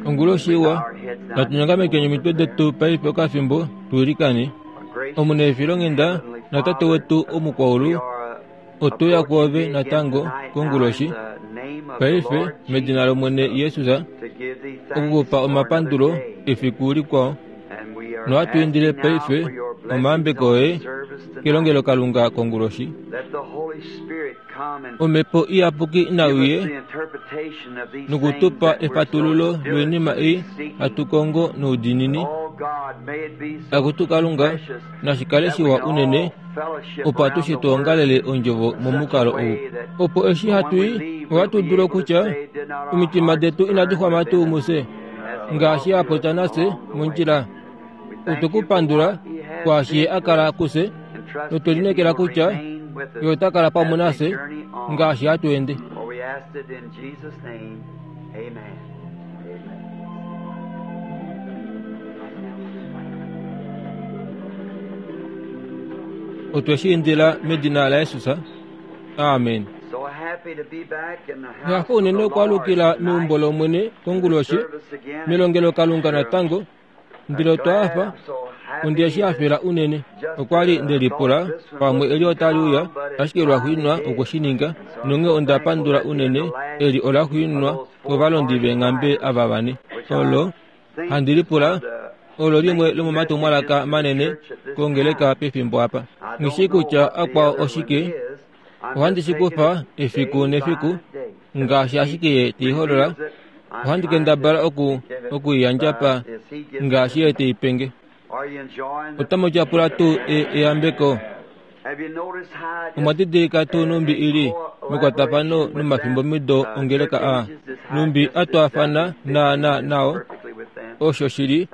Onguloshi iwa, natu nyongamekeni omitwe detu paife okafimbo tuilikane. Omuneefilonghenda naTate wetu omukwaulu, otuya kwoove natango konguloshi, paife medina lOmwene Jesus, okukupa omapandulo efiku likwao. Nohatu indile paife omayambeko oye kelongelokalunga konguloshi. Omhepo Iyapuki nai uye noku tu pa efatululo loinima ei hatu kongo noudiinini. Akutu Kalunga, nashi kale shiwa unene opo atushe tu ongalele ondjovo momukalo ou, opo eshi hatu i, ohatu dulu okutya, Omitima detu inadi xwama tuu mufye, ngaashi a popya nafye mondjila. Otwe ku pandula kwaashi ye a kala kufye, notwe lineekela kutya ye ota kala pamwe nafye ngaashi hatu ende. Otwe shi indila medina laJesus. Amen. Hafa unene okwaalukila meumbo lOmwene konguloshi, melongelokalunga natango, Ndele otwa hafa, onde shi hafela unene. Okwa li nde lipula pamwe eli otali uya, ashike lwaxuuninwa okwe shi ninga, nonghee onda pandula unene. Eli ola xuuninwa kovalondi veenghambe ava vane. Olo, handi lipula, olo limwe lomomatumwalaka manene kongeleka pefimbo apa. Nghi shii kutya akwao oshike, Ohandi shi kufa efiku nefiku, ngaashi ashike Ye te i holola. Ohandi kendabala oku, oku i yandja pa, ngaashi Ye te i penge. Otamu tyapula tuu e, eyambeko? Omwa didilika tuu nhumbi i li mekwatafano nomafimbomido ongeleka aa, nhumbi a twaafana naanaa nao? Osho shi li,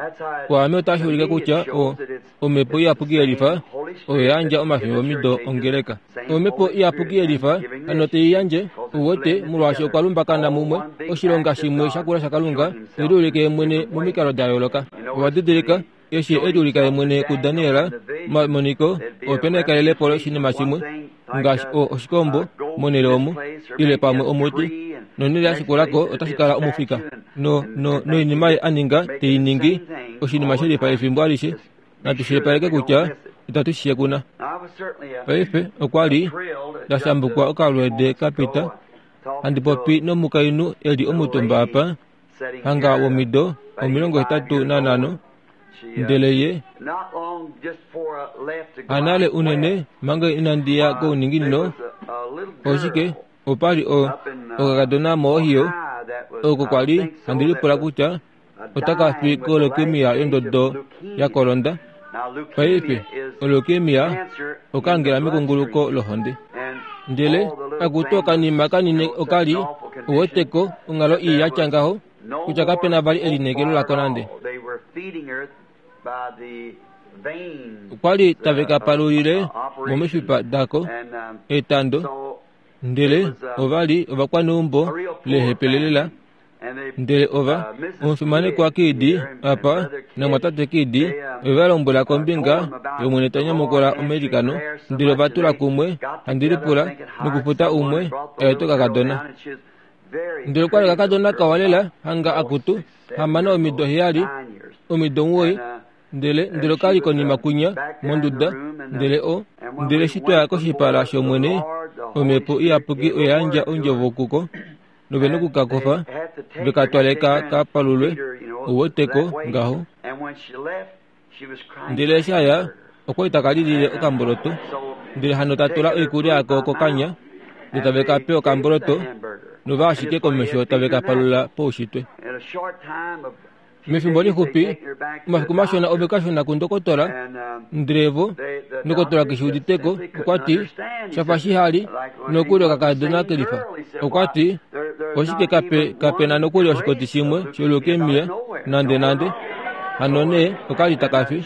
kwaame otashi ulike kutya o, Omhepo Iyapuki yelifa oyo ya yandja omafimbomido ongeleka. Omhepo Iyapuki yelifa hano te i yandje, uwete, molwaashi okwa lumbakana mumwe oshilonga shimwe shakula shaKalunga, te liulike ye mwene momikalo da yooloka. Owa didilika, eshi e liulika ye mwene kuDaniel momamoniko, ope na ekalelepo loshinima shimwe, ngaashi o, oshikombo, monhele omu, ile pamwe omuti, nonhele ya shikula ko otashi kala omufika. No, no, noinima ye a ninga, te i ningi, oshinima she lifa efimbo alishe. Natu shilipaleke kutya itatu shi shekuna. Paife, okwa li nda shambukwa okalweede ka pita, handi popi nomukainhu e li omutumba apa, hanga womido 85, ndele ye hanale unene manga inandi ya kouninginino, oshike, opa li o, okakadona moOhio, oko kwa li handi lipula kutya otaka fi koleukemia yondodo ya kolonda. Paife, oleukemia okangela mekunguluko lohonde. Ndele akutu okanima kanini oka li uweteko onghalo ii ya tya ngaho kutya kape na vali elineekelo lako nande. Okwa li tave ka palulile momifipa dako etando, ndele ova li ovakwaneumbo lehepelelela. Ndele ova, omufimanekwa Kidd apa namwatate Kidd, ove va lombwela kombinga yOmwene ta nyamukula omailikano, ndele ova tula kumwe, handi lipula, nokufuta umwe a ete okakadona. Ndele okwa li okakadona kawa lela, hanga akutu, hamana omido 7, omido 9, Ndele, ndele oka li konima kwinya, monduda, ndele o, ndele eshi twa ya koshipala shOmwene, Omhepo Iyapuki oya yandja ondjovo kuko, nove noku ka kofa, ve ka twale ka ka palulwe, ou weteko, ngaho. Ndele eshi a ya, okwa li taka lilile okamboloto, ndele hano ta tula oikulya yako kokanya, ndele tave ka pe okamboloto, nova ashike komesho tave ka palula poushitwe. Mefimbo lixupi, omafiku mashona ove ka shuna kundokotola, ndele vo, ndokotola keshi uditeko, okwa ti, Sha fa shihali, nokuli okakadona kelifa. Okwa ti, Oshike kape, kape na nokuli oshikoti shimwe sholeukemia, nande nande. Hano nee, oka li taka fi.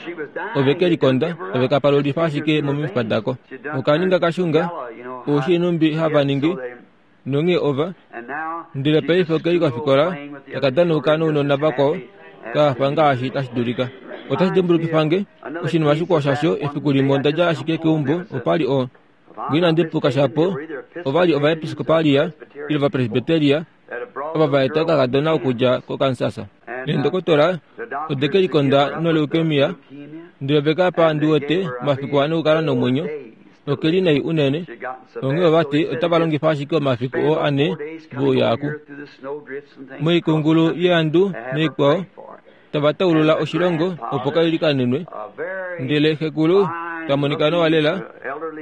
Ove ke likonda, ove ka palulifa ashike momifipa dako. Oka ninga kashunga, ou shii nhumbi hava ningi. Nonghee ova, ndele paife oke li kofikola, taka danauka nounona vakwao, ka hafa ngaashi tashi dulika. Otashi dimbulukifa nge, oshinima shikwao shasho, efiku limwe onda dja ashike keumbo, opa li o, nge inandi puka shapo, ova li Ovaepiskopalia, ile Ovapresbiteria, Ova va eta okakadona okudja koKansas. Neendokotola ode ke likonda noleukemia, ndele ove ka pa ndi wete omafiku ane okukala nomwenyo. Oke li nai unene. Onghee ova ti otava longifa ashike omafiku oo ane vouya oku. Moikungulu yeandu naikwao, tava taulula oshilongo opo ka ilikanenwe. Ndele xekulu ta monika nawa lela,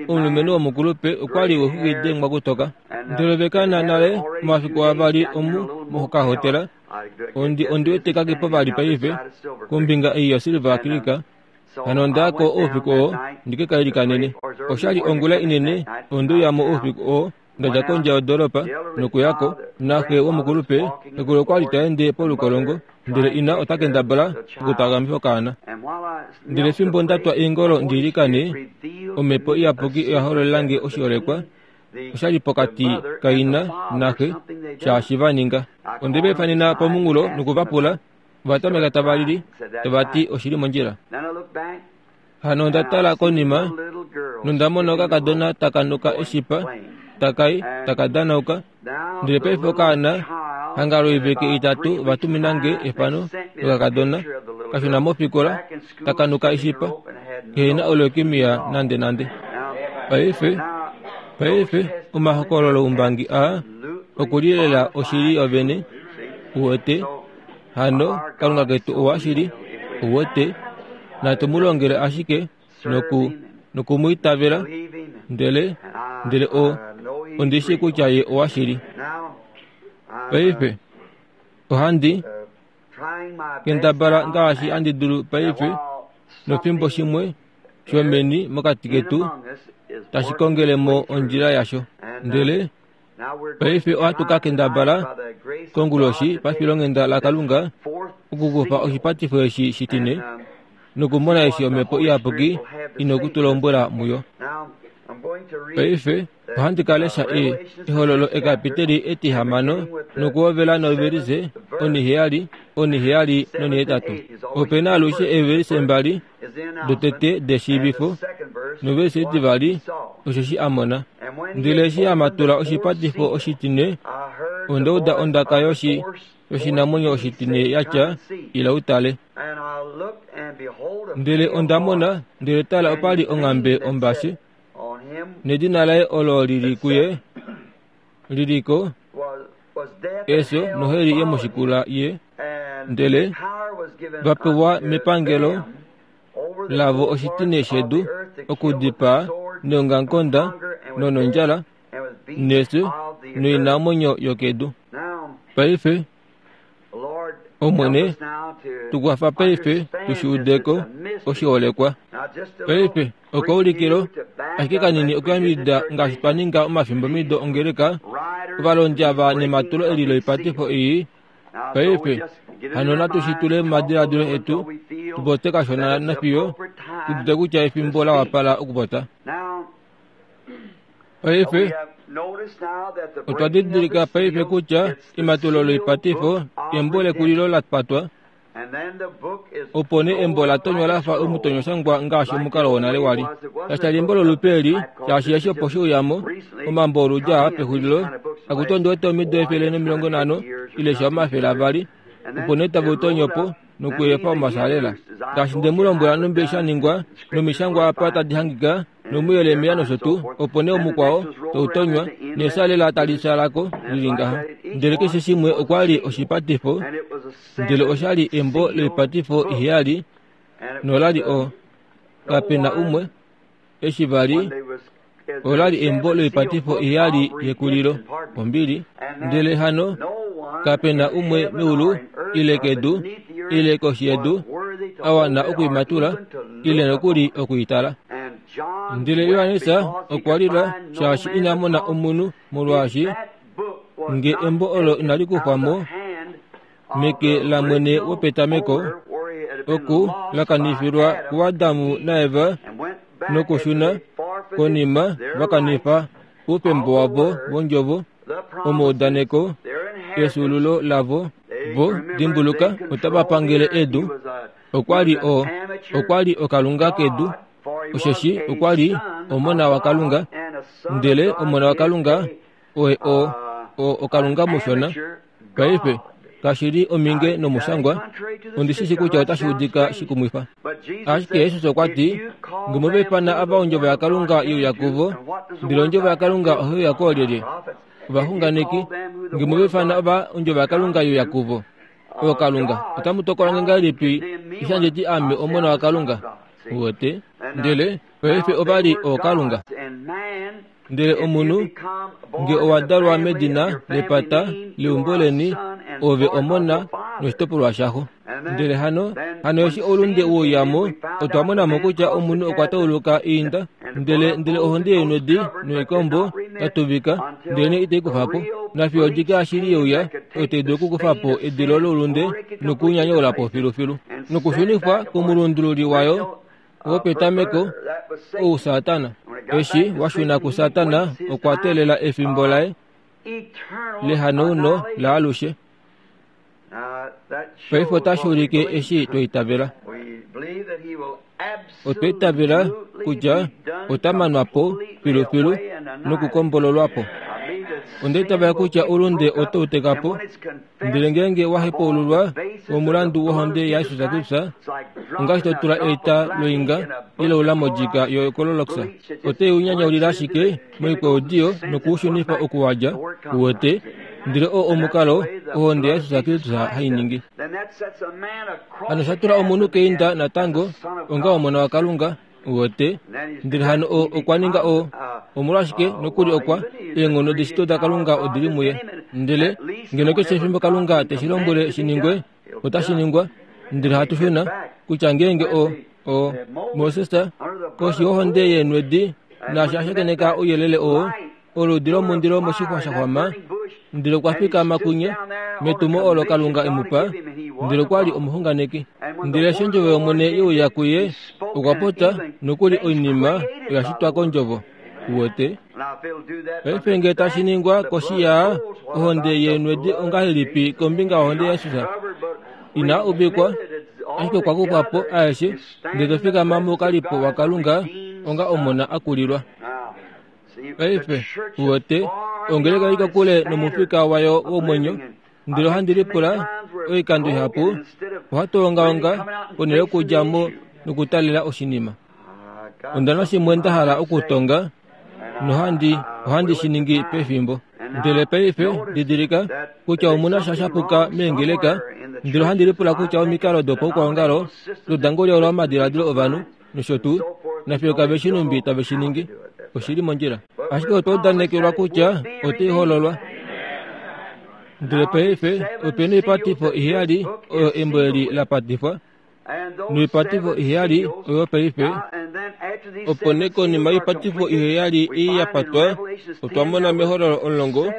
omulumenhu womukulupe okwa li wexuki dengwa kutoka. Ndele ove ka na nale omafiku avali omu mokahotela. Ondi ondi wete kake po vali paife kombinga ei yoSilver Creek. Hano onda ya ko oufiku oo ndi ke ka ilikanene. Osha li ongula inene, onde uya mo oufiku oo nda dja kondje yodoolopa nokuya ko. Naxe womukulupe xekulu okwa li ta ende polukolongo, ndele ina ota kendabala okutaagamifa okaana. Ndele fimbo nda twa eengolo ndi ilikane, Omhepo Iyapuki oya hololela nge oshiholekwa osha li pokati kaina naxe shaashi va ninga. Onde va ifanena pomunghulo noku va pula, ova tameka tava lili, tava ti oshi li mondjila. Hano onda tala konima nonda mona okakadona taka nuka eshipa, taka i, taka danauka. Ndele paife okaana hanga loiveke itatu va tumina nge efano lokakadona ka shuna mofikola taka nuka eshipa, kehe na oleukemia nandenande. Paife, paife omahokololoumbangi aa oku li lela oshili yovene, uwete. Hano Kalunga ketu owa shili, uwete. Natu mu longele ashike noku noku mu itavela, ndele ndele o ondi shii kutya ye owa shili. Paife ohandi kendabala ngaashi handi dulu paife, nofimbo shimwe shomeni mokati ketu tashi kongele mo ondjila yasho. Ndele Paife ohatu ka kendabala konguloshi pafilonghenda laKalunga okukufa oshipatifo eshi shitine nokumona eshi Omhepo Iyapuki i noku tu lombwela muyo. Paife ohandi ka lesha e, Ehololo ekapiteli etihamano nokuhovela novelise oniheyali, oniheyali nonihetatu. Ope na alushe eevelise mbali dotete deshiivifo novelise itivali osheshi a mona. Ndele eshi a matula oshipatifo oshitine, onda uda ondaka yoshi yoshinamwenyo oshitine ya tya, Ila u tale. Ndele onda mona, ndele tala opa li onghambe ombashe, nedina laye olo li li kuye li li ko, efyo noheli ye mu shikula ye, ndele va pewa mepangelo lavo oshitine shedu okudipaa neongamukonda nonondjala nefyo noinamwenyo yokedu. Paife, Omwene, tu kwafa paife tu shi ude ko oshiholekwa. Paife, okaulikilo ashike kanini okuyambidida ngaashi twa ninga omafimbomido ongeleka, ovalondi ava nematulo eli loipatifo ii. Paife, hano natu shi tule momadiladilo etu, tu pote kashona nafiyo tu dute kutya efimbo la wapala okupota. Paife, otwa didilika paife kutya ematulo loipatifo embo lekulilo la patwa, Opo nee embo ola tonywa la fa omutonyoshangwa ngaashi omukalo wonale wa li. Kasha li embo lolupe eli, shaashi eshi opo she uya mo, omambo oludi aa pexulilo, akutu ondi wete omido 150 ile sha 200, opo nee tave u tonyo po nokuefa omasalela. Ngaashi nde mu lombwela nhumbi sha ningwa, nomishangwa apa tadi hangika, nomuYeremia nosho tuu, opo nee omukwao tau tonywa, nesalela tali shala ko li li ngaha. Ndele keshe shimwe okwa li oshipatifo, ndele osha li embo loipatifo iheyali, nola li o, kape na umwe, eshi va li, ola li embo loipatifo iheyali yekulilo, ombili. Ndele hano kape na umwe meulu ile kedu ile koshi yedu a wana okuimatula ile nokuli okuitala. Ndele Johannes okwa lila shaashi ina mona omunhu, molwaashi nge embo olo inali kufwa mo meke lamwene wopetameko, oku la kanifilwa kuAdamu naEva nokushuna konima va kanifa oufemba wavo wondjovo, omaudaneko efyuululo lavo. Vo, dimbuluka, otava pangele edu. Okwa li o, okwa li okalunga kedu, osheshi okwa li omona waKalunga. Ndele omona waKalunga oye o, o, okalunga mushona. Paife, kashi li ominge nomushangwa, ondi shi shi kutya otashi udika shikumwifa. Ashike Jesus okwa ti, Nge mu va ifana ava ondjovo yaKalunga ye uya kuvo, ndele ondjovo yaKalunga ohai uya koolyelye? Ovaxunganeki. Nge mu va ifana ava ondjovo yaKalunga ye uya kuvo, ookalunga, otamu tokola nge ngahelipi eshi handi ti Ame Omona waKalunga? Uwete? Ndele paife ova li ookalunga. Ndele omunhu nge owa dalwa medina lepata leumbo leni, ove omona noshitopolwa shaxo. Ndele hano, hano eshi oulunde we uya mo, otwa mona mo kutya omunhu okwa tauluka iinda, ndele, ndele ohonde yeenwedi noikombo ya tuvika, ndelenee itai kufa po. Nafiyo odike yashili ye uya, oyo tai dulu okukufa po edilo loulunde noku u nyanyaula po filufilu, nokushunifwa komulundululi wayo wopetameko, ou Satana. Eshi wa shuna kuSatana, okwa teelela efimbo laye lehanauno laalushe. Paife otashi ulike eshi twa itavela. Otwa itavela kutya ota manwa po filufilu nokukombololwa po. Onda itavela kutya oulunde otau teka po, ndele ngeenge wa hepaululwa omulandu wohonde yaJesus Kristus, ongaashi to tula eita loinga ile ula modjika yokololox, otai u nyanyaulile ashike moikwaudiyo noku u shunifa oku wa dja, uwete, ndele oo omukalo ohonde yaJesus Kristus hai ningi. Hano sha tula omunhu keinda natango onga omona waKalunga, uwete, ndele hano o, okwa ninga o, omolwashike nokuli okwa, eenghono deshito daKalunga odi li muye. Ndele ngeno keshe efimbo Kalunga te shi lombwele shi ningwe, otashi ningwa. Ndele hatu shuna, kutya ngeenge o, o, Moses, koshi yohonde yeenwedi, naashi a shakeneka ouyelele oo, oludi lomundilo moshixwa sha xwama, ndele okwa fikama kunye, metumo olo Kalunga e mu pa, ndele okwa li omuxunganeki. Ndele eshi ondjovo yOmwene ye uya kuye, okwa popya nokuli oinima oya shitwa kondjovo. Uwete? Paife nge tashi ningwa koshi ya ohonde yeenwedi ongahelipi kombinga yohonde yaJesus? Ina uvikwa, ashike okwa kufwa po aeshe, ndele to fikama moukalipo waKalunga onga omona a kulilwa. Paife, uwete, ongeleka oi kokule nomufika wayo womwenyo, ndele ohandi lipula oikando ihapu ohatu ongaonga ponhele yokudja mo nokutalela oshinima. Onda na shimwe nda hala okutonga, nohandi, ohandi shi ningi pefimbo. Ndele paife, didilika, kutya omu na sha shapuka meengeleka, ndele ohandi lipula kutya omikalo dopaukwaongalo dodangolyaula omadiladilo ovanhu, nosho tuu, nafiyo kave shi numbi tave shi ningi. Oshi li mondjila. Ashike otwa udanekelwa kutya otai hololwa. Ndele paife ope na oipatifo iheyali oyo embo eli la patifwa, noipatifo iheyali oyo paife. Opo nee konima yoipatifo iheyali ei ya patwa, otwa mona mEhololo omulongo,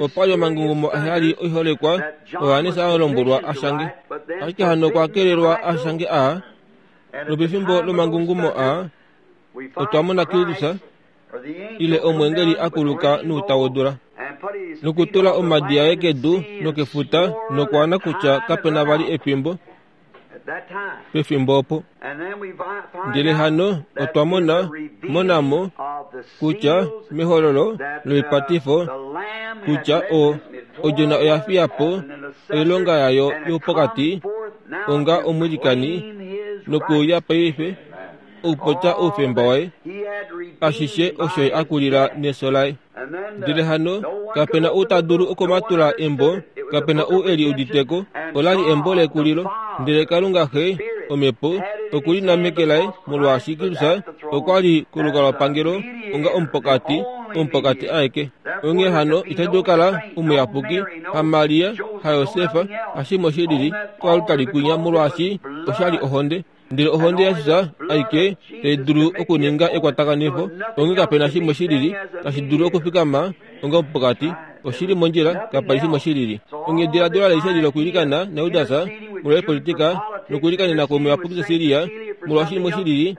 opa li omangungumo aheyali oiholekwa Johannes a lombwelwa a shange. Ashike hano okwa kelelwa a shange aa, Nopefimbo lomangungumo aa, otwa mona Kristus, ile omweengeli a kuluka nouta wodula, nokutula omadi aye kedu nokefuta nokwaana kutya kape na vali efimbo pefimbo opo. Ndele hano otwa mona, mona mo, kutya mehololo loipatifo, kutya o, Odjona oya fiya po oilonga yayo youpokati onga omwilikani nokuuya paife okupopya oufemba waye, ashishe osho ye a kulila neso laye. Ndele hano kape na ou ta dulu okumatula embo, kape na ou e li udite ko. Ola li embo lekulilo. Ndele Kalunga Xe, Omhepo, oku li na meke laye, molwaashi Kristus okwa li kolukalwapangelo onga omupokati, omupokati aeke. Onghee hano ita dulu kala omuyapuki, haMaria, haJosef, hashimwe shi lili, koaltari kwinya, molwaashi osha li ohonde. Ndele ohonde yaJesus aike tai dulu okuninga ekwatakanifo, onghee kape na shimwe shi lili tashi dulu okufikama onga omupokati. Oshi li mondjila, kapa li shimwe shi lili. Onghee diladilo alishe li lokwiilikana naJudas molwoipolitika nokwiilikanena kwomuyapuki Cecilia molwashinima shi lili,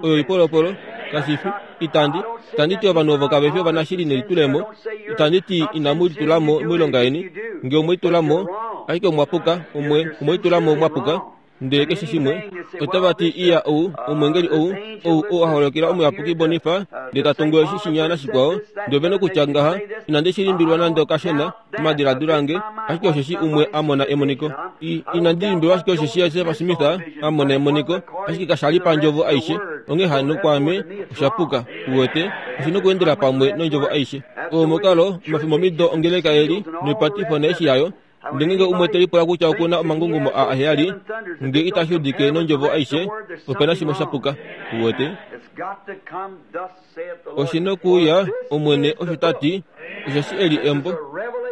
oyo oipolopolo, kashi fi. Itandi, itandi ti ovanhu ovo kave fi ovanashili nelitulemo, itandi ti inamu litula mo moilonga yeni. Nge omwe litula mo, ashike omwa puka, omwe, omwe litula mo mwa puka. Ndele keshe shimwe, otava ti, Iya, ou, omwengeli ou, ou, ou a holokela omuyapuki Bonifa, ndele ta tungu eshi shinya nashikwao, ndele ove nokutya ngaha, Inandi shi limbilwa nande okashona, omadiladilo ange, ashike osheshi umwe a mona emoniko. I, inandi limbilwa ashike osheshi Joseph Smith a mona emoniko, ashike kasha li pandjovo aishe. Onghee hano kwaame, osha puka. Uwete, oshi nokuendela pamwe nondjovo aishe. Oo omukalo, omafimbomido ongeleka e li, noipatifo naishi yayo, Ndele ngeenge umwe te lipula kutya oku na omangungumo aa aheyali, nge itashi udike nondjovo aishe, ope na shimwe sha puka. Uwete? Oshi nokuuya, Omwene osho ta ti, osheshi eli embo,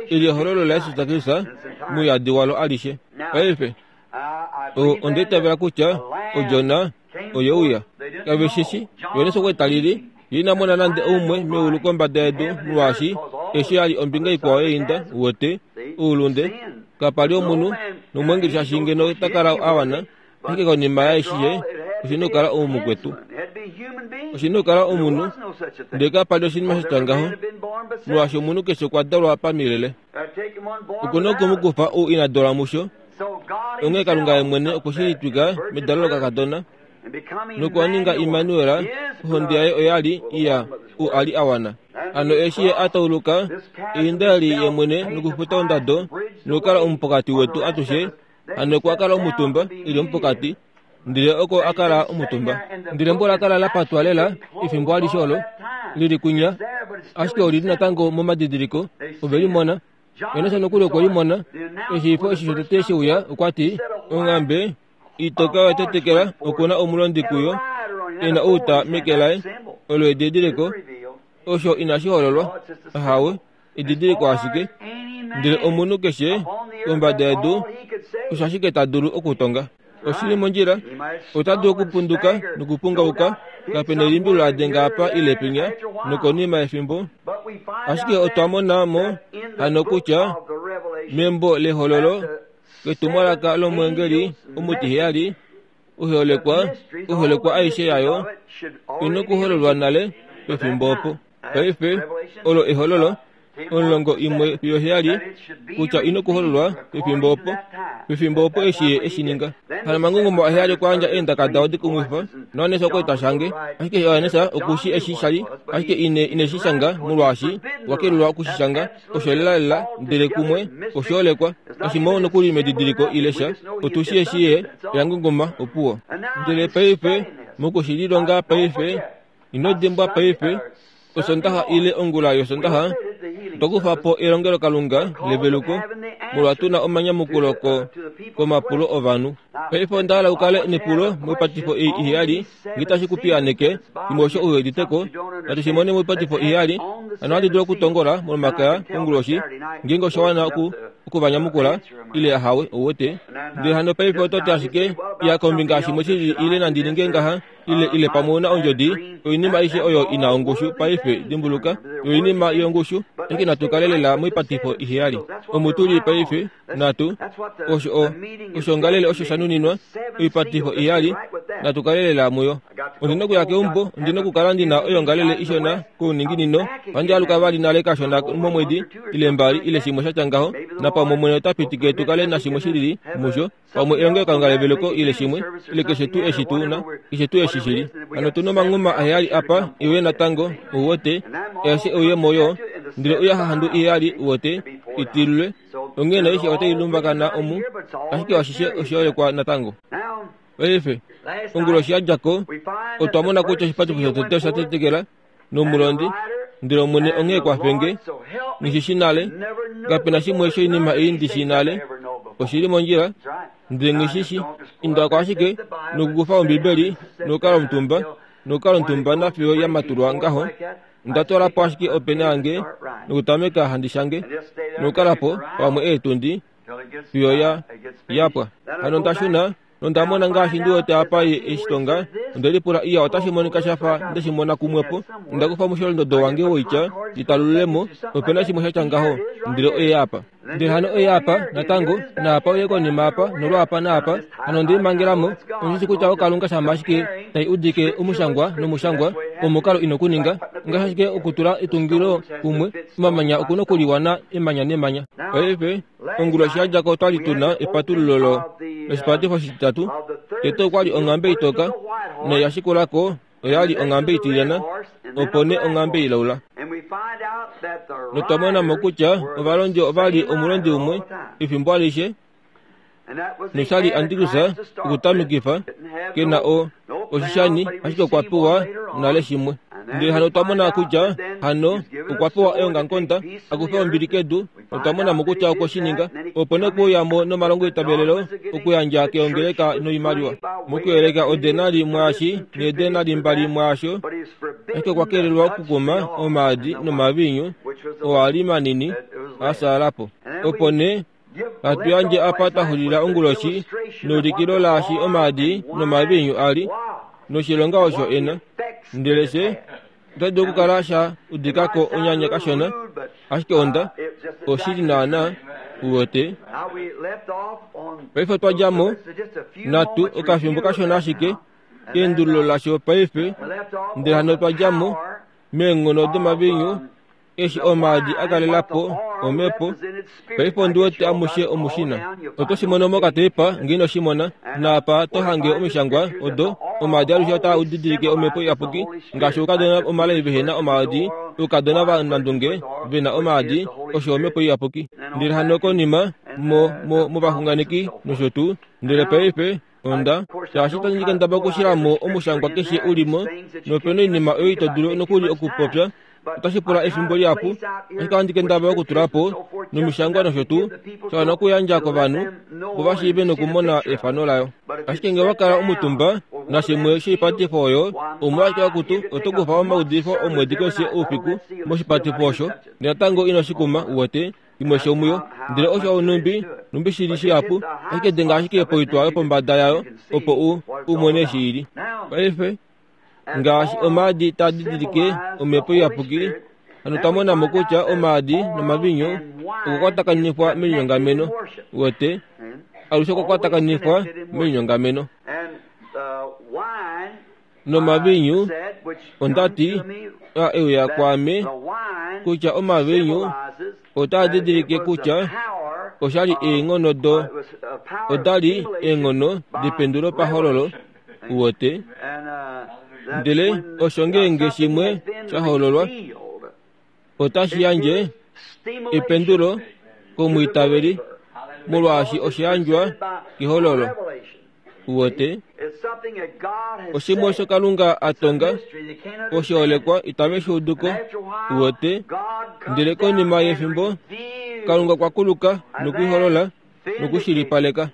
eli ehololo laJesus Kristus mouyadi walo alishe. Paife, o, onda itavela kutya Odjona oye uya. Kave shi shi, Johannes okwa li ta lili, ye ina mona nande oumwe meulu kombada yedu molwaashi eshi ya li ombinga ikwao yeinda, uwete, oulunde. Kapa li omunhu, nomweengeli shaashi ngeno ta kala a wana, ashike konima yaeshishe oshi na okukala oumukwetu. Oshi na okukala omunhu, ndele kapa li oshinima sha tya ngaho, molwaashi omunhu keshe okwa dalwa pamilele. Oku na oku mu kufa ou ina dalwa musho. Onghee Kalunga ye mwene okwe shi litwika medalo lokakadona, nokwa ninga Immanuel, ohonde yaye oya li iya u a li a wana. Hano eshi ye a tauluka einda eli ye mwene nokufuta ondado nokukala omupokati wetu atushe, hano okwa kala omutumba e li omupokati, ndele oko a kala omutumba. Ndele embo ola kala la patwa lela efimbo alishe olo li li kwinya, ashike oli li natango momadidiliko, ove li mona. Jonas nokuli okwe li mona. Eshi ifo eshi shotete she uya, okwa ti, Onghambe itoka oya tetekela, oku na omulondi kuyo, e na outa meke laye. Olo edidiliko. Osho inashi hololwa. Ahawe, edidiliko ashike. Ndele omunhu keshe kombada yedu osho ashike ta dulu okutonga. Oshi li mondjila, ota dulu okupunduka nokupungauka, kape nelimbi la denga apa ile pinya, nokonima yefimbo. Ashike otwa mona mo hano kutya membo lEhololo, ketumwalaka lomweengeli omutiheyali, oiholekwa, oiholekwa aishe yayo i nokuhololwa nale pefimbo opo. Paife, olo ehololo, omulongo imwe fiyo heyali, kutya ino kuhololwa pefimbo opo, pefimbo opo eshi ye eshi ninga. Hano omangungumo aheyali okwa yandja eendaka dao dikumwifa, naJohannes okwa li ta shange, ashike Johannes oku shi eshi sha li, ashike ine, ine shi shanga molwaashi okwa kelelwa oku shi shanga, osho lelalela, ndele kumwe oshoolekwa, kashi mo nokuli medidiliko ile sha, otu shi eshi ye ya ngunguma, opuwo. Ndele paife, moku shi lilonga paife, Ino dimbwa paife, Osondaha ile ongula yOsondaha, otwa kufa po elongelokalunga leveluko molwa tu na omanyamukulo ko, komapulo ovanhu. Paife onda hala u kale nepulo moipatifo ei iheyali, nge itashi ku piyaaneke, shimwe osho u udite ko. Natu shi mone moipatifo iheyali, hano ohandi dulu okutongola mOlomakaya konguloshi, ngeenge osha wana oku, oku va nyamukula, ile ahawe, ou wete. Ndele hano paife oto ti ashike, Iya kombinga yashimwe shilili ile nandi ninge ngaha, ile ile pamwe una ondjodi oinima aishe oyo ina ongushu paife dimbuluka oinima yongushu ashike natu kale lela moipatifo iheyali omu tu li paife natu osho o oshongalele osho sha nuninwa oipatifo iheyali natu kale lela muyo ondi na okuya keumbo ondi na okukala ndi na oyongalele ishona kouninginino ohandi aluka vali nale kashona momwedi ile mbali ile shimwe sha tya ngaho napamwe omwene ota pitike tu kale nashimwe shilili musho pamwe elongelokalunga leveluko ile shimwe ile keshe tuu eshi tu na keshe tuu eshi shili hano tu nomanghuma aheyali apa iwe natango uwete eshi uye moyo ndele uya hahandu iheyali uwete itilulwe onghee naishi otai lumbakana omu ashike ashishe oshoolekwa natango paife onguloshi ya dja ko otwa mona kutya oshipatifo shotete osha tetekela nomulondi ndele Omwene onghee kwafe nge nghi shi shi nale kape na shimwe shoinima ei ndi shi nale oshi li mondjila ndele nghi shi shi inda ko ashike nokukufa ombibeli nokukala omutumba nokukala omutumba nafiyo ya matulwa ngaho nda twala po ashike opena yange nokutameka handi shange nokukala po pamwe eetundi fiyo ya ya pwa hano nda shuna nonda mona ngaashi ndi wete apa ye eshi tonga onde lipula iya otashi monika sha fa nde shi mona kumwepo onda kufa omusholondodo wange woitya ndi talulule mo nope na shimwe sha tya ngaho ndele oye apa. Ndele hano oye apa, natango, naapa oye konima apa, nolwaapa naapa. Hano onde limangela mo. Ondi shi kutya oKalunga shamha ashike tai udike omushangwa nomushangwa, omukalo ino ku ninga. Ngaashi ashike okutula etungilo kumwe, omamanya oku nokuliwana emanya nemanya. Paife, onguloshi ya dja ko otwa li tu na epatululo lo, loshipatifo oshititatu. Tete okwa li onghambe itoka, nai ya shikula ko oya li onghambe itilyana, opo nee onghambe ilaula. Notwa mona mo kutya ovalondi ova li omulondi umwe efimbo alishe, nosha li Antikus okutamekifa ke na o oshishani, ashike okwa pewa nale shimwe. Ndele hano otwa mona kutya hano okwa pewa eongamukonda a kufe ombili kedu, notwa mona mo kutya okwe shi ninga. Opo nee okwe uya mo nomalongo eitavelelo okuyandja keongeleka noimaliwa, mokuyeleka odenari mwaashi needenari mbali mwaasho, ashike okwa kelelwa okukuma omaadi nomaviinyu oo a li manini a fyaala po. Opo nee hatu yandje apa twa xulila onguloshi neulikilo laashi omaadi nomaviinyu a li noshilonga osho e na. Ndele fye ota dulu okukala sha udika ko onyanya kashona, ashike onda oshili naanaa, uwete. Paife otwa dja mo natu okafimbo kashona ashike keendululo lasho paife, ndele hano otwa dja mo meenghono domaviinyu Eshi omaadi a kalela po omhepo, paife ondi wete amushe omushina. Oto shi mono mokateipa nge ino shi mona. Naapa to hange omishangwa odo, omaadi alushe otaa didilike omhepo iyapuki, ngaashi oukadona omalai vehe na omaadi, oukadona vanandunge ve na omaadi, osho omhepo iyapuki. Ndele hano konima, mo, mo, movaxunganeki nosho tuu. Ndele paife, Onda, shaashi itandi kendaba okushila mo omushangwa keshe u li mo, nope na oinima oyo ito dulu nokuli okupopya, otashi pula efimbo lihapu, ashike ohandi kendabala okutula po nomishangwa nosho tuu, sha wana okuyandja kovanhu opo va shiive nokumona efano layo. Ashike nge wa kala omutumba nashimwe shoipatifo oyo, umwe ashike akutu, oto kufa omaudifo omwedi keshe oufiku moshipatifo osho, natango ino shi kuma, uwete. Imwe shomuyo, ndele osho nhumbi, nhumbi shi li shihapu, ashike denga ashike poitwa yopombada yayo opo u, u mone eshi i li. Paife, ngaashi omaadi taa didilike Omhepo Iyapuki, hano twa mona mo kutya omaadi nomaviinyu okwa kwatakanifwa melinyongameno. Uwete, alushe okwa kwatakanifwa melinyongameno. Nomaviinyu, onda ti, a e uya kwaame, kutya omaviinyu otaa didilike kutya osha li eenghono do, oda li eenghono dependulo pahololo, uwete. Ndele osho ngeenge shimwe sha hololwa, otashi yandje ependulo komwiitaveli, molwaashi osha yandjwa kehololo. Uwete, oshimwe osho Kalunga a tonga, oshiholekwa itave shi udu ko. Uwete, ndele konima yefimbo, Kalunga okwa kuluka nokuiholola nokushilipaleka.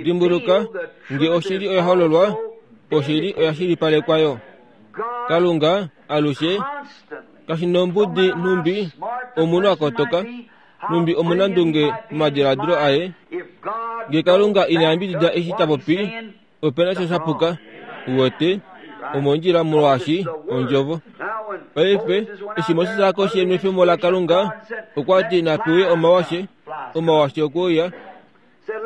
Dimbuluka, nge oshili oya hololwa, oshili oya shilipalekwa yo. Kalunga alushe kashi nombudi nhumbi omunhu a kotoka, nhumbi omunandunge momadiladilo aye. Nge Kalunga ina yambidida eshi ta popi, ope na sha sha puka. Uwete, omondjila molwaashi Ondjovo. Paife, eshi Moses a koshi enwefemo laKalunga, okwa ti napewe omawashe, omawashe okwe uya.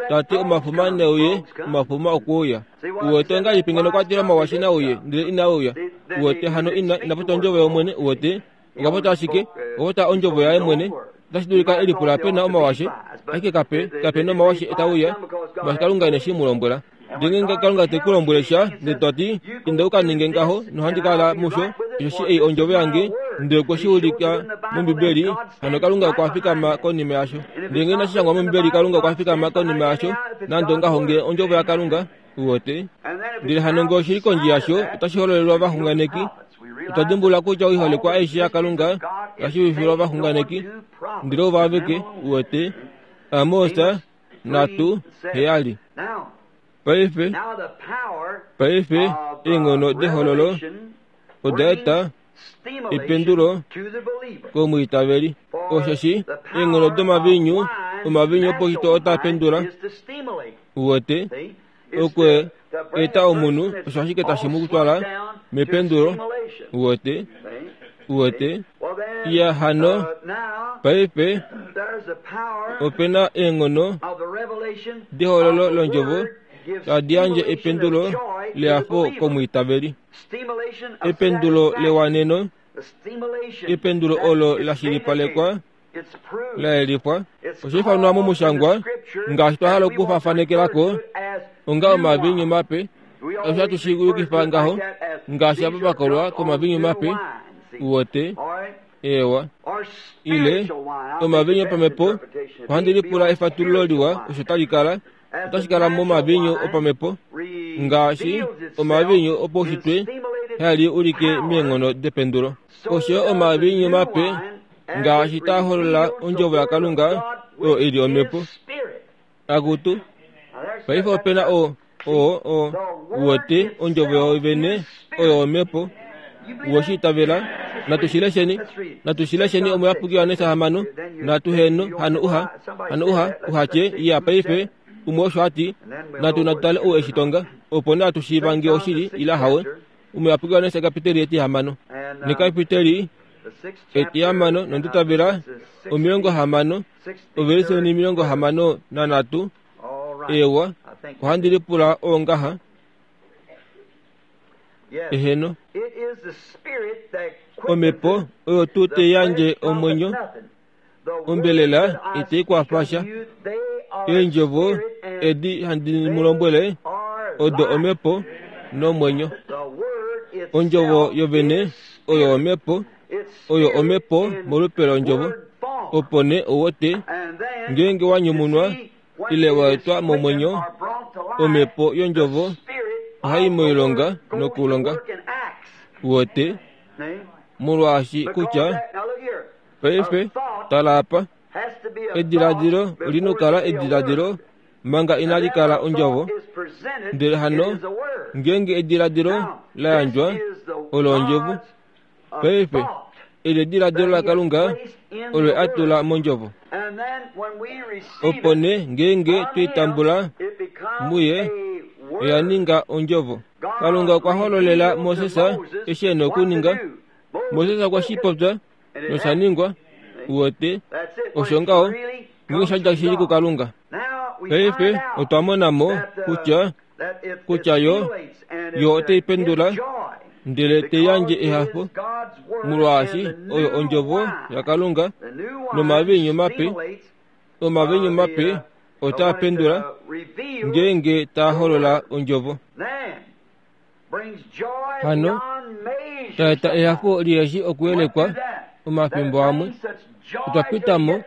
Ta ti omafuma ne uye, omafuma okwe uya. Uwete ongahelipi ngeno kwa tile omawashe na uye, ndele inaa uya? Uwete, hano ina, ina popya Ondjovo yOmwene, uwete. Okwa popya ashike, okwa popya ondjovo yaye mwene. Otashi dulika e lipula pe na omawashe, ashike kape, kape na omawashe e uya, molwaashi Kalunga ine shi mu lombwela. Ndele ngeenge Kalunga te ku lombwele sha, ndele to ti, Inda u ka ninge ngaho, nohandi kala musho, osheshi ei ondjovo yange, ndele okwe shi ulika mOmbibeli, hano Kalunga okwa fikama konima yasho. Ndele ngee inashi shangwa mOmbibeli, Kalunga okwa fikama konima yasho, nande ongaho ngee ondjovo yaKalunga, Uwete? Ndele hano ngee oshi li kondje yasho, otashi hololelwa ovaxunganeki. Otwa dimbulula kutya oiholekwa aishe yaKalunga oya shiivifilwa ovaxunganeki, ndele ovo aveke, uwete, Amos 3, 7. Paife, paife eenghono dehololo oda eta ependulo komwiitaveli. Osheshi eenghono domaviinyu, omaviinyu oposhito otaa pendula, uwete, okwe eta omunhu, osho ashike tashi mu twala mependulo, uwete, uwete. Iya hano, paife ope na eenghono dehololo londjovo tadi yandje ependulo lehafo komwiitaveli. Ependulo lewaneno, ependulo olo la shilipalekwa, la yelifwa. Osha ifanwa momushangwa ngaashi twa hala okufafanekela ko onga omaviinyu mape. Osho hatu shi yukifa ngaho ngaashi ava va kolwa komaviinyu mape, uwete, eewa, ile omaviinyu opamhepo. Ohandi lipula efatululo liwa osho tali kala. Otashi kala momaviinyu opamhepo ngaashi omaviinyu opaushitwe hali ulike meenghono dependulo. Osho yo omaviinyu mape ngaashi taa holola ondjovo yaKalunga oyo i li omhepo. Akutu, paife ope na o, o, o, uwete, ondjovo yoovene oyo omhepo. Uwe shi itavela? Natu shi lesheni. Natu shi lesheni Omuyapuki Johannes hamano. Natu heno, hano uha, hano uha, uha tye, iya paife, umwe osho a ti, natu natu tale ou e shi tonga, opo nee atu shiiva ngee oshili, ile ahawe. Omuyapuki Johannes ekapiteli etihamano. Nekapiteli etihamano nonditavela 60, ovelise 63. Eewa, ohandi lipula oo ngaha. Eheno. Omhepo oyo tuu tai yandje omwenyo, ombelela itai kwafa sha. Eendjovo edi handi mu lombwele odo omhepo nomwenyo. Ondjovo yovene oyo omhepo, oyo omhepo molupe londjovo. Opo nee owote, ngeenge wa nyumunwa ile wa etwa momwenyo, omhepo yondjovo ohai moilonga nokulonga. Uwete? Molwaashi kutya paife, tala apa, ediladilo oli nokukala ediladilo manga inali kala ondjovo. Ndele hano ngeenge ediladilo la yandjwa, olo ondjovo. Paife, eli ediladilo laKalunga olo a tula mondjovo. Opo nee ngeenge twe i tambula muye, oya ninga ondjovo. Kalunga okwa hololela Moses eshi e na okuninga. Moses okwa shi popya, nosha ningwa. Uwete, osho ngaho, ngeenge sha dja shili kuKalunga. Paife otwa mona mo kutya kutya yo, yo otai pendula ndele te yandje ehafo, molwaashi oyo ondjovo yaKalunga nomaviinyu mape, omaviinyu mape otaa pendula ngeenge taa holola ondjovo. Hano, ta eta ehafo liheshi okuyelekwa omafimbo amwe. Otwa pita mo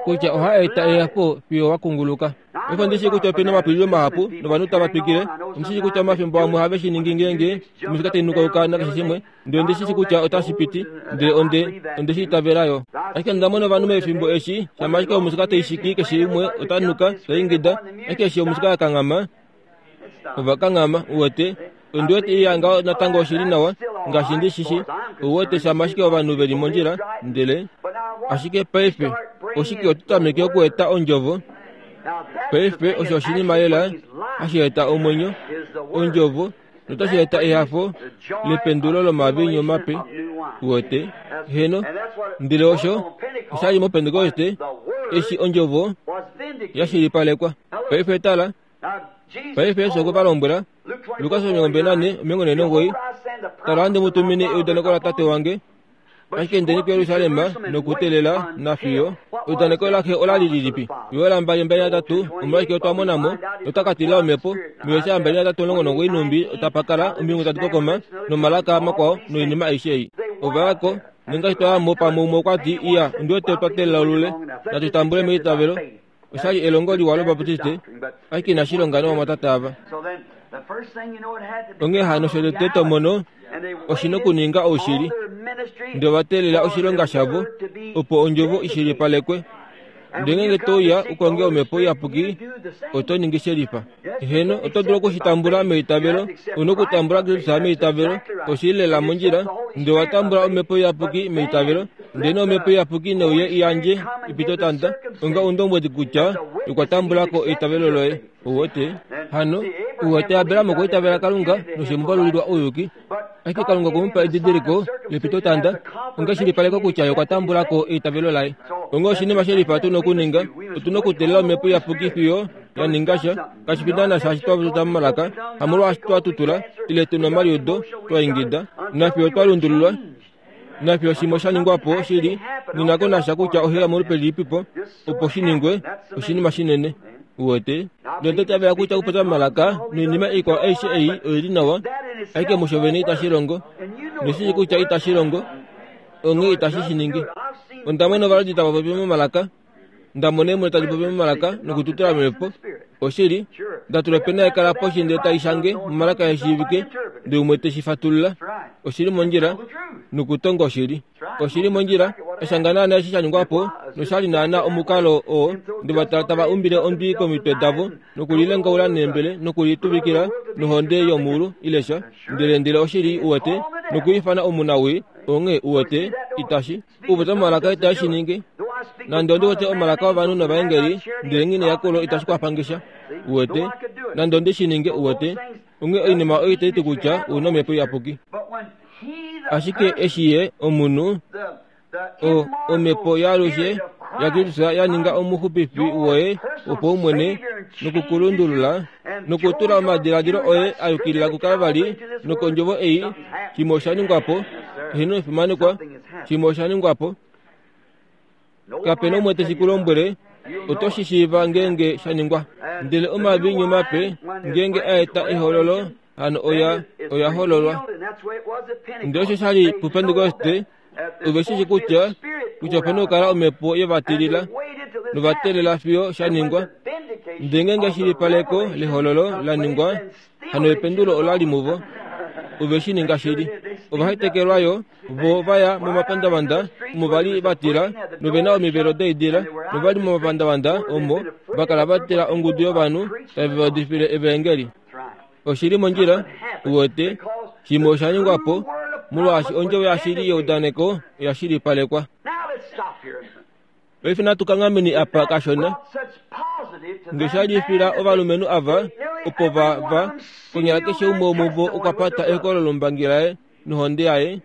kutya oha eta ehafo fiyo wa kunguluka. Paife ondi shii kutya ope na omapulilo mahapu novanhu tava twikile. Ondi shii kutya omafimbo amwe ohave shi ningi ngeenge omusika tai nukauka nakeshe shimwe, ndele ondi shi shii kutya otashi piti, ndele onde, onde shi itavela yo. Ashike onda mona ovanhu mefimbo eshi, shama ashike omusika tai shiki keshe umwe ota nuka, ta ingida, ashike eshi omusika ya kanghama, ova kanghama, uwete. Ondi wete iya ngaho natango oshi li nawa, ngaashi ndi shi shi. Uwete, shama ashike ovanhu ve li mondjila, ndele. Ashike paife, oshike oto tameke okueta ondjovo? Paife osho oshinima lela hashi eta omwenyo, ondjovo, notashi eta ehafo lependulo lomaviinyu mape. Uwete? Heno. Ndele osho osha li mOpentekoste, eshi ondjovo ya shilipalekwa. Paife tala. Paife Jesus okwe va lombwela, Lukas 24, 49, Tala handi mu tumine eudaneko laTate wange, ashike indeni kuJerusalem nokuteelela nafiyo. Eudaneko laxe ola li lilipi? Joel 2:23, Omolwashike otwa mona mo, ota ka tila omhepo, muJesaja 23:19 nhumbi otapa kala omilungu tadi kokoma, nomalaka makwao noinima aishe ei. Ova ya ko, nongaashi twa ya mo pamwe umwe okwa ti, Iya, ondi wete otwa teelela olule. Natu tambule meitavelo. Osha li elongo liwa lObaptiste, ashike inashi longa novamwatate ava. Onghee hano shotete to mono oshi nokuninga oushili, ndele ova teelela oshilonga shavo opo ondjovo i shilipalekwe. Ndele ngeenge to uya u konge Omhepo Iyapuki, oto ningi shelifa. Heeno, oto dulu oku shi tambula meitavelo. U nokutambula Kristus meitavelo. Oshi li lela mondjila. Ndele owa tambula Omhepo Iyapuki meitavelo. Ndele nee Omhepo Iyapuki ne uye i yandje epitotanda onga oundombwedi kutya okwa tambula ko eitavelo loye. Ou wete? Hano, ou wete Abraham okwa itavela Kalunga noshe mu valulilwa ouyuki. Ashike Kalunga okwe mu pa edidiliko lepitotanda onga eshilipaleko kutya ye okwa tambula ko eitavelo laye. Onghee oshinima shelifa tu na okuninga, otu na okuteelela Omhepo Iyapuki fiyo ya ninga sha, kashi fi naana shaashi twa tuta momalaka, hamolwaashi twa tutula, ile tu na omaliudo, twa ingida, nafiyo twa lundululwa, nafiyo shimwe sha ningwa po shili, nghi na ko nasha kutya ohe molupe lilipipo, opo shi ningwe, oshinima shinene. Uwete? Nonde tava ya kutya okupopya momalaka noinima ikwao aishe ei oi li nawa, ashike musho vene itashi longo. Noshili kutya itashi longo, onghee itashi shi ningi. Onda mona ovaladi tava popi momalaka, nda mona eemwene tadi popi momalaka nokututula momhepo. Oshili, nda tula opena yekala poshi ndele tai shange momalaka e shiivike, ndele umwe te shi fatulula. Oshi li mondjila, nokutonga oshili. Oshi li mondjila, eshanga naana eshi sha ningwa po, nosha li naana omukalo oo nde va tala tava umbile ondwi komitwe davo, nokulilengaula neembele, nokulituvikila nohonde yomuulu, ile sha. Ndele, ndele oshili, uwete, nokwiifana omunawii, onghee, uwete, itashi. Okupopya momalaka itashi shi ningi. Nande ondi wete omalaka ovanhu novaengeli, ndele nghi neyakulo itashi kwafa nge sha. Uwete? Nande ondi shi ninge, uwete. Onghee oinima oyo itai ti kutya ou na Omhepo Iyapuki. Ashike eshi ye, omunhu, o, Omhepo yaalushe yaKristus ya ninga omuxupifi woye wopaumwene noku ku lundulula nokutula omadiladilo oye a yukilila kuKalvali nokondjovo ei, shimwe osha ningwa po. Eheno efimanekwa, shimwe osha ningwa po. Kape na umwe te shi ku lombwele, oto shi shiiva ngeenge sha ningwa. Ndele omaviinyu mape ngeenge a eta ehololo, hano oya, oya hololwa. Ndele osho sha li puPentekoste, ove shi shi kutya, kutya ope na okukala omhepo ye va tilila, nova teelela fiyo sha ningwa. Ndele ngeenge eshilipaleko lehololo la ningwa, hano ependulo ola li muvo. Ove shi ninga shili. Ova hetekelwa yo, vo va ya momapandavanda omo va li va tila, nove na omivelo doidila, nova li momapandavanda omo va kala va tila ongudu yovanhu tave va udifile evaengeli. Oshi li mondjila, uwete, shimwe osha ningwa po, molwaashi ondjovo yashili yeudaneko oya shilipalekwa. Paife natu kanghameni apa kashona. Nge sha lifila ovalumenhu ava, opo va, va, konyala keshe umwe womuvo okwa pata ehokololo lombangi laye nohonde yaye,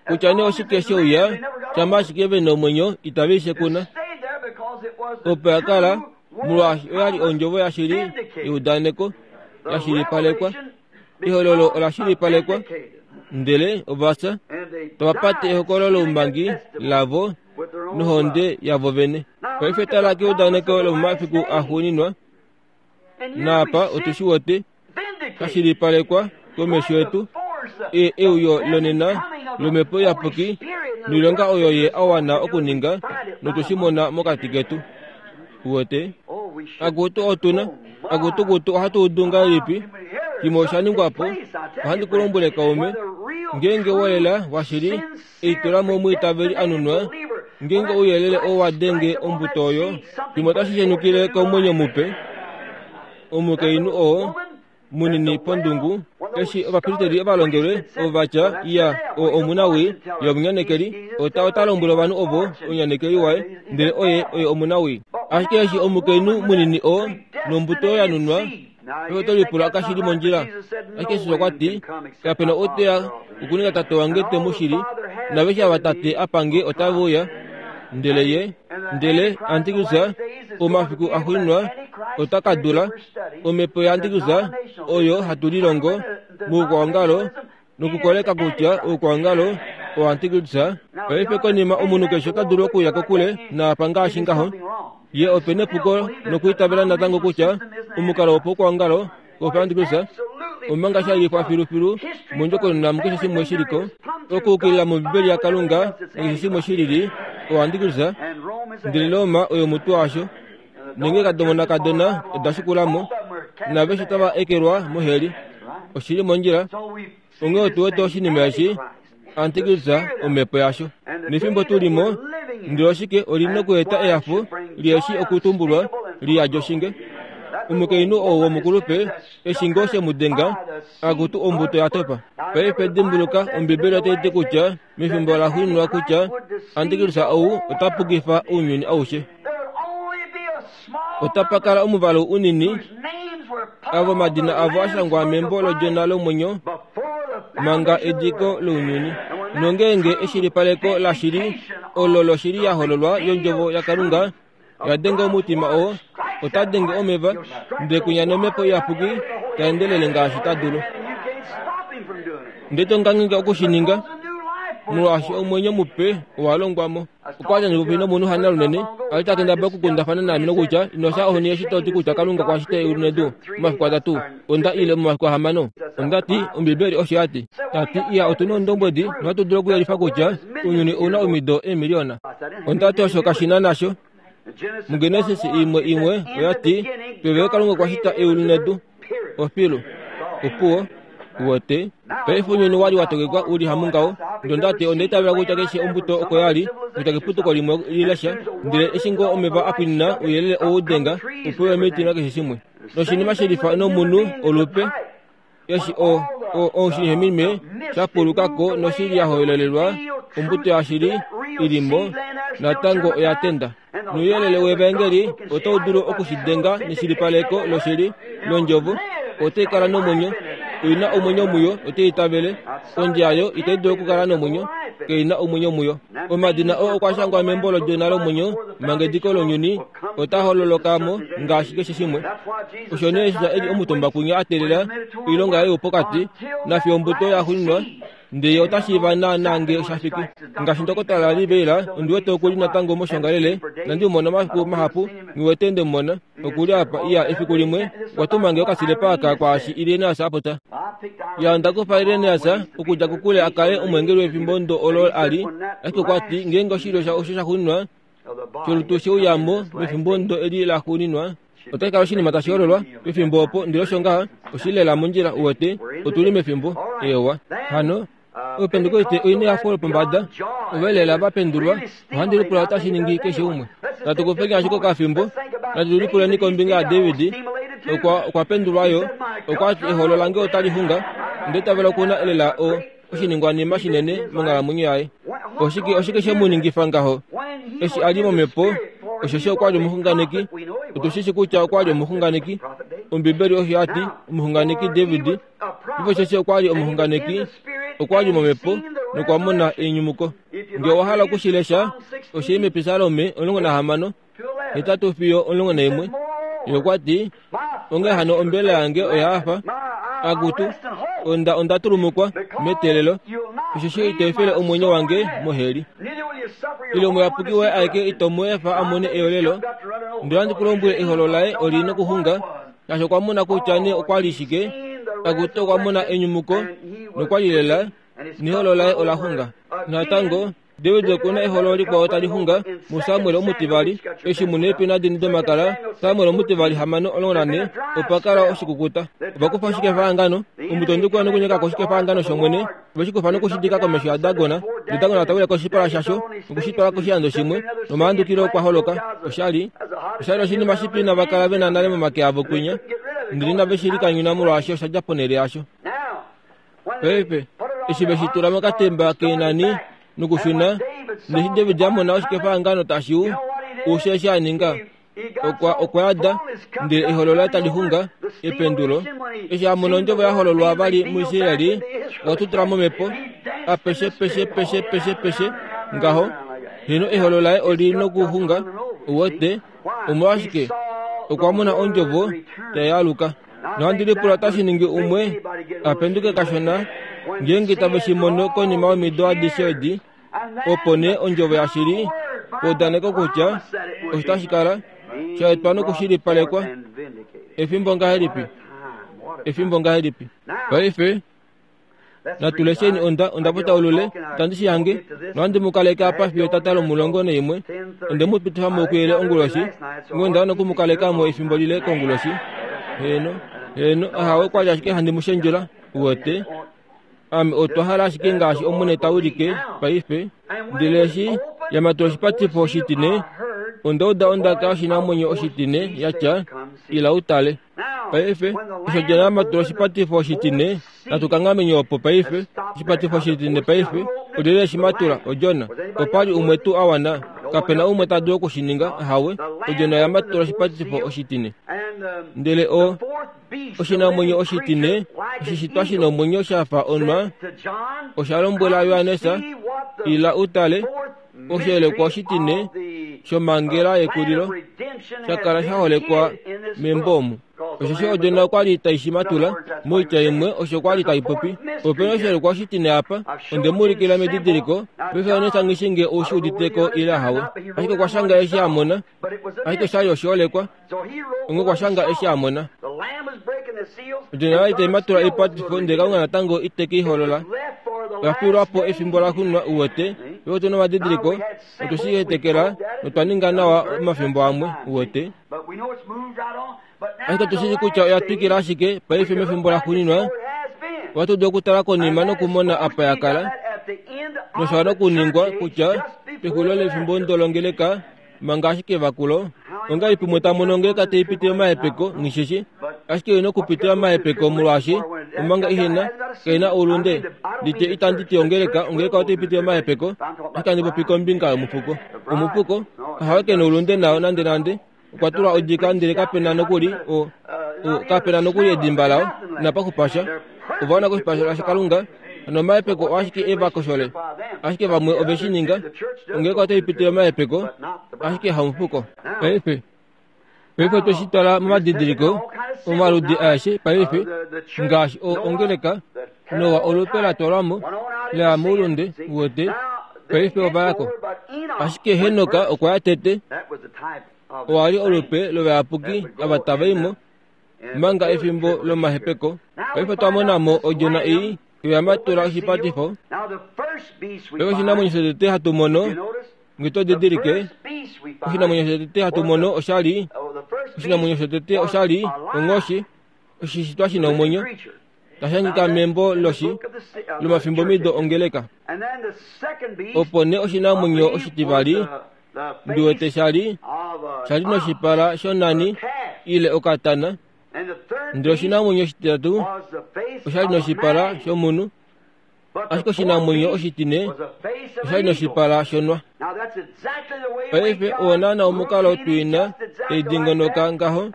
kutya nee oshike she uya, shamha ashike ve na omwenyo, itave i shekuna. Opo ya kala, molwaashi oya li ondjovo yashili yeudaneko, ya shilipalekwa. Ehololo ola shilipalekwa, ndele ova fya, tava pate ehokololo loumbangi lavo nohonde yavo vene. Paife tala keudaneko lomomafiku axuuninwa, naapa otu shi wete sha shilipalekwa komesho yetu, e, euyo lonena lOmhepo Iyapuki noilonga oyo Ye a wana okuninga, notu shi mona mokati ketu. Uwete? Akutu otu na, akutu kutu ohatu udu ngahelipi? Shimwe osha ningwa po. Ohandi ku lombwele kaume, ngeenge wolela washili, eitula mo omwiitaveli a nunwa, ngeenge ouyelele oo wa denge ombuto oyo, shimwe otashi shenukile komwenyo mupe. Omukainhu oo munini pondungu, eshi ovapristeri ovalongelwe ovo va tya, Iya, oo omunawii, ye omunyanekeli, ota ota lombwele ovanhu ovo omunyanekeli waye, ndele oye oye omunawii. Ashike eshi omukainhu munini oo nombuto ya nunwa, ove oto lipula kashi li mondjila. Ashike Jesus okwa ti, Kape na ou te ya okuninga tate wange te mu shili, naaveshe ava Tate a pa nge otave uya. Ndele ye, ndele Antikristus, omafiku axuuninwa ota ka dula omhepo yaAntikristus oyo hatu lilongo moukwaongalo nokukoleka kutya oukwaongalo oAntikristus. Paife konima omunhu keshe ota dulu okuya kokule naapa ngaashi ngaho. Ye ope nepuko nokwiitavela natango kutya omukalo wopaukwaongalo wopaAntikristus omanga sha lifwa filufilu mondjokonona mukeshe shimwe shi liko okuukilila mOmbibeli yaKalunga nakeshe shimwe shi lili oAntikristus ndele Roma oyo omutwe washo. Nenge kadomona-kadona oda shikula mo, naaveshe tava ekelwa moheli. Oshi li mondjila. Onghee otu wete oshinima eshi, antikristus, omhepo yasho. Nefimbo tu li mo, ndele oshike, oli nokueta ehafo lieshi okutumbulwa li yadi oshinge. Omukainhu ou womukulupe, eshi ngoo she mu denga, akutu ombuto ya topa. Paife dimbuluka, Ombibeli otai ti kutya mefimbo la xuuninwa kutya antikristus ou ota pukifa ounyuni aushe. Otapa kala omuvalu unini Avo omadina avo a shangwa membo lOdjona lomwenyo manga ediko lounyuni. Nongeenge eshilipaleko lashili olo loshili ya hololwa yOndjovo yaKalunga ya denga omutima oo, ota denge omeva, ndele kwinya nOmhepo Iyapuki ta endelele ngaashi ta dulu. Ndele to ngangheka oku shi ninga, molwaashi omwenyo mupe owa longwa mo. Okwa li popi nomunhu hana lunene, a li ta kendabala okukundafana naame nokutya, Ino fya ohoni eshi to ti kutya Kalunga okwa shita eulu nedu momafiku atatu, onda ile momafiku ahamano. Onda ti, Ombibeli osho ya ti. Ta ti, Iya, otu na oundombwedi nohatu dulu okuyelifa kutya ounyuni ou na omido eemiliyona. Onda ti, Osho kashi na nasho. MuGenesis imwe imwe oya ti, Pevelo Kalunga okwa shita eulu nedu. Ofilu. Opuwo. Uwete? Paife ounyuni wa li wa tokekwa u li hamungaho. Ndele onda ti, Onda itavela kutya keshe ombuto oko ya li, kutya keputuko limwe li lesha. Ndele eshi ngoo omeva a pwinina, ouyelele ou denga, upewe omiti nakeshe shimwe. Noshinima shelifa nomunhu, olupe. Eshi o, o, oshinhemime sha puluka ko noshili ya hololelwa ombuto yashili i li mo, natango oya tenda. Nouyelele wevaengeli otau dulu oku shi denga neshilipaleko loshili londjovo, otai kala nomwenyo. Oi na omwenyo muyo, otai itavele. Kondje yayo itai dulu okukala nomwenyo, kei na omwenyo muyo. Omadina oo okwa shangwa membo lOdjona lomwenyo manga ediko lounyuni ota hololoka mo ngaashi keshe shimwe. Osho nee Jesus e li omutumba kwinya a teelela oilonga yaye yopokati, nafiyo ombuto ya xuninwa, ndele ye ota shiiva naanaa ngee osha fiki. Ngaashi Ndokotola Lee Vayle, ondi wete oku li natango moshongalele, inandi mu mona omafiku mahapu, nghi wete nde mu mona. Oku li apa, iya, efiku limwe, okwa tuma nge okasilepa aka kwaashi Irenaeus a popya. Iya, onda kufa Irenaeus okudja kokule a kale omweengeli wefimbo ndo olo a li, ashike okwa ti, ngeenge oshilyo sha osho sha xuninwa sholutu she uya mo mefimbo ndo eli la xuuninwa, otashi kala oshinima tashi hololwa pefimbo opo, ndele osho ngaha, oshi li lela mondjila, uwete, otu li mefimbo. Eewa. Hano, Opentekoste oi nehafo lopombada, ove lela va pendulwa. Ohandi lipula otashi ningi keshe umwe. Natu kufeni ashike okafimbo, natu lipuleni kombinga yaDavid. Okwa, okwa pendulwa yo. Okwa ti, Eholo lange otali xunga. Onda itavela oku na elela o, oshiningwanima shinene monghalamwenyo yaye. Oshike, oshike she mu ningifa ngaho? Eshi a li momhepo, osheshi okwa li omuxunganeki. Otu shi shi kutya okwa li omuxunganeki. Ombibeli osho ya ti, omuxunganeki David. Osheshi okwa li omuxunganeki, okwa li momhepo nokwa mona enyumuko. Nge owa hala oku shi lesha, oshi li mEpisalome 16, 8 fiyo 11. Ye okwa ti, Onghee hano ombelela yange oya hafa, akutu, onda onda tulumukwa meteelelo, osheshi ito efele omwenyo wange moheli. Ile omuyapuki woye aeke ito mu efa a mone eyolelo. Ndele ohandi ku lombwele eholo laye oli nokuxunga Shaashi okwa mona kutya nee okwa li shike, akutu okwa mona enyumuko nokwa li lela neholo laye ola xunga. Natango, David oku na eholo likwao tali xunga muSamuel omutivali, eshi mu neepina dini domakala, Samuel omutivali 6:14, opa kala oshikukuta. Ova kufa oshikefahangano, omutondi okwa nokunyeka ko oshikefahangano shOmwene, ove shi kufa noku shi dika komesho yaDagon, ndele Dagon ta wile koshipala shasho noku shi twala koshilando shimwe, nomahandukilo okwa holoka. Osha li osha li oshinima shipi inava kala ve na nale momake avo kwinya, ndele inave shi likanyuna molwaashi osha dja ponhele yasho. Paife, eshi ve shi tula mokatemba keenani nokushuna, neshi David a mona oshikefahangano tashi u, ushe eshi a ninga, okwa okwa yada ndele eholo laye tali xunga ependulo eshi a mona ondjovo ya hololwa vali muIsraeli okwa tutula momhepo apeshe peshe peshe peshe peshe ngaho heno eholo laye oli nokuxunga uwete omolwashike okwa mona ondjovo tai aluka nohandi lipula otashi ningi umwe a penduke kashona ngeenge tave shi mono konima yomido adishe edi Opo nee ondjovo yashili eudaneko kutya osho tashi kala sha etwa nokushilipalekwa. Efimbo ngahelipi! Efimbo ngahelipi! Paife natu lesheni onda onda potaulule itandi shi hange nohandi mu kaleke apa fiyo etata lomulongo naimwe. Onde mu pitifa mo kuyele onguloshi, onghee onda wana oku mu kaleka mo efimbo lile konguloshi. Heeno, heeno, ahawe kwa li ashike handi mu shendjula, uwete. Ame otwa hala ashike ngaashi Omwene ta wilike paife. Ndele eshi ya matula oshipatifo oshitine, onda uda ondaka yoshinamwenyo oshitine ya tya, Ila u tale. Paife, eshi Odjona ya matula oshipatifo oshitine, natu kanghameni opo paife. Oshipatifo oshitine paife, olyelye eshi matula? Odjona. Opa li umwe tuu a wana? Kape na umwe ta dulu oku shi ninga. Ahawe. Odjona oya matula oshipatifo oshitine. Ndele o. Oshinamwenyo oshitine, oshishitwa shi nomwenyo sha fa onwa, osha lombwela Johannes, Ila u tale oshiholekwa oshitine shomhangela yekulilo sha kala sha holekwa membo omu. Osheshi Odjona okwa li tai shi matula, moitya imwe osho kwa li tai popi. Ope na oshiholekwa oshitine apa, onde mu ulikila medidiliko, paife Johannes nghi shii ngee ou shi udite ko ile ahawe. Ashike okwa shanga eshi a mona, ashike osha li oshiholekwa, onghee okwa shanga eshi a mona. Odjona oya li tai matula oipatifo ndele Kalunga natango ite ke i holola. Oya fiilwa po efimbo la xunwa, uwete. Paife otu na omadidiliko, otwe shi hetekela notwa ninga nawa omafimbo amwe, uwete. Ashike otu shii kutya oya twikila ashike paife mefimbo laxuuninwa. Ohatu dulu okutala konima nokumona apa ya kala, nosha wana okuningwa kutya pexulilo lefimbo ndolongeleka manga ashike evakulo. Ongahelipi umwe ta mono ongeleka tai pitile omahepeko? Nghi shi shii. Ashike oi na okupitila omahepeko molwaashi omanga ihe na, kai na oulunde. Nditye itandi ti ongeleka, ongeleka otai pitile omahepeko, ashike handi popi kombinga yomufuko. Omufuko, ahawe ke na oulunde nao nandenande. Okwa tulwa odika ndele kape na nokuli o, o, kape na nokuli edimba lao, inapa xupa sha. Ova wana koshipala shaKalunga, nomahepeko oashike e va koshole. Ashike vamwe ove shi ninga, ongeleka otai pitile omahepeko, ashike hamufuko. Paife, paife otwe shi twala momadidiliko omaludi aeshe paife, ngaashi o, ongeleka, Noa olupe la twalwa mo, la ya moulunde, uwete, paife ova ya ko. Ashike Henok okwa ya tete, owa li olupe lovayapuki ava tava i mo, manga efimbo lomahepeko. Paife otwa mona mo odjona ei oya matula oshipatifo. Paife oshinamwenyo shotete hatu mono, nge to didilike, oshinamwenyo shotete hatu mono osha li, oshinamwenyo shotete osha li onghoshi, oshishitwa shi na omwenyo. Tashi hangika membo loshi lomafimbomido ongeleka. Opo nee oshinamwenyo oshitivali ndi wete sha li sha li noshipala shonani ile okatana, ndele oshinamwenyo oshititatu osha li noshipala shomunhu. Ashike oshinamwenyo oshitine osha li noshipala shonwa. Paife oo naana omukalo twiina tai dingonoka ngaho,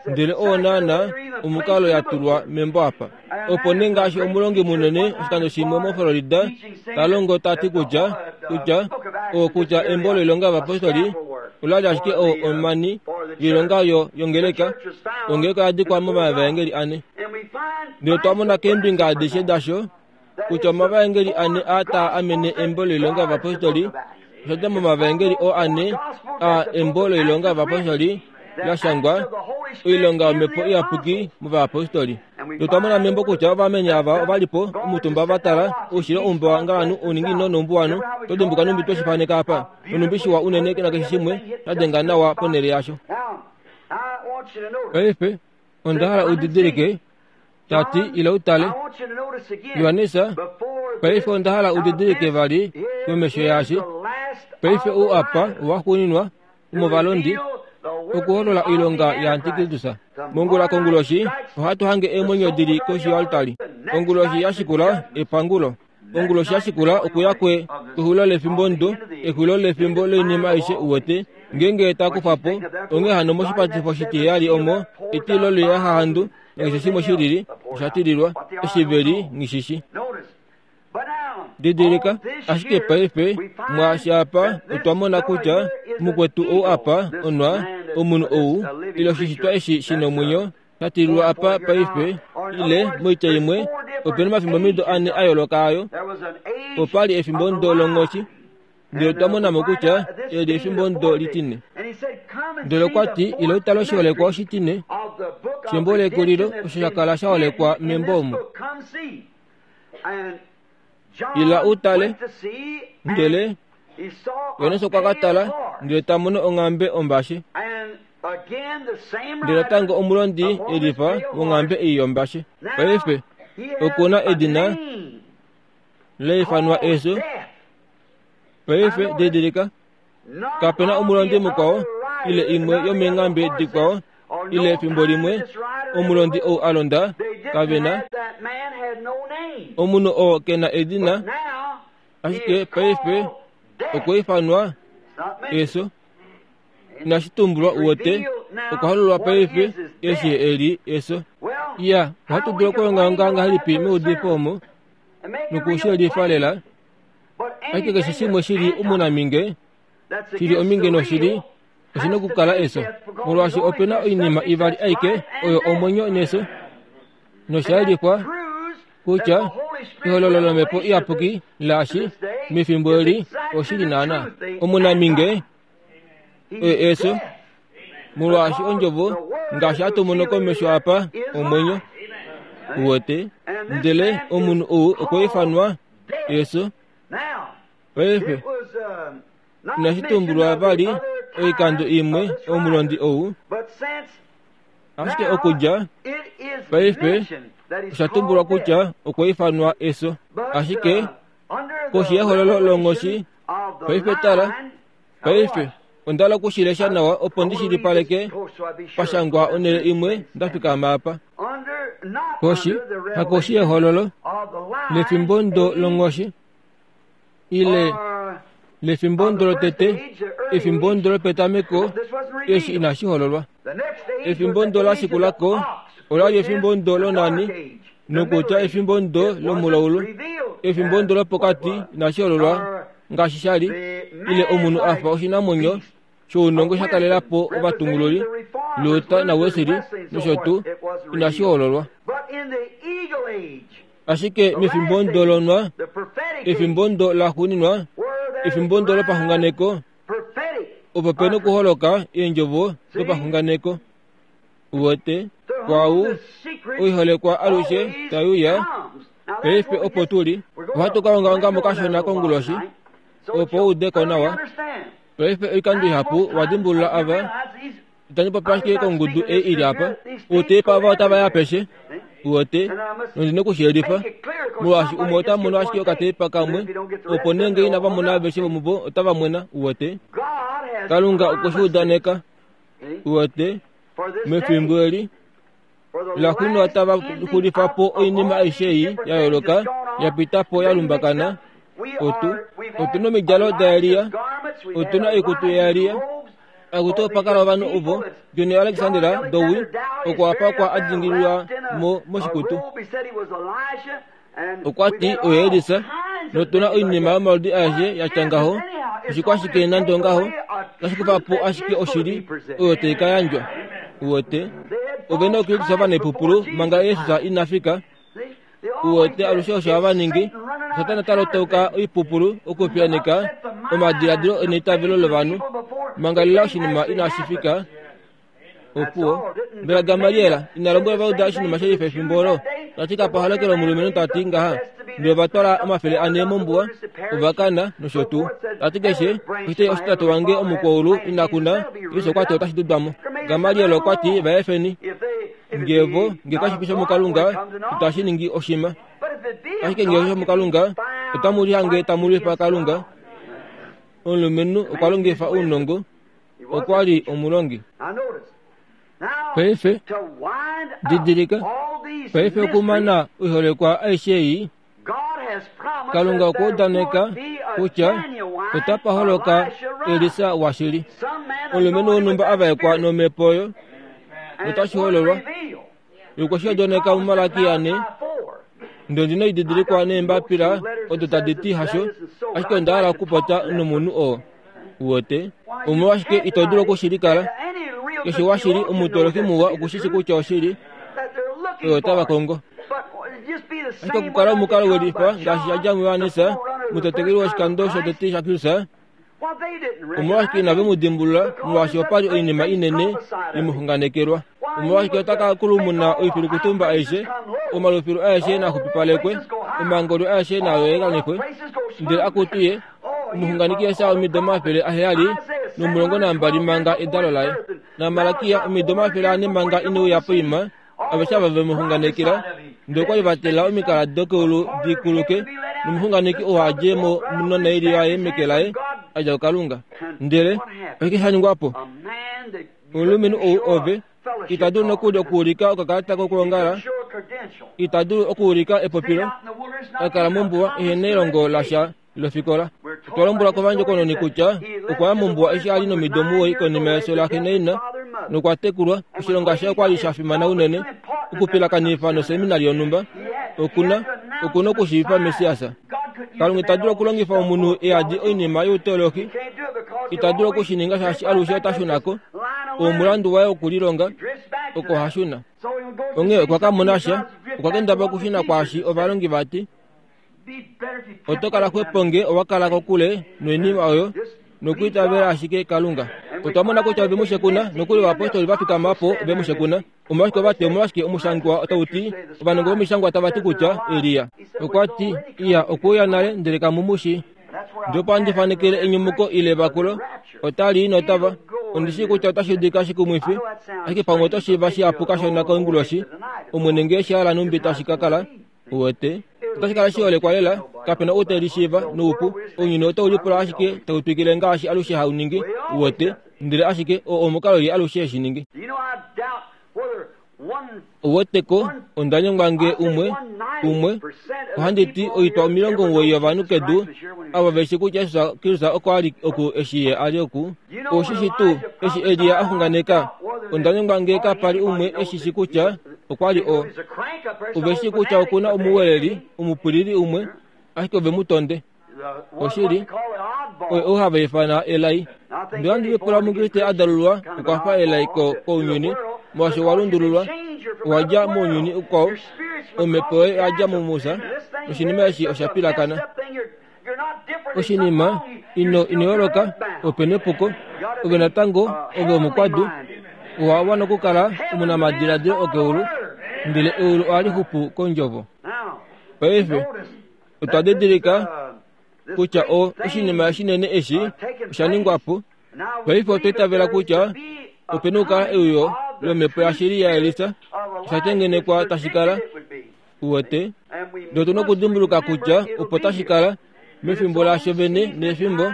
ndele oo naana omukalo ya tulwa membo apa. Opo nee ngaashi omulongi munene oshikando shimwe moFlorida ta longo ta ti kutya, kutya, o kutya embo loilonga yovapostoli ola li ashike o, omani yoilonga yo, yongeleka, ongeleka oya dikwa momavaengeli ane. Ndele otwa mona keembinga adishe dasho kutya omavaengeli ane aa taa amene embo loilonga yovapostoli osha dja momavaengeli oo ane a embo loilonga yovapostoli la shangwa oilonga yomhepo iyapuki movayapostoli. Notwa mona membo kutya ovameni ava ova li po omutumba va tala oushilo oumba wangalanu ouninginino noumbuwanhu. Oto dimbuka nhumbi twe shi faneka apa, nonhumbi shiwa unene nakeshe shimwe sha denga nawa ponhele yasho. Paife, Onda hala u didilike, ta ti, ila u tale. Johannes, paife onda hala u didilike vali komesho yaashi. Paife ou apa owaxuuninwa womovalondi okuholola oilonga yaantikristus. Mongula konguloshi ohatu hange eemwenyo di li koshi yoaltari. Onguloshi ya shikula epangulo. Onguloshi ya shikula okuya kwe kexulilo lefimbo ndo, exulilo lefimbo loinima aishe uwete, ngeenge ta kufa po, onghee hano moshipatifo shitiheyali omo etilo loiyahahandu nakeshe shimwe shilili osha tililwa, eshi ve li nghishishi. Didilika, ashike paife, mwaashi apa, otwa mona kutya mukwetu ou apa, onwa, omunhu ou, ile oshishitwa eshi shi nomwenyo, sha tililwa apa paife, ile, moitya imwe, ope na omafimbomido ane a yooloka ayo. Opa li efimbo ndo longhoshi, ndele otwa mona mo kutya eli efimbo ndo litine. Ndele okwa ti, Ila u tale oshiholekwa oshitine shembo lekulilo osho sha kala sha holekwa membo omu. Ila u tale. Ndele Johannes okwa ka tala ndele ta mono onghambe ombashe. Ndele natango omulondi e lifa wonghambe ei yombashe. Paife oku na edina la ifanwa Efyo. Paife didilika, kape na omulondi mukwao ile imwe yomeenghambe dikwao ile efimbo limwe omulondi ou a londa kave na omunhu oo ke na edina Ashike paife okwa ifanwa efyo. Inashi tumbulwa, uwete. Okwa hololwa paife eshi e li eso. Iya, ohatu dulu okulongaonga ngahelipi meudifo omo noku shi yelifa lela? Ashike keshe shimwe shi li omunaminge, shi li ominge noshili, oshi na okukala eso, molwaashi ope na oinima ivali aike oyo omwenyo neso. Nosha yelifwa kutya ehololo lOmhepo Iyapuki laashi mefimbo eli oshili naana. Omunaminge oye eso, molwaashi ondjovo ngaashi hatu mono komesho apa omwenyo. Uwete? Ndele omunhu ou okwa ifanwa eso. Paife inashi tumbulwa vali oikando imwe omulondi ou, ashike okudja paife osha tumbulwa kutya okwa ifanwa eso. Ashike koshi yehololo longhoshi, paife tala, paife onda hala oku shi lesha nawa opo ndi shilipaleke pashangwa onhele imwe nda fikama apa. Koshi, hakoshi yehololo lefimbo ndo longhoshi, ile lefimbo ndo lotete, efimbo ndo lopetameko, eshi inashi hololwa. Efimbo ndo la shikula ko ola li efimbo ndo lonani, nokutya efimbo ndo lomulaulu. Efimbo ndo lopokati inashi hololwa ngaashi sha li, ile omunhu a fa oshinamwenyo shounongo sha kalela po ovatungululi, Luther naWesley nosho tuu, inashi hololwa. Ashike mefimbo ndo lonwa, efimbo ndo laxuuninwa, efimbo ndo lopaxunganeko, opo pe nokuholoka eendjovo dopaxunganeko. Uwete, kwaau oiholekwa alushe tai uya, paife opo tu li. Ohatu ka ongaonga mo kashona konguloshi, opo u ude ko nawa. Paife oikando ihapu wa dimbulula ava, itandi popi ashike kongudu ei i li apa, outepa ava otava i apeshe, uwete, nondi na okushiyelifa, molwaashi umwe ota mono ashike okatepa kamwe, opo nee ngee inava mona aveshe vomuvo otava mwena, uwete. Kalunga okwe shi udaneka, uwete, mefimbo eli laxuuninwa tava xulifa po oinima aishe ei ya yooloka ya pita po ya lumbakana. Otu, otu na omidjalo daElia, otu na oikutu yaElia, Akutu opa kala ovanhu ovo, John Alexander Dowie okwa pakwa a dingililwa mo moshikutu. Okwa ti oye Elisa, notu na oinima yomaludi aeshe ya tya ngaho, oshikwashike nande ongaho, otashi kufa po ashike oshili oyo tai ka yandjwa. Uwete, ove na okuyukisa ovanaipupulu manga Jesus ina fika. Uwete alushe osho hava ningi, Satana ta lotauka oipupulu okupiyaaneka omadiladilo eneitavelo lovanhu manga lela oshinima inashi fika. Opuwo, mbela Gamaliel ina lombwela Ovajuda oshinima she lifa efimbo olo? Ta ti kapa holokele omulumenhu ta ti ngaha, ndele ova twala 400 mombuwa, ova kana, nosho tuu. Ta ti keshe oshitei oshitatu wange omukwaulu ina kuna, Jesus okwa ti otashi dudwa mo. Gamaliel okwa ti va efeni. Nge vo, nge kashi fi shomukalunga, itashi ningi oshima. Ashike nge oshomukalunga, otamu lihange tamu lwifa Kalunga. Omulumenhu okwa longifa ounongo, okwa li omulongi. Paife, didilika, paife okumana oiholekwa aishe ei, Kalunga okwa udaneka kutya otapa holoka Elisa washili, omulumenhu wonhumba a vaekwa nomhepo oyo, notashi hololwa. Okwe shi udaneka muMalaki ane, ndele ondi na oididilikwa neembapila odo tadi ti hasho, ashike onda hala okupopya nomunhu oo. Uwete? Omolwashike ito dulu oku shi likala? Keshe washili omutoloki muwa oku shi shi kutya oshili oyo tava kongo. Ashike okukala omukalo we lifa ngaashi sha dja muJohannes, omutetekeli woshikando shotete shaKristus, omolwashike inave mu dimbulula molwaashi opa li oinima inene ye mu xunganekelwa? Omolwashike ota ka kulumuna oifilukutumba aishe, omalufilu aeshe na xupipalekwe, omangolyo aeshe naa yelekanifwe, ndele akutu ye omuxunganeki Jesaja omido 712 manga edalo laye, naMalakia omido 400 manga ine uya poima, aveshe ava ve mu xunganekela, ndele okwa li va tela omikala dokeulu di kuluke, nomuxunganeki oo a dje mo nonaili yaye meke laye, a dja kuKalunga. Ndele oshike sha ningwa po? Omulumenhu ou ove ita dulu nokuli okuulika okakalata kokwoongala, ita dulu okuulika epopilo, a kala mombuwa ehe nelongo lasha lofikola. Otwa lombwelwa kovandjokononi kutya okwa ya mombuwa eshi a li nomido 9 konima yefyo laxe naina. Nokwa tekulwa, oshilonga shaye okwa li sha fimana unene okupilakanifa noseminari yonhumba. Oku na, oku na okushiivifa Messias. Kalunga ita dulu okulongifa omunhu e yadi oinima youteolohi. Ita dulu oku shi ninga shaashi alushe ota shuna ko. Omulandu waye wokulilonga, oko ha shuna. Onghee okwa ka mona sha, okwa kendabala okushuna kwaashi ovalongi va ti. Oto kala xwepo nge owa kala kokule noinima oyo nokwiitavela ashike Kalunga. Otwa mona kutya ove mu shekuna, nokuli ovapostoli va fikama po ove mu shekuna. Omolwashike ova ti, omolwashike omushangwa otau ti, ovanongo vomishangwa tava ti kutya Elia. Okwa ti, Iya, okwe uya nale, ndele kamu mu shii. Ndele opo handi fanekele enyumuko ile evakulo, otali i notava. Ondi shii kutya otashi udika shikumwifi, ashike pamwe oto shiiva shihapu kashona konguloshi, Omwene nge eshi a hala nhumbi tashi ka kala. Uwete? Otashi kala shiholekwa lela, kape na ou te lishiiva noupu. Ounyuni otau lipula ashike tau twikile ngaashi alushe hau ningi, uwete, ndele ashike oo omukalo ye alushe he shi ningi. Uwete ko, onda nyengwa nge umwe, umwe, ohandi ti oitwa 90 yovanhu kedu, ava ve shi kutya Jesus Kristus oko a li oku eshi ye a li oku. Ou shi shi tuu, eshi Elia a xunganeka? Onda nyengwa nge kapa li umwe e shi shi kutya okwa li o. Ove shii kutya oku na omuweleli omupwilili umwe, ashike ove mu tonde. Oshili, oye ou hava ifana elai. Ndele ohandi lipula Omukriste a dalulwa okwa fa elai ko, kounyuni, molwaashi owa lundululwa, owa dja mounyuni ukwao, omhepo yoye oya dja muMusa, noshinima eshi osha pilakana. Oshinima, ino, ino yooloka, ope nepuko. Ove natango, ove omukwadu, owa wana okukala omunamadiladilo okeulu, ndele eulu ohali xupu kondjovo. Paife, otwa didilika kutya o, oshinima shinene eshi osha ningwa po. Paife otwa itavela kutya ope na okukala euyo lomhepo yashili yaElisa, osha tengenekwa tashi kala. Uwete? Ndele otu na okudimbuluka kutya opo tashi kala, mefimbo lasho vene nefimbo,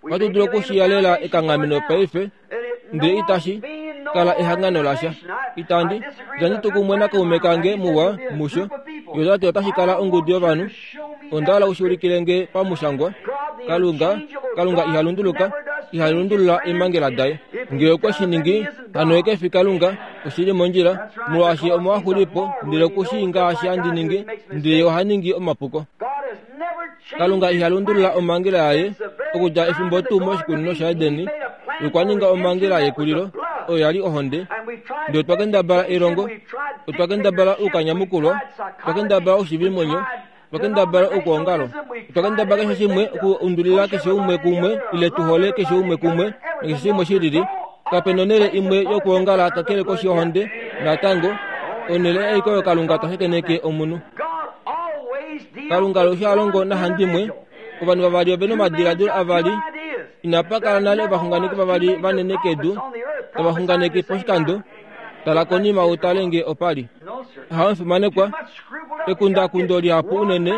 ohatu dulu okushiyalela ekanghameno paife, ndele itashi kala ehangano lasha. Itandi, itandi tu kumwe nakaume kange muwa musho. Ye ota ti otashi kala ongudu yovanhu. Onda hala u shi ulikile nge pamushangwa. Kalunga, Kalunga iha lunduluka, iha lundulula eemhangela daye. Nge okwe shi ningi, hano ye ke fi Kalunga, oshi li mondjila, molwaashi omo a xuli po, ndele oku shii ngaashi handi ningi, ndele ye oha ningi omapuko. Kalunga iha lundulula omhangela yaye. Okudja efimbo tuu moshikunino shaEden, ye okwa ninga omhangela yekulilo, oyo ya li ohonde. Ndele otwa kendabala elongo, otwa kendabala oukanyamukulwa, otwa kendabala oushivimwenyo, Otwa kendabala okwoongalo. Otwa kendabala keshe shimwe okuundulila keshe umwe kumwe ile tu hole keshe umwe kumwe nakeshe shimwe shi lili. Kape nonhele imwe yokwoongala kakele koshi yohonde. Natango, onhele aike oyo Kalunga ta shakeneke omunhu. Kalunga alushe ha longo nahandimwe. Ovanhu vavali ove nomadiladilo avali. Inapa kala nale ovaxunganeki vavali vanene kedu tava xunganeke poshikando. Tala konima u tale nge opa li. Hamufimanekwa, ekundakundo lihapu unene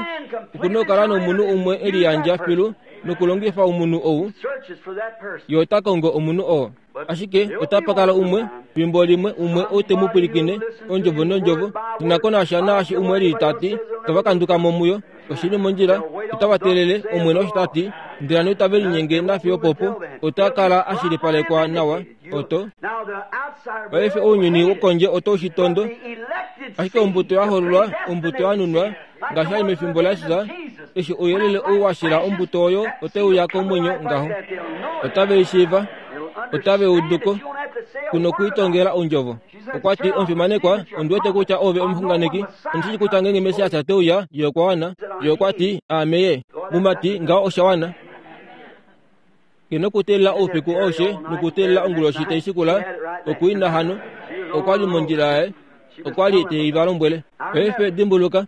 oku na okukala nomunhu umwe e liyandja filu nokulongifa omunhu ou, ye ota kongo omunhu oo. Ashike otapa kala umwe, fimbo limwe, umwe ou te mu pwilikine, ondjovo nondjovo, shi na ko nasha naashi umwe e lili ta ti, tava kanduka mo muyo. Oshi li mondjila, otava teelele, Omwene osho ta ti, ndele hano itave linyenge nafiyo opopo, ota kala a shilipalekwa nawa. Oto. Paife ounyuni wokondje oto shi tondo, ashike ombuto ya hololwa, ombuto ya nunwa, ngaashi ali mefimbo laJesus, eshi ouyelele ou wa shila ombuto oyo otai uya komwenyo ngaho. Otave i shiiva, otave udu ko, ku nokuitongela ondjovo. Okwa ti, Omufimanekwa, ondi wete kutya ove omuxunganeki. Ondi shii kutya ngeenge Messias te uya, ye okwa wana. Ye okwa ti, Aame ye. Mumati, ngaho osha wana. Ke nokuteelela oufiku aushe nokuteelela onguloshi tai shikula okuina hano. Okwa li mondjila yaye. Okwa li te i va lombwele. Paife dimbuluka,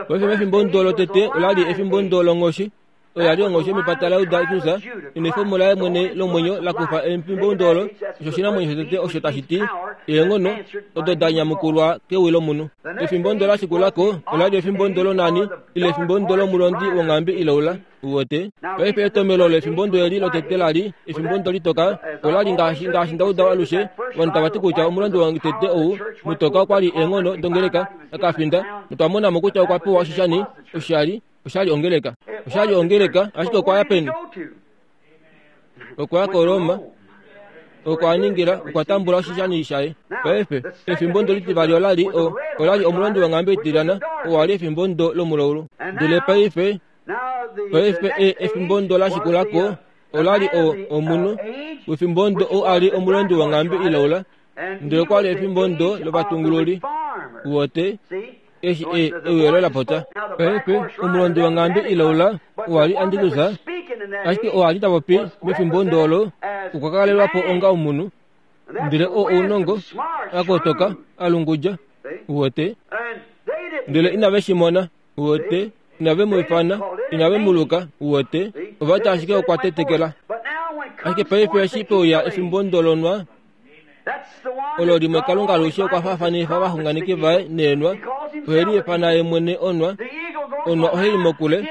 paife mefimbo ndo lotete ola li efimbo ndo longhoshi. Oya li onghoshi yomepata laJuda Jesus, enwefemo laye mwene lomwenyo la kufa efimbo ndo olo, osho oshinamwenyo shotete osho tashi ti eenghono odo da nyamukulwa kewi lomunhu. Efimbo ndo la shikula ko ola li efimbo ndo lonani ile efimbo ndo lomulondi wonghambi ilaula. Uwete? Paife etomelo lefimbo ndo eli lotete la li efimbo ndo litoka, ola li ngaashi ngaashi nda uda alushe ovanhu tava ti kutya omulondi wotete ou mutoka okwa li eenghono dongeleka akafinda, notwa mona mo kutya okwa pewa oshishani, oshali, oshali ongeleka. Oshali ongeleka, ashike okwa ya peni? Okwa ya koRoma. Oko a ningila, okwa tambula oshishani shaye. Paife, efimbo ndo litivali ola li o, ola li omulondi wonghambe itilyana, oo a li efimbo ndo lomulaulu. Ndele paife, paife e, efimbo ndo la shikula ko, ola li o, omunhu wefimbo ndo oo a li omulondi wonghambe ilaula, ndele okwa li efimbo ndo lovatungululi. Uwete? Eshi e, euyelo la popya. Paife, omulondi wonghambe ilaula owa li Antikrista, ashike oo a li ta popi mefimbo ndo olo okwa kalelwa po onga omunhu. Ndele oo ounongo, a kotoka, a lungudja. Uwete? Ndele inave shi mona. Uwete? Inave mu ifana, inave mu luka, uwete, ova ti ashike okwa tetekela. Ashike paife eshi peuya efimbo ndolonwa, olo limwe Kalunga alushe okwa faafanifa ovaxunganeki vaye neenwa, ohe li ifana ye mwene onwa, onwa ohai i mokule,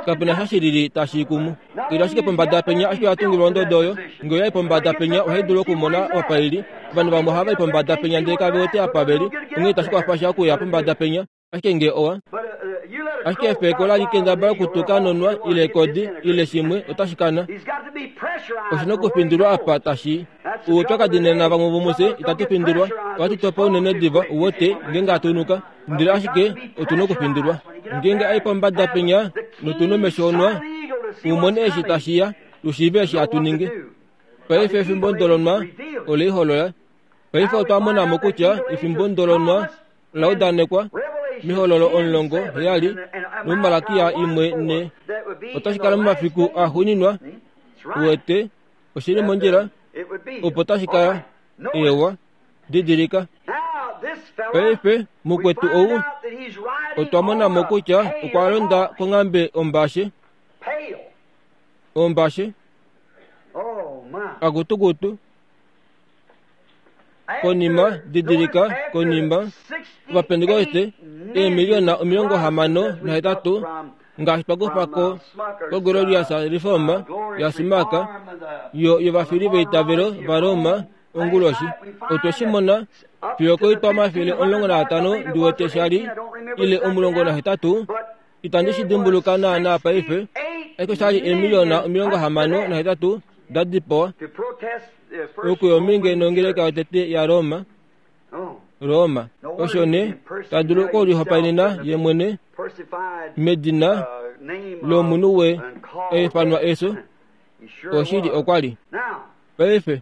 kape na sha shilili tashi i kumu. Ila ashike pombada penya ashike oya tungilwa ondodo oyo, nge oya i pombada penya ohai dulu okumona apa i li. Ovanhu vamwe ohava i pombada penya ndele kave wete apa ve li, onghee itashi kwafa sha okuya pombada penya. Ashike nge owa ashike efeko la li kendabala okutuka nonwa ile ekodi ile shimwe otashi kana. Oshi na okufindilwa apa tashi oupyakadi nena vamwe vomufye itatu findilwa ohatu topa unene diva uwete ngeenge hatu nuka ndele ashike otu na okufindilwa ngeenge ai pombada penya notu na omesho onwa u mone eshi tashi ya tu shiive eshi hatu ningi. Paife efimbo ndolonwa ole iholola. Paife otwa mona mo kutya efimbo ndolonwa la udanekwa mehololo 17 nomuMalakia 1:4 otashi kala momafiku axuuninwa. Uwete, oshi li mondjila opo tashi kala. Eewa, didilika. Paife, mukwetu ou, otwa mona mo kutya okwa londa konghambe ombashe. Ombashe. Akutukutu. Konima, didilika, konima, Ovapentekoste, eemiliona 68, ngaashi twa kufa ko, ko Glorious Reform yaSimaka, yo, yovafili veitavelo vaRoma, onguloshi. Otwe shi mona, fiyo koitwa 150, ndi wete sha li, ile 18, itandi shi dimbuluka naanaa paife, ashike osha li eemiliona 68 da dipawa okuyominge nongeleka yotete yaRoma. Roma. Osho nee ta dulu okulihopaenena ye mwene medina lomunhu we eifanwa eso. Oshili okwa li. Paife,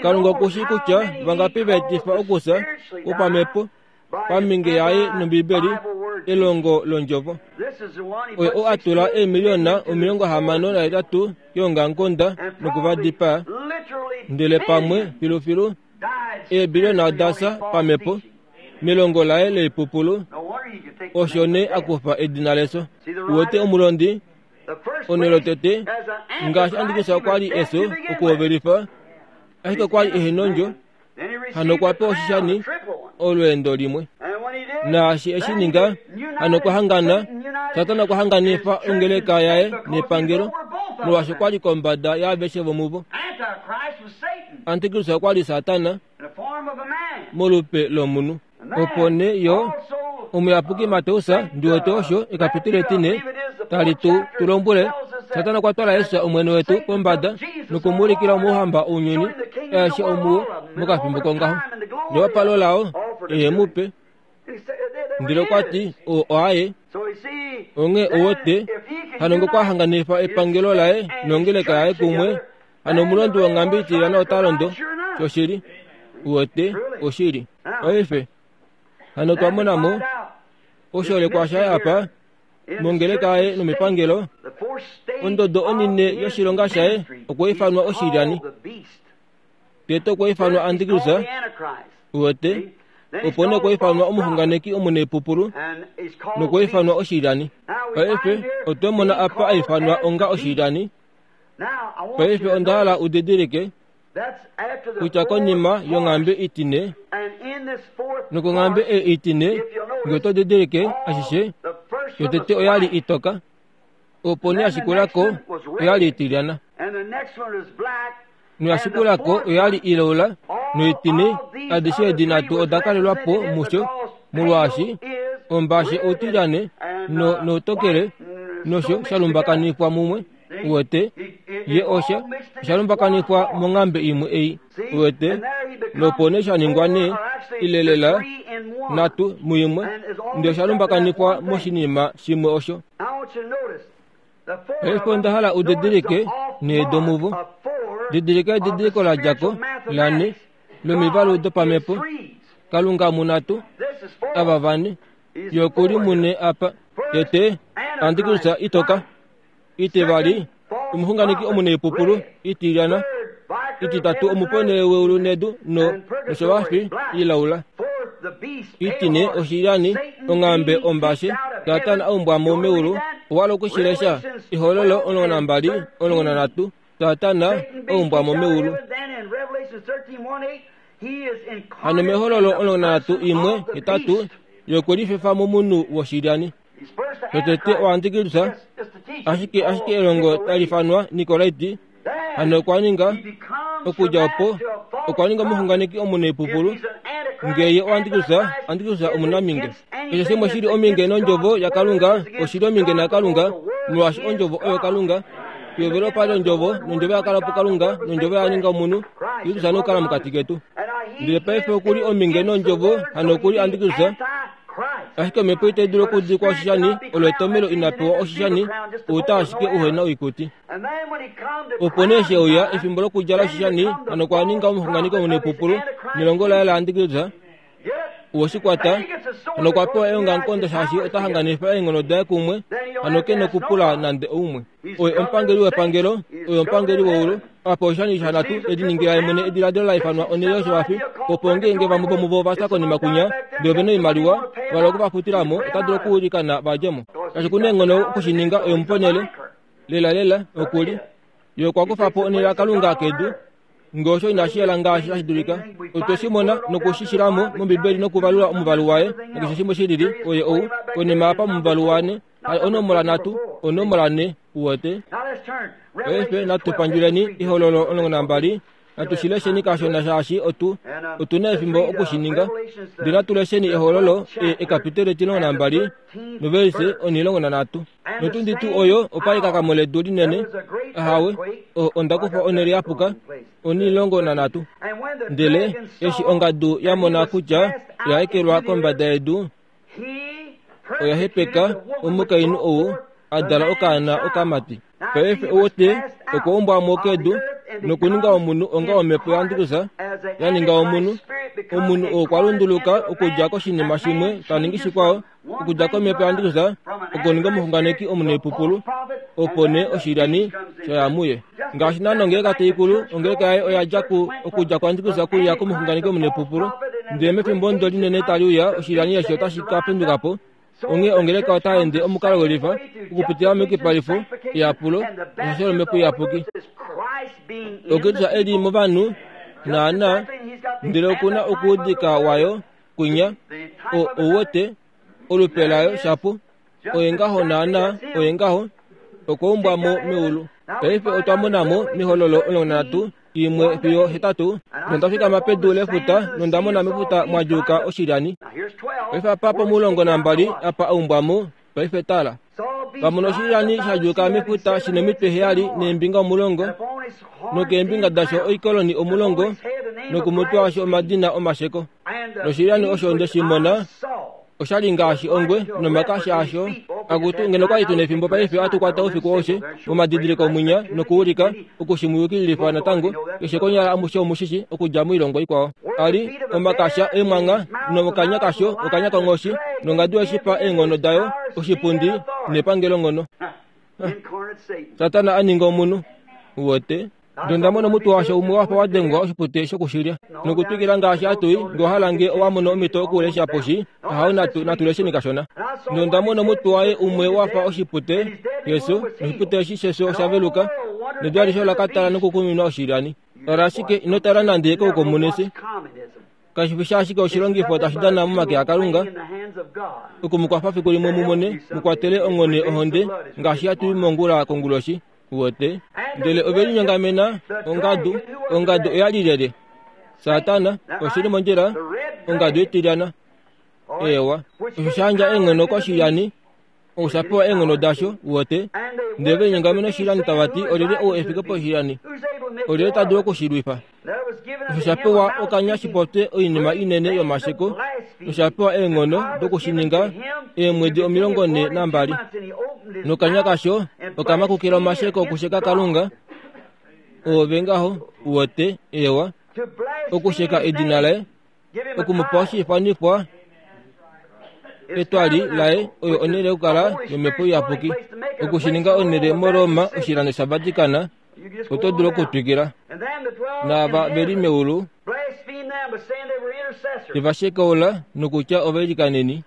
Kalunga oku shii kutya vangapi va etifa okufya kwopamhepo paminge yaye nOmbibeli, elongo lOndjovo. Oye oo a tula eemiliona 68 keongamukonda noku va dipaa, ndele pamwe filufilu eebiliona oda fya pamhepo melongo laye loipupulu. Osho nee a kufa edina lefyo. Uwete omulondi? Onhele yotete, ngaashi Antikrista okwa li efyo okuhovelifa, ashike okwa li ehe nondjo, hano okwa pewa oshishani olweendo limwe. Naashi eshi ninga, hano okwa hangana, Satana okwa hanganifa ongeleka yaye nepangelo, molwaashi okwa li kombada yaaveshe vomuvo. Antikrista okwa li Satana molupe lomunhu. Opo nee yo, omuyapuki Mateus, ndi wete osho, ekapituli etine, tali tu tu lombwele, Satana okwa twala Jesus Omwene wetu pombada noku mu ulikila omauhamba ounyuni aeshe omuo mokafimbo kongaho. Newapalo lao e mu pe. Ndele okwa ti, Oo oaye. Onghee ou wete, hano ngee okwa hanganifa epangelo laye nongeleka yaye kumwe, hano omulondi wonghambe itilyana ota londo. Shoshili. Uwete, oshili. Paife, hano otwa mona mo oshoolekwa shaye apa, mongeleka yaye nomepangelo. Ondodo onine yoshilonga shaye okwa ifanwa oshilyani. Tete okwa ifanwa Antikrista, uwete, opo nee okwa ifanwa omuxunganeki omunaipupulu, nokwa ifanwa oshilyani. Paife, otwe mona apa a ifanwa onga oshilyani. Paife onda hala u didilike kutya konima yonghambe itine nokonghambe ei itine, nge oto didilike ashishe, yotete oya li itoka, opo nee ya shikula ko oya li itilyana, noya shikula ko oya li ilaula, noitine, adishe edi nhatu oda kalelwa po musho, molwaashi ombashe outilyane no, noutokele nosho sha lumbakanifwa mumwe. Uwete? Ye osha, osha lumbakanifwa monghambe imwe ei. Uwete? Nopo nee sha ningwa nee, ile lela, nhatu muimwe, ndele osha lumbakanifwa moshinima shimwe osho. Paife onda hala u didilike nhee domuvo. Didilika edidiliko la dja ko, lanhe, lomivalu dopamhepo. Kalunga munhatu, ava vane. Ye oku li mune apa. Tete, Antikristu itoka. Itivali, omuxunganeki omunaipupulu, itilyana. Ititatu, omuponele weulu nedu no noshovafi ilaula. Itine, oshilyani, onghambe ombashe, Satana a umbwa mo meulu. Owa hala oku shi lesha? Ehololo 12, 13, Satana a umbwa mo meulu. Hano mEhololo 13 imwe, hetatu, ye okwe lifefa momunhu woshilyani. Totete oantikristu, ashike ashike elongo tali fanwa Nikolaiti, hano okwa ninga, okudja opo, okwa ninga omuxunganeki omunaipupulu, nge ye oantikristu, antikristu omunaminge. Keshe shimwe shi li ominge nOndjovo yaKalunga, oshi li ominge naKalunga, molwaashi Ondjovo oyo Kalunga. Pehovelo opa li Ondjovo, nOndjovo oya kala puKalunga, nOndjovo oya ninga omunhu, Kristus nokukala mokati ketu. Ndele paife oku li ominge nOndjovo, hano oku li antikristu. Ashike omhepo itai dulu okudikwa oshishani, olo etomelo ina pewa oshishani, outa ashike uhe na oikuti. Opo nee she uya efimbo lokudjala oshishani, hano okwa ninga omuxunganeki omunaipupulu, nelongo laye laantikristu. Owe shi kwata, hano okwa pewa eongamukonda shaashi ota hanganifa eenghono daye kumwe, hano ke nokupula nande oumwe. Oye omupangeli wepangelo, oye omupangeli weulu. Apa oshishani shanhatu e liningila ye mwene ediladilo la ifanwa onhele yoshivafi, opo ngeenge vamwe vomuvo ova fya konima kunya, ndele ove na oimaliwa, va hala oku va futila mo, ota dulu okuilikana va dje mo. Shaashi oku na eenghono oku shi ninga, oye omuponhele. Lelalela, oku li. Ye okwa kufa po onhele yaKalunga kedu. Nge osho inashi yela ngaashi tashi dulika, otwe shi mona noku shi shila mo mOmbibeli nokuvalula omuvalu waye nakeshe shimwe shi lili, oye ou, konima apa momuvalu wane, hali onomola nhatu, onomola nhe, uwete. Paife natu pandjuleni Ehololo 12, natu shi lesheni kashona shaashi otu, otu na efimbo oku shi ninga. Ndele natu lesheni Ehololo, e, ekapiteli etimulongo nambali, novelise onhilongo nanhatu. Notundi tuu oyo opa li ekakamo ledu linene, ahawe, o, onda kufa onhele ya puka, onhilongo nanhatu. Ndele eshi ongadu ya mona kutya oya ekelwa kombada yedu, oya hepeka omukainhu ou a dala okaana okamati. Paife ouwete, okwa umbwa mo kedu nokuninga omunhu onga omhepo yaAndrusa ya ninga omunhu. Omunhu oo okwa lunduluka okudja koshinima shimwe ta ningi shikwao, okudja komhepo yaAndrusa okuninga omuxunganeki omunaipupulu, opo nee oshilyani sha ya muye. Ngaashi naana ongeleka tai kulu, ongeleka yaye oya dja ku, okudja kuAndrusa kuya komuxunganeki omunaipupulu. Ndele mefimbo ondo linene tali uya, oshilyani eshi otashi ka penduka po. Onghee ongeleka otai ende omukalo welifa, okupitila meyukipalifo, eyapulo, neshasho lOmhepo Iyapuki. Okristus e li movanhu, naana, ndele oku na okuudika wayo kwinya, o, ou wete, olupe layo shapu. Oye ngaho naana, oye ngaho, okwa umbwa mo meulu. Paife otwa mona mo mEhololo 13, imwe fiyo hetatu, nonda fikama pedu lefuta nonda mona mefuta mwa djuuka oshilyani. Paife apa pomulongo nambali apa a umbwa mo, paife tala. Va mona oshilyani sha djuuka mefuta shi nomitwe heyali neembinga omulongo, nokeembinga dasho oikoloni omulongo, nokomutwe washo omadina omasheko. Noshilyani osho nde shi mona osha li ngaashi ongwe nomakasha asho akutu ngeno kwali tu nefimbo paife atu kwata oufiku aushe momadidiliko mwinya nokuulika oku shi muyukililifa natango keshe konyala amushe omushishi okudja moilongo ikwao a li omakasha eemwangha nokanya kasho okanya konghoshi nongadu yoshipa eenghono dayo oshipundi nepangelonghono Satana a ninga omunhu wote Ndele onda mona omutwe washo umwe wa fa wa dengwa oshipute shokushilya nokutwikila ngaashi hatu i. Nge owa hala nge owa mono omhito okulesha poshi, ahao natu, natu lesheni kashona. Ndele onda mona omutwe waye umwe wa fa oshipute shefyo, noshipute eshi shefyo osha veluka, nedu alishe ola ka tala nokukuminwa oshilyani. Tala ashike, ino tala nande koukomunisi. Kashi fi ashike oshilongifo tashi dana momake aKalunga oku mu kwafa fiku limwe mu mone, mu kwatele onghone ohonde ngaashi hatu i mongula konguloshi. Uwete? Ndele ove linyongamena ongadu. Ongadu oya li lyelye? Satana, oshi li mondjila, ongadu itilyana. Eewa. Osho sha yandja eenghono koshilyani. Osha pewa eenghono dasho, uwete. Ndele ve linyongamena oshilani tava ti, Olyelye ou e fike poshilani? Olyelye ta dulu oku shi lwifa? Osho sha pewa okanya shi popye oinima inene yomasheko, nosha pewa eenghono doku shi ninga eemwedi 42. Nokanya kasho oka makukila omasheko okusheka Kalunga, oove ngaho, uwete, eewa, okusheka edina laye, oku mu pa oshiifanifwa etwali laye oyo onhele yokukala yomhepo iyapuki oku shi ninga onhele moroma oshilando shavatikana oto dulu okutwikila naava ve li meulu te va shekaula nokutya ovailikaneni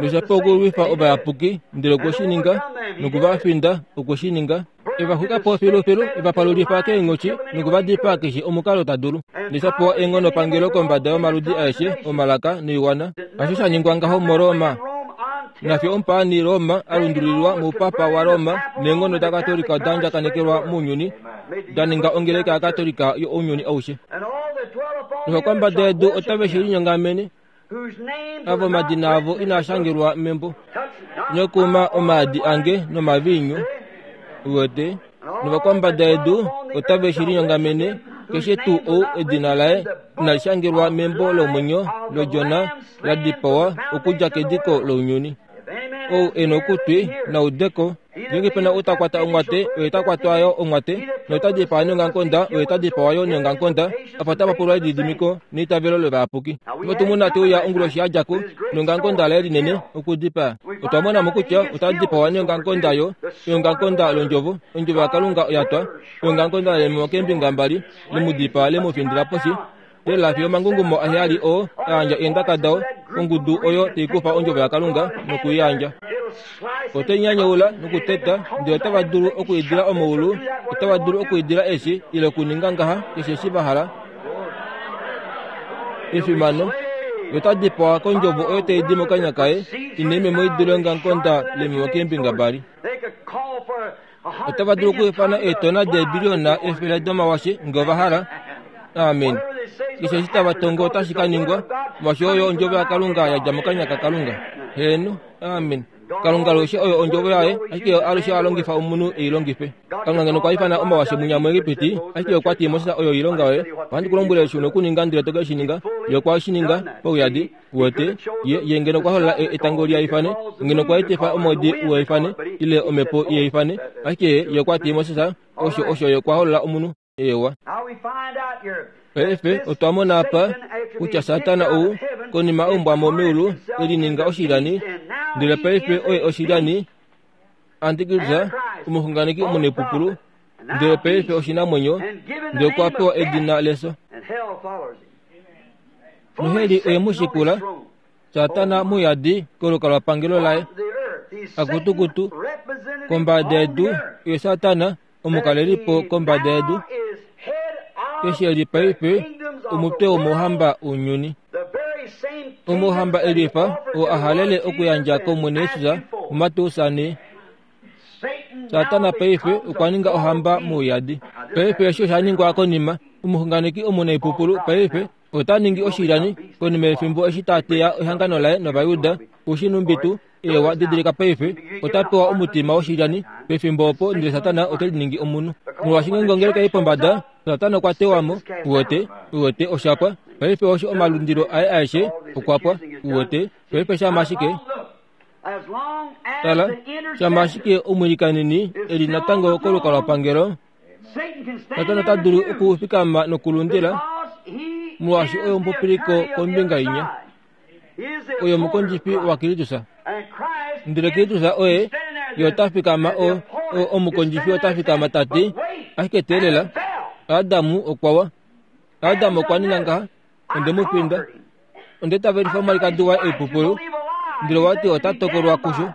nosha pewa okulwifa ovayapuki ndele okwe shi ninga noku va finda okwe shi ninga e va xwika po filufilu, e va palulifa keenghoshi noku va dipaa keshe omukalo ta dulu. Ndele pewa eenghonopangelo kombada yomaludi aeshe omalaka noiwana. Hasho sha ningwa ngaho muRoma. Nafye omupaani Roma a lundululilwa moupapa waRoma neenghono daKatolika da andjakanekelwa mounyuni, da ninga ongeleka yaKatolika younyuni aushe. Novakwambada yedu otave shi linyongamene avo omadina avo inaa shangelwa membo nokuma omaadi ange nomaviinyu uwete novakwambada yedu otave shi linyongamene keshe tuu ou edina laye inali shangelwa membo lomwenyo lodjona la dipawa okudja kediko lounyuni Ou e na okutwi, na ude ko. Ngeenge pe na ou ta kwata onghwate, oye ta kwatwa yo onghwate, nota dipaa neongamukonda, oye ta dipawa yo neongamukonda. Apa otapa pulwa elididimiko neitavelo lovayapuki. Opo tu mona te uya onguloshi ya dja ko neongamukonda laye linene okudipaa. Otwa mona mo kutya ota dipawa neongamukonda yo, eongamukonda londjovo, ondjovo yaKalunga oya twa, eongamukonda leememo keembinga mbali, le mu dipaa le mu findila poshi. Tela fiyo omangungumo aheyali oo a yandja eendaka dao kongudu oyo tai kufa ondjovo yaKalunga noku i yandja. Otai nyanyaula nokuteta, ndele otava dulu okwiidila omaulu, otava dulu okwiidila eshi ile okuninga ngaha keshe eshi va hala. Efimano! Ye ota dipawa kondjovo oyo tai di mokanya kaye, ina imemo i dule ongamukonda lememo keembinga mbali. Otava dulu okwiifana eetona deebiliona efele domawashe nge ova hala. Amen. Keshe eshi tava tongo otashi ka ningwa, molwaashi oyo ondjovo yaKalunga ya dja mokanya kaKalunga. Heeno. Amen. Kalunga alushe oyo ondjovo yaye, ashike ye alushe a longifa omunhu e i longife. Kalunga ngeno okwa ifana omawashe munya muEgipiti, ashike okwa ti Moses oyo oilonga yoye, ohandi ku lombwele eshi u na okuninga ndele to ke shi ninga. Ye okwa shi ninga pauyadi. Uwete, ye, ye ngeno okwa holola e, etango li ifane, ngeno okwa etifa omwedi u ifane, ile omhepo i ifane, ashike ye, ye okwa ti Moses, osho, osho ye okwa holola omunhu. Ewa. Paife otwa mona apa kutya Satana ou, konima a umbwa mo meulu, e lininga oshilyani, ndele paife oye oshilyani, antikristus, omuxunganeki omunaipupulu, ndele paife oshinamwenyo, ndele okwa pewa edina lefyo. Noheli oye mu shikula, Satana muyadi kolukalwapangelo laye. Akutukutu, kombada yedu, ye Satana omukalelipo kombada yedu, eshi e li paife omutwe womouhamba wounyuni. Omouhamba elifa oo a halele okuyandja kOmwene Jesus muMateus 4. Satana paife okwa ninga ohamba mouyadi. Paife eshi osha ningwa konima omuxunganeki omunaipupulu paife ota ningi oshilyani konima yefimbo eshi ta teya ehangano laye nOvayuda. Ushinumbitu, ewa didilika paife ota pewa omutima woshilyani pefimbo opo ndele Satana ote liningi omunhu. Molwaashi ngeenge ongeleka ei pombada, Satana okwa tewa mo. Uwete? Uwete, osha pwa. Paife osho omalundilo aye aeshe okwa pwa. Uwete? Paife shama ashike. Tala, shama ashike omwiilikaneni e li natango kolukalwapangelo, Satana ota dulu okufikama nokulundila, molwaashi oye omupopiliko kombinga inya. Oye omukondjifi waKristus. Ndele Kristus oye ye ota fikama o, o, omukondjifi ota fikama ta ti, ashike teelela, Adamu okwa wa. Adamu okwa ninga ngaha, onde mu finda. Onde tavelifa omwalikadi waye oipupulu, ndele wa ti ota tokolwa kusho.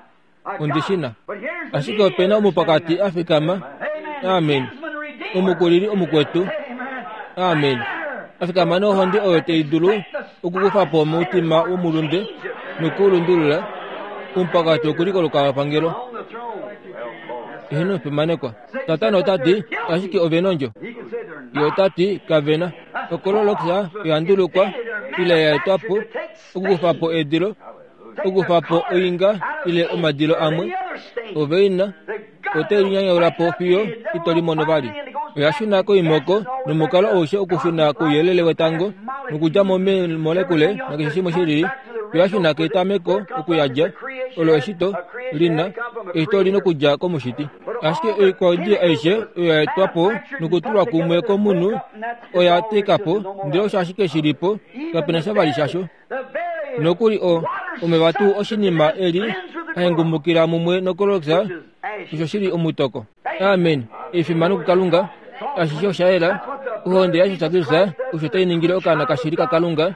Ondi shi na. Ashike ope na omupakati a fikama. Amen. Omukulili omukwetu. Amen. A fikama nohonde oyo tai dulu okukufa po omutima womulunde noku u lundulula. Omupakati oku li kolukalwapangelo. Eheno, fimanekwa. Satana ota ti, ashike ove nondjo. Ye ota ti, kave na. Okololoxa oya ndulukwa ile ya etwa po okukufa po edilo. Okufa po oinga ile omadilo amwe, ove ina ote linyanyaula po fiyo ito limono vali. Oya shuna koimoko nomukalo aushe okushuna kouyelele wetango nokudja mo meemolekule nakeshe shimwe shi lili, oya shuna ketameko okuyadja olo eshito li na eshito li nokudja komushiti. Ashike oikwaudiyo aishe oyo ya etwa po nokutulwa kumwe komunhu oya teka po, ndele osho ashike shi li po, kape na sha vali shasho. Nokuli o, omeva tuu oshinima eli a hengumukila mumwe nokoloxa, osho shi li omutoko. Amen. Efimano kuKalunga. Ashishe osha yela. Ohonde yaJesus Kristus osho tai ningile okaana kashili kaKalunga,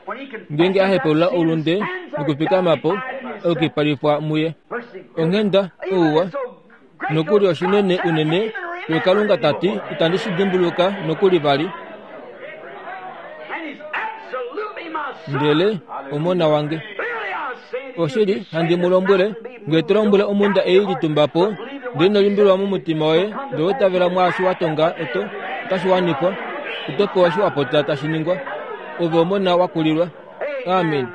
ngeenge a hepaulula oulunde nokufikama po, okukipalifwa muye. Onghenda, ouwa, nokuli oshinene unene, ye Kalunga ta ti, itandi shi dimbuluka nokuli vali. Ndele omona wange. Oshili, handi mu lombwele, nge to lombwele omhunda ei litumba po, ndele ino limbililwa momutima woye, ndele wa itavela mwaashi wa tonga, oto, otashi wanifwa. Oto pewa eshi wa popya tashi ningwa. Ove omona wa kulilwa. Amen.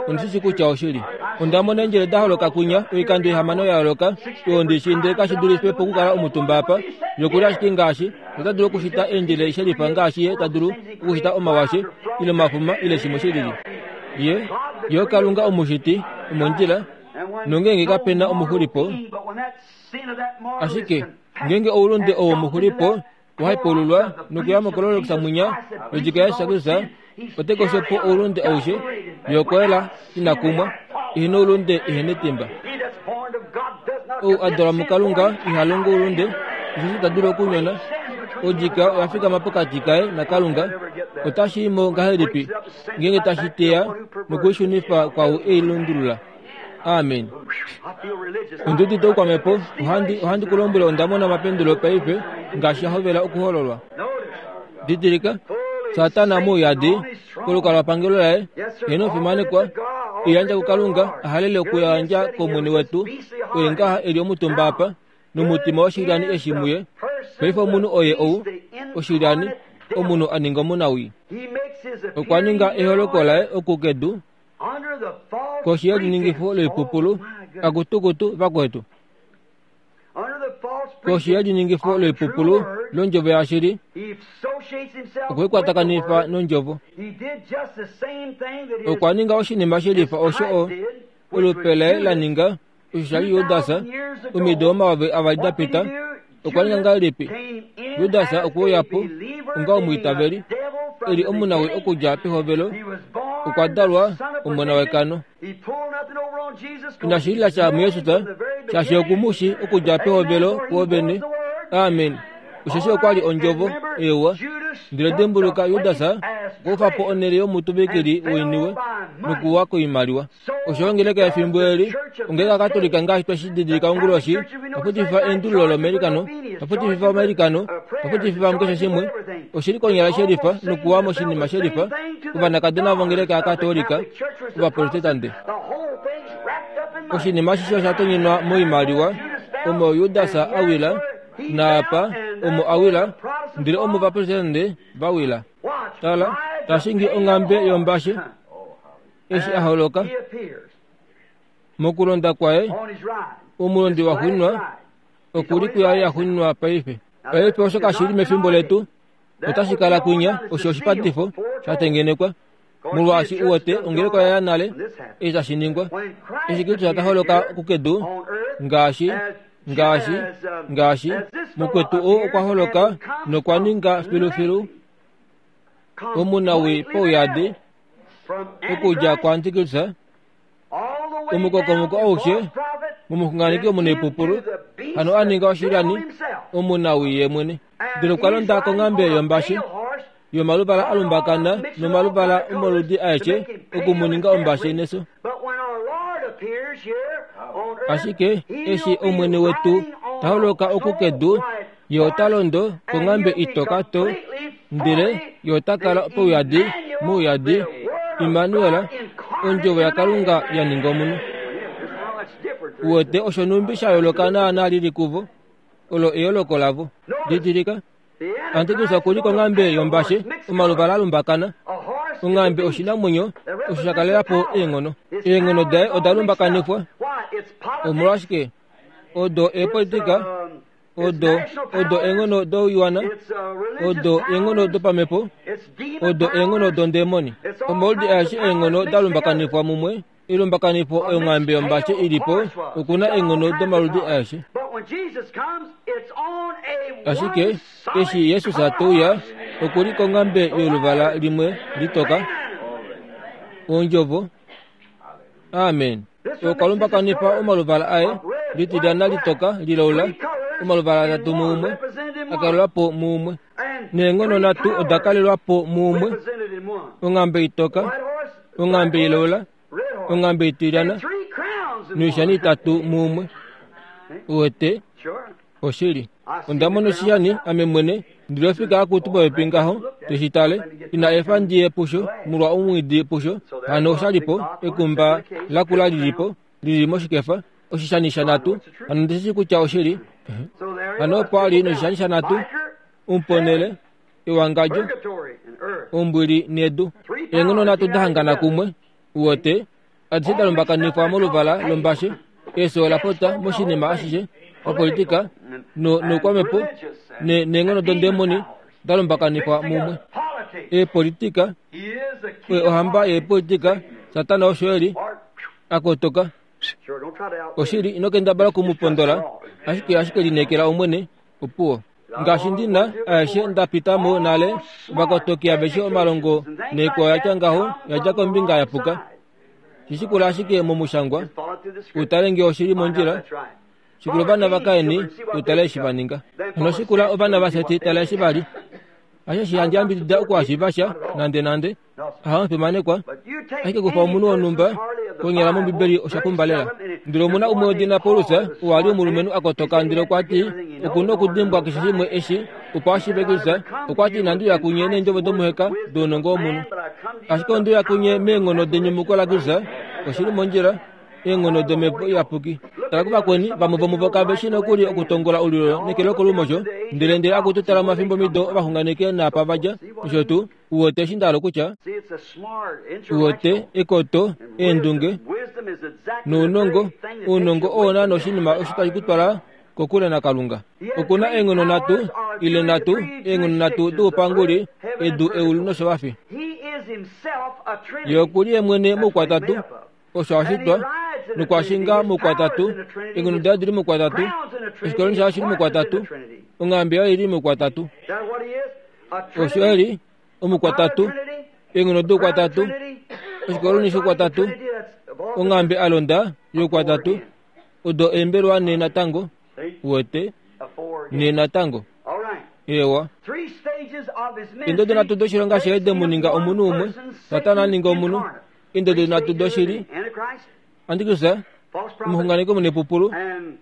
Ondi shi shii kutya oshili. Onda mona eendjele da holoka kwinya oikando ihamano ya yooloka, oyo ndi shii ndele kashi dulife po okukala omutumba apa. Ye okuli ashike ngaashi, ota dulu okushita eendjele shelifa ngaashi ye ta dulu okushita omawashe, ile omafuma, ile shimwe shilili. Ye, Ye oKalunga Omushiti, omondjila, nongeenge kape na omuxulipo, ashike ngeenge oulunde owo muxulipo, wa hepaululwa nokuya mokololokisa mwinya yodjika yaJesus ote kosho po oulunde aushe ye okwa yela ina kumwa ihe noulunde ihe netimba. Ou a dalwa muKalunga iha longo oulunde, osheshi ita dulu okunyona. Odjika oya fikama pokati kaye naKalunga. Otashi i mo ngahelipi ngeenge tashi teya nokuishunifa kwaau e i lundulula? Amen. Ondi udite oukwamhepo. Ohandi, ohandi ku lombwele onda mona omapendulo paife ngaashi a hovela okuhololwa. Didilika, Satana mouyadi kolukalwapangelo laye, ye nofimanekwa, e yandja kuKalunga, a halele okuyandja kOmwene wetu, oye ngaha e li omutumba apa, nomutima woshilyani eshi muye. Paife omunhu oye ou, oshilyani, omunhu a ninga omunawii. Okwa ninga eholoko laye oku kedu, koshi yeliningifo loipupulu, akutukutu vakwetu, koshi yeliningifo loipupulu londjovo yashili, okwekwatakanifa nondjovo. Okwa ninga oshinima shelifa osho o olupe laye la ninga, osho sha li Judas omido 2000 da pita. Okwa ninga ngahelipi? Judas okwe uya po onga omwiitaveli, e li omunawii okudja pehovelo, okwa dalwa omona wekano. Inashi lila sha muJesus, shaashi oku mu shii okudja pehovelo kuovene. Amen. Osheshi okwa li Ondjovo, eewa. Ndele dimbuluka, Judas okwa kufa po onhele yomutuvikili woiniwe nokuwa koimaliwa. Osho ongeleka yefimbo eli, ongeleka Katolika ngaashi twe shi didilika onguloshi, twa eendululo lomailikano, twa futififa omailikano, twa futififa mukeshe shimwe, oshi li konyala shelifa nokuwa moshinima shelifa, ovanakadona vongeleka yaKatolika, Ovaprotetante. Oshinima ashishe osha tonyenwa moimaliwa, omo Judas a wila, naapa omo a wila, ndele omo Ovaprotetante va wila. Tala, ta shingi onghambe yombashe. Eshi a holoka mokulonda kwaye, omulondi waxuuninwa oku li kuyaye yaxuuninwa paife. Paife osho kashi li mefimbo letu, otashi kala kwinya, osho oshipatifo sha tengenekwa, molwaashi u wete ongeleka oya ya nale eshi tashi ningwa. Eshi Kristus ta holoka kukedu, ngaashi ngaashi ngaashi mukwetu ou okwa holoka nokwa ninga filufilu omunawii pauyadi okudja kuAntikristus, omukokomoko aushe momuxunganeki omunaipupulu, hano a ninga oshilyani omunawii ye mwene. Ndele okwa londa konghambe yombashe yomaluvala a lumbakana nomaluvala omoludi aeshe oku mu ninga ombashe neso. Ashike eshi Omwene wetu ta holoka oku kedu, Ye ota londo konghambe itoka to, ndele Ye ota kala pouyadi, mouyadi, Immanuel, Ondjovo yaKalunga ya ninga omunhu. Uwete osho nhumbi sha yooloka naanaa li li kuvo? Olo eyooloko lavo. Didilika, Antikrist oku li konghambe yombashe, omaluvala a lumbakana. Onghambe oshinamwenyo osho sha kalela po eenghono. Eenghono daye oda lumbakanifwa. Omolwashike? Odo eepolitika, odo odo eenghono doiwana, odo eenghono dopamhepo, odo eenghono dondemoni. Omaudi aeshe eenghono da lumbakanifwa mumwe, elumbakanifo onghambe yombashe i li po, oku na eenghono domaludi aeshe. Ashike eshi Jesus te uya, oku li konghambe yoluvala limwe litoka, Ondjovo. Amen. Okwa lumbakanifa omaluvala aye, litilyana litoka, lilaula, omaluvala atatu muumwe, a kalelwa po muumwe. Neenghono nhatu oda kalelwa po muumwe, onghambe itoka, onghambe ilaula, onghambe itilyana, noishani itatu muumwe. Uwete? Oshili. Onda mona oshishani, ame mwene, ndili ofika akutu popepi ngaho, te shi tale. Ina efa ndi ye pusho, molwa omwiidi pusho. Hano osha li po, ekumba lakula li li po, li li moshikefa, oshishani shanhatu. Hano ondi shi shii kutya oshili. Hano opo a li noshishani shanhatu, omuponhele, ewangadjo, ombwili nedu. Eenghono nhatu da hangana kumwe, uwete, adishe da lumbakanifwa moluvala lombashe, efyo ola pota moshinima ashishe, opolitika no, noukwamhepo ne, neenghono dondemoni da lumbakanifwa mumwe. Eepolitika, oye ohamba yeepolitika, Satana osho e li, a kotoka. Oshili, ino kendabala oku mu pondola, ashike, ashike lineekela Omwene, opuwo. Ngaashi ndi na aeshe nda pita mo nale, ovakotoki aveshe omalongo naikwao ya tya ngaho ya dja kombinga ya puka. Shi shikula ashike momushangwa, u tale nge oshi li mondjila. Shikula ovana vaKain, u tale eshi va ninga. Hano shikula ovana vaSeti, tala eshi va li. Hasho handi yambidida okuhashiiva sha, nandenande. Ahamufimanekwa, ashike kufa omunhu wonhumba konyala mOmbibeli osha pumba lela. Ndele omu na umwe wedina Paulus, oo a li omulumenhu a kotoka, ndele okwa ti, Oku na okudimbwa keshe shimwe eshi, opo a shiive Kristus. Okwa ti, Inandi uya kunye neendjovo domuheka dounongo womunhu, ashike onde uya kunye meenghono denyumuko laKristus. Oshi li mondjila. Eenghono dOmhepo Iyapuki. Tala kuvakweni, vamwe vomuvo kave shii nokuli okutongola olulyo neke lokolumosho, ndele ndele akutu tala omafimbomido ovaxunganeki naapa va dja, nosho tuu. Uwete eshi nda hala okutya? Uwete, ekoto, eendunge, nounongo, ounongo oo naana oshinima osho tashi ku twala kokule naKalunga. Oku na eenghono nhatu, ile nhatu, eenghono nhatu doupanguli, edu, eulu noshovafi. Ye oku li ye mwene moukwatatu, osho a shitwa, nokwa shinga moukwatatu, eenghono daye odi li moukwatatu, oshikoloni shaye oshi li moukwatatu, onghambe yaye oi li moukwatatu. Osho e li omukwatatu, eenghono doukwatatu, oshikoloni shoukwatatu, onghambe a londa youkwatatu, odo eembelwa ne natango, uwete, ne natango. Ewa. Eendodo nhatu doshilonga shaye de mu ninga omunhu umwe, Satana a ninga omunhu, Eendodo nhatu doshili, Antikristus, omuxunganeki omunepupulu,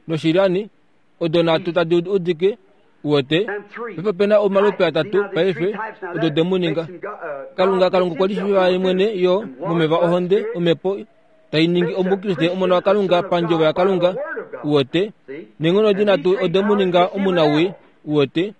noshilyani, odo nhatu tadi udike, uwete, paife ope na omalupe atatu paife, odo de mu ninga. Kalunga, Kalunga okwa lishiiva ye mwene yo momeva ohonde, omhepo, tai ningi Omukriste omona waKalunga pandjovo yaKalunga, uwete, neenghono edi nhatu ode mu ninga omunawii, uwete,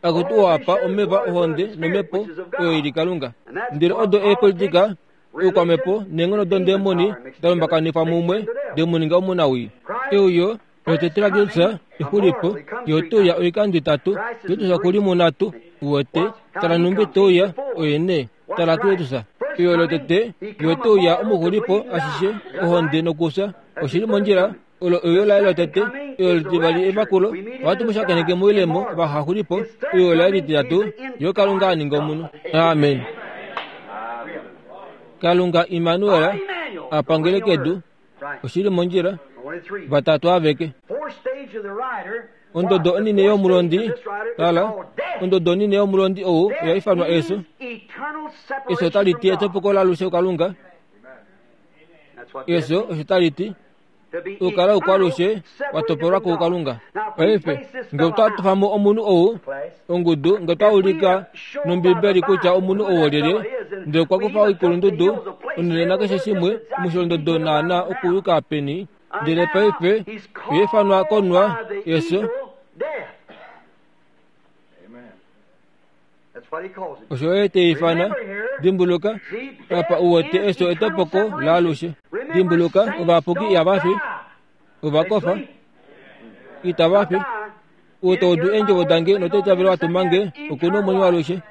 akutu oo apa omeva ohonde nomhepo oyo i li Kalunga. Ndele odo eepolitika oukwamhepo neenghono dondemoni da lumbakanifwa mumwe de mu ninga omunawii. Euyo lotete laKristus exulipo, ye ote uya oikando itatu. Kristus oku li munhatu, uwete. Tala nhumbi te uya, oye nee. Tala Kristus. Euyo lotete, ye ote uya omuxulipo ashishe, ohonde nokufya. Oshi li mondjila. Olo euyo laye lotete, euyo litivali evakulo, ohatu mu shakeneke moilemo vahaxulipo, euyo laye lititatu, ye Kalunga a ninga omunhu. Amen. Kalunga Immanuel a pangele kedu, oshi li mondjila, vatatu aveke. Ondodo onine yomulondi, tala, ondodo onine yomulondi ou oya ifanwa eso. Eso otali ti etopoko lalushe kuKalunga. Eso osho tali ti. Okukala oukwalushe wa topolwa kuKalunga. Paife, nge otwa tofa mo omunhu ou, ongudu, nge otwa ulika nOmbibeli kutya omunhu ou olyelye, ndele okwa kufa oikulundudu, onhele nakeshe shimwe, omusholondodo naana okuyuka peni, ndele paife oya ifanwa konwa, efyo. Osho ye te ifana. Dimbuluka, apa u wete eso etopoko laalushe. Dimbuluka, ovayapuki ihava fi. Ova kofa. Itava fi. Ou to udu eendjovo dange noto itavele wa tuma nge, oku na omwenyo waalushe.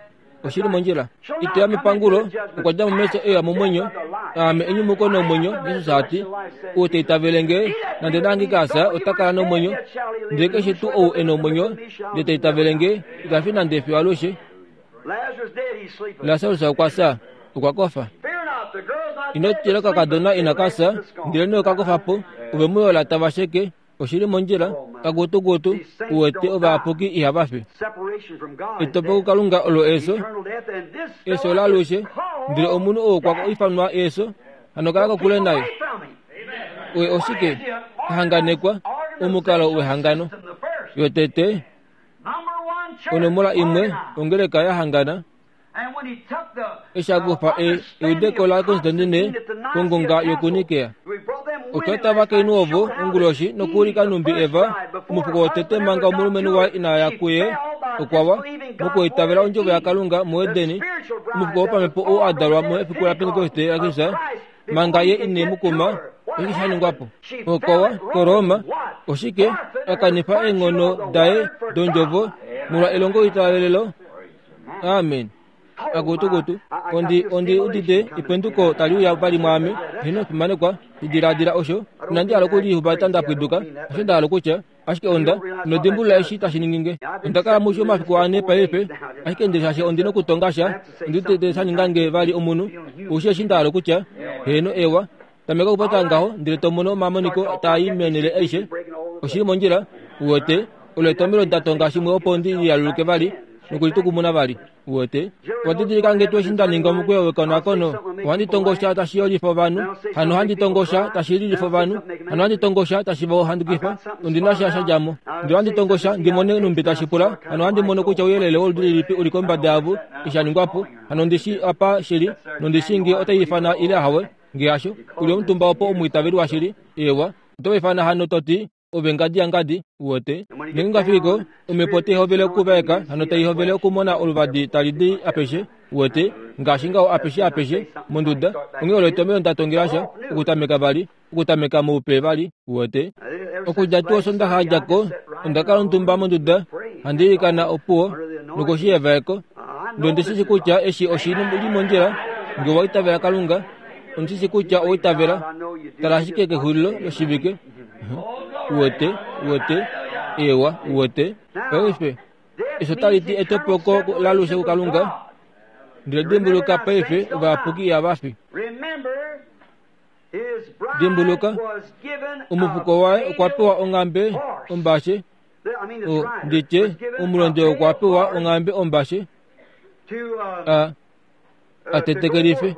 Oshi li mondjila. Ito ya mepangulo, okwa dja mo mefyo e uya momwenyo. Aame enyumuko nomwenyo, Jesus a ti. Ou ta itavele nge, nande na hangike a fya, ota kala nomwenyo. Ndele keshe tuu ou e nomwenyo, ndele ta itavele nge, ita fi nande fiyo alushe. Lasarus okwa fya, okwa kofa. Ino tila okakadona inaka fya, ndelenee oka kofa po. Ove mu yola tava sheke. Oshi li mondjila, kakutukutu, u wete ovayapuki ihava fi. Etopo kuKalunga olo eso, eso laalushe, ndele omunhu ou okwa ifanwa eso, hano kala kokule naye. Oye oshike? Ahanganekwa, omukalo wehangano. Yotete, onomola imwe, ongeleka ya hangana. Eshi a kufa eudeko laKonstantine kongonga yokuNikea. Otwa eta ovakainhu ovo onguloshi nokuulika nhumbi Eva, omufuko wotete manga omulumenhu waye ina ya kuye, okwa wa, mokwiitavela ondjovo yaKalunga muEdeni, omufuko wopamhepo oo a dalwa mefiku laPentekoste laKristus, manga ye ine mu kuma, oshike sha ningwa po? Okwa wa koRoma, oshike? A kanifa eenghono daye dondjovo molwa elongoitavelelo. Amen. Akutukutu, ondi, ondi udite ependuko tali uya vali mwaame. Heno, fimanekwa, diladila osho. Inandi hala okulihupata nda pwiduka, osho nda hala okutya. Ashike onda, ino dimbulula eshi tashi ningi nge. Onda kala musho omafiku ane paife, ashike ndele shaashi ondi nokutonga sha, ondi udite sha ninga nge vali omunhu. Oushi eshi nda hala okutya? Heeno, ewa. Tameka okupopya ngaho ndele to mono omamoniko taa i meenhele aishe. Oshi li mondjila, uwete. Olo etomhelo nda tonga shimwe opo ndi lialuluke vali nokulitukumuna vali. Uwete? Owa didilika nge tuu eshi nda ninga omukweyo wekonakono? Ohandi tongo sha tashi yolifa ovanhu, hano ohandi tongo sha tashi lilifa ovanhu, hano ohandi tongo sha tashi va handukifa. Ondi na sha sha dja mo. Ndele ohandi tongo sha ndi mone nhumbi tashi pula, hano ohandi mono kutya ouyelele woludi lilipi u li kombada yavo eshi sha ningwa po, hano ondi shii apa shi li, nondi shii ngee otai ifana ile ahawe. Nge hasho, u li omutumba opo omwiitaveli washili, eewa, oto va ifana hano to ti, Ove ngadi yangadi, uwete. Ngeenge fiki ko, omhepo otai hovele okuvaeka, hano tai hovele okumona oluvadi tali di apeshe, uwete, ngaashi ngaho apeshe apeshe monduda. Onghee olo etomhelo nda tongela sha, okutameka vali, okutameka moupe vali, uwete. Okudja tuu Osondaxa ya dja ko, onda kala omutumba monduda, handi ilikana opuwo, nokoshi yevaeko. Ndele ondi shi shii kutya eshi oshi li mondjila, nge owa itavela Kalunga, ondi shi shii kutya owa itavela. Tala ashike kexulilo loshivike. Uwete, uwete, ewa, uwete. Paife, eshi otali ti etopoko lalushe kuKalunga. Ndele dimbuluka paife, ovayapuki ihava fi. Dimbuluka, omufuko waye okwa pewa onghambe ombashe, o, nditye, omulondi okwa pewa onghambe ombashe, a, a tetekelife.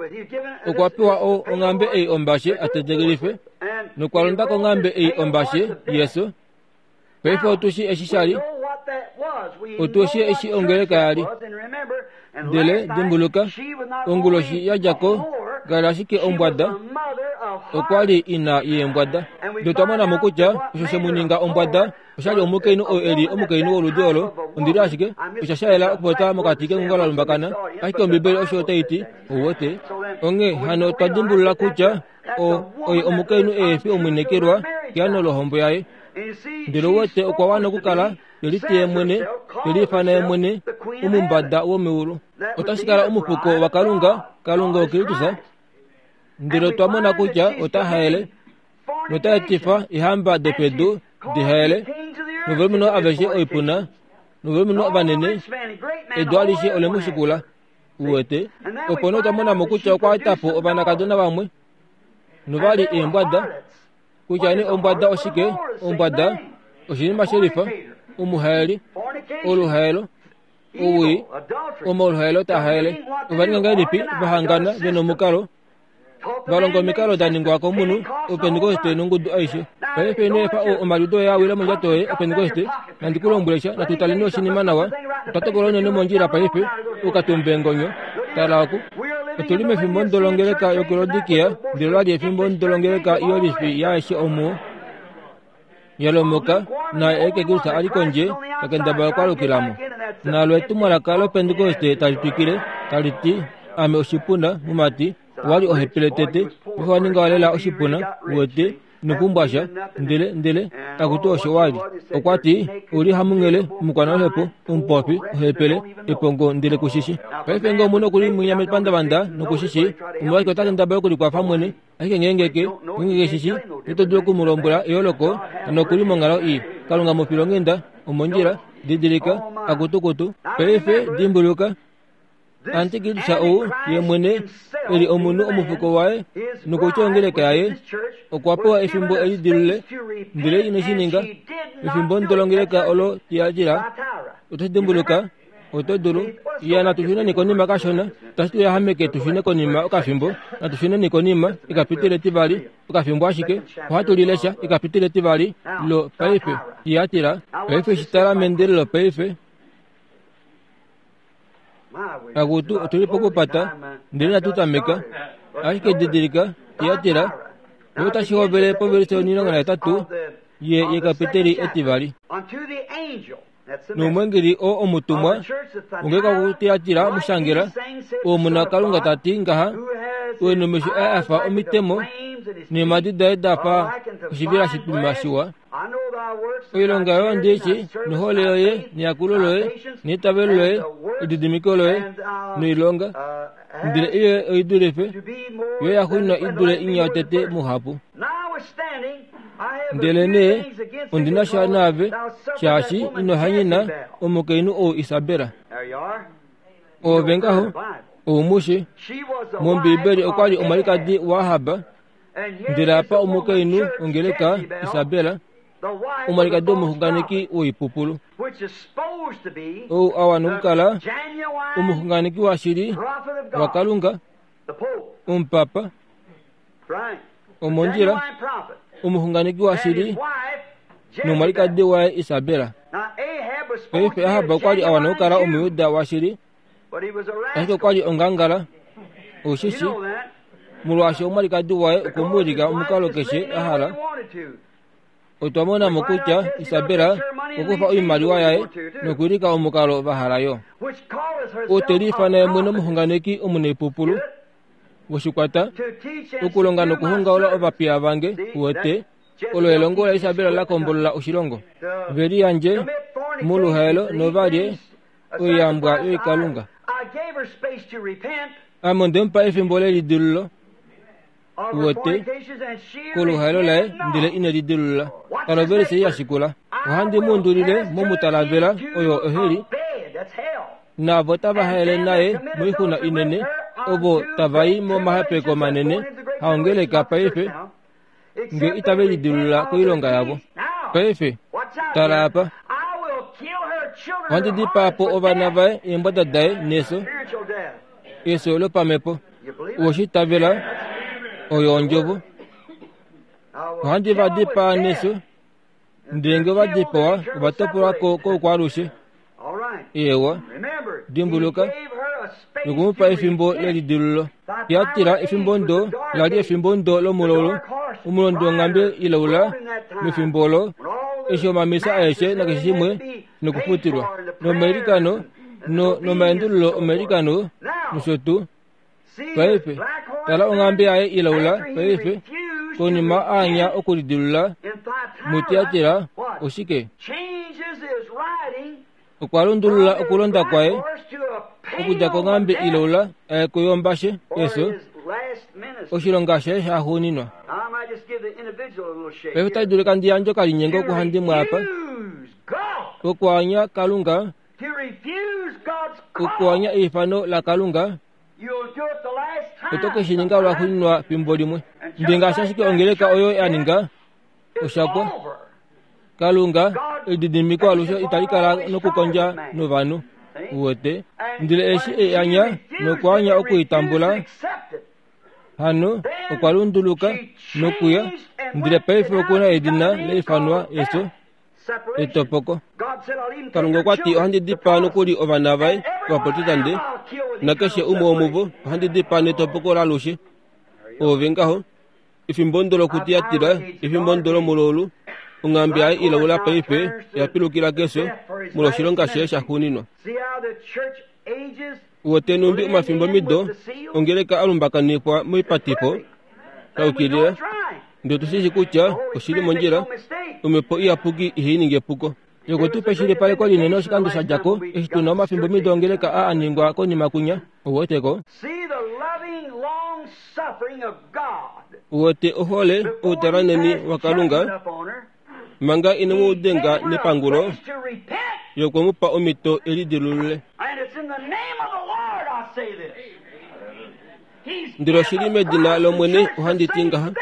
Okwa pewa o, onghambe ei ombashe a tetekelife, nokwa londa konghambe ei ombashe, Jesus. Paife otu shi eshi sha li. Otu shi eshi ongeleka ya li. Ndele dimbuluka, onguloshi ya dja ko, kala ashike ombwada, okwa li ina yeembwada. Ndele otwa mona mo kutya osho she mu ninga ombwada osha li omukainhu oo e li omukainhu woludi olo. Ondi li ashike, osha sha yela okupopya mokati kengunga la lumbakana, ashike Ombibeli osho tai ti, ou wete. Onghee hano otwa dimbulula kutya o, oye omukainhu ehe fi omwinekelwa keano lohombo yaye. Ndele ou wete okwa wana okukala te liti ye mwene, te liifana ye mwene, omumbada womeulu. Otashi kala omufuko waKalunga, Kalunga oKristus. Ndele otwa mona kutya ota haele, nota etifa eehamba dopedu di haele, novalumenhu aveshe oipuna, novalumenhu vanene, edu alishe ole mu shikula. Uwete? Opo nee otwa mona mo kutya okwa eta po ovanakadona vamwe, nova li eembwada. Kutya nee ombwada oshike, ombwada oshinima shelifa, omuhaeli, oluhaelo, owii, omaluhaelo taa haele. Ova ninga ngahelipi va hangana ve nomukalo va longa omikalo da ningwa komunhu opentekoste nongudu aishe paife ino efa omaliudo oye a wile mondjato yoye opentekoste nandi ku lombwele sha natu taleni oshinima nawa otwa tokola unene mondjila paife ukatumbe ngonyo tala oku otu li mefimbo ndolongeleka yokulodikia ndele ola li efimbo ndolongeleka yolifi yaeshe omuo ya lomoka naye ekekulusa a li kondje ta kendabala okwaalukila mo. Nalo etumwalaka lOpentekoste tali twikile, tali ti, Ame oshipuna, mumati, owa li ohepele tete, paife wa ninga lela oshipuna, uwete, ino pumbwa sha, ndele, ndele, akutu osho wa li. Okwa ti, U li hamunghele, omukwanaluhepo, omupofi, ohepele, epongo, ndele ku shi shi. Paife nge omunhu oku li mwinya mepandavanda noku shi shi, omolwashike ota kendabala okulikwafa mwene? Ashike ngeenge ke, ngeenge ke shi shi, ito dulu oku mu lombwela eyooloko, hano oku li monghalo ii. Kalunga mu filonghenda, omondjila, didilika, akutukutu. Paife, dimbuluka, Antikristus ou ye mwene e li omunhu omufuko waye nokutya ongeleka yaye okwa pewa efimbo e lidilule, ndele ine shi ninga. Efimbo ndo longeleka olo Tiatira, oto shi dimbuluka? Oto dulu. Ya natu shuneni konima kashona. Tashi tu yahameke tu shune konima okafimbo. Natu shuneni konima ekapitile etivali, okafimbo ashike. Ohatu li lesha ekapitile etivali lo paife. Tiatira. Paife shi tala meendelelo paife. Akutu, otu li pokupata, ndele inatu tameka. Ashike didilika, Tiatira, yo otashi hovele povelise 18 ye yekapiteli etivali. Nomwengeli oo omutumwa ongeleka kuTiatira mu shangela, Omuna Kalunga ta ti ngaha, Oye nomesho aye a fa omitemo, neemhadi daye da fa oshivela shitwima shiwa. Oilonga yoye ondi i shii, nohole yoye, neyakulo loye, neitavelo loye, elididimiko loye, noilonga, ndele ei oi dulife yo ya xuuninwa i dule inya yotete muhapu. Ndelenee ondi na sha naave, shaashi ino hanyena omukainhu ou Isabel. Oove ngaho, ou mu shi, mOmbiibeli okwa li omwalikadi waAhab, Ndele apa omukainhu ongeleka Isabel, omwalikadi womuxunganeki woipupulu, ou a wana okukala omuxunganeki washili waKalunga, omupapa, omondjila, omuxunganeki washili nomwalikadi waye Isabel. Paife Ahab okwa li a wana okukala Omuyuda washili, ashike okwa li ongangala. Ou shi shi, molwaashi omwalikadi waye okwe mu wilika omukalo keshe a hala. Otwa mona mo kutya Isabel okwa kufa oimaliwa yaye nokuwilika omukalo va hala yo. Ote liifana ye mwene omuxunganeki omunaipupulu woshikwata, okulonga nokuhongaula ovapiya vange, uwete, olo elongo laIsabel la kombolola oshilongo. Ve liyandje moluhaelo nova lye oiyambwa yoikalunga. Ame onde mu pa efimbo lelidilululo, uwete, koluhaelo laye, ndele ine lidilulula. Tala ovelise ei ya shikula. Ohandi mu undulile momutalavela, oyo oheli, naavo tava haele naye moixuna inene, ovo tava i momahepeko manene, haongeleka paife, nge itave lidilulula koilonga yavo. Paife, tala apa. Ohandi dipaa po ovana vaye, eembwada daye neso, eso lopamhepo. Owe shi itavela? Oyo ondjovo. Ohandi va dipaa neso, ndele nge ova dipawa, ova topolwa ko koukwaalushe. Eewa, dimbuluka, noku mu pa efimbo lelidilululo. Tiatira, efimbo ndo la li efimbo ndo lomulolo, omulondi wonghambe ilaula mefimbo olo, eshi omamisa aeshe nakeshe shimwe nokufutilwa, nomailikano, no, nomaendululo omailikano, nosho tuu. Paife, tala onghambe yaye ilaula paife, konima a anya okulidilula muTiatira, oshike? Okwa lundulula okulonda kwaye okudja konghambe ilaula aye kuyombashe, eso, oshilonga shaye shaxuuninwa. Paife otashi dulika ndi yandje okalinyengo kuhandimwe apa, Okwaanya Kalunga Okuanya eifano laKalunga, oto ke shi ninga lwaxuuninwa fimbo limwe. Ndele ngaashi ashike ongeleka oyo ya ninga, osha pwa. Kalunga, elididimiko alushe itali kala nokukondja novanhu. Uwete? Ndele eshi e anya nokwaanya oku i tambula, hano okwa lunduluka nokuya, ndele paife oku na edina la ifanwa Eso. etopoko. Kalunga okwa ti, Ohandi dipaa nokuli ovana vaye Ovaprotestante, nakeshe umwe womuvo ohandi dipaa netopoko lalushe. Oove ngaho, efimbo ndo lokutiyatira, efimbo ndo lomululu, Onghambe yaye ilaula paife oya pilukila kefyo molwoshilonga shaye shaxuuninwa. Uwete nhumbi omafimbo mido ongeleka a lumbakanifwa moipatifo sha yukilila, ndele otu shi shii kutya oshi li mondjila. Omhepo Iyapuki ihai ningi epuko. Ye tu pa eshilipaleko linene oshikando sha dja ko, eshi tu na omafimbo mido ongeleka aa a ningwa konima kunya. Ou wete ko? Uwete ohole, outalwanheni waKalunga, manga ine mu denga nepangulo, Ye okwe mu pa omhito e lidilulule. Ndele oshili medina lOmwene ohandi ti ngaha,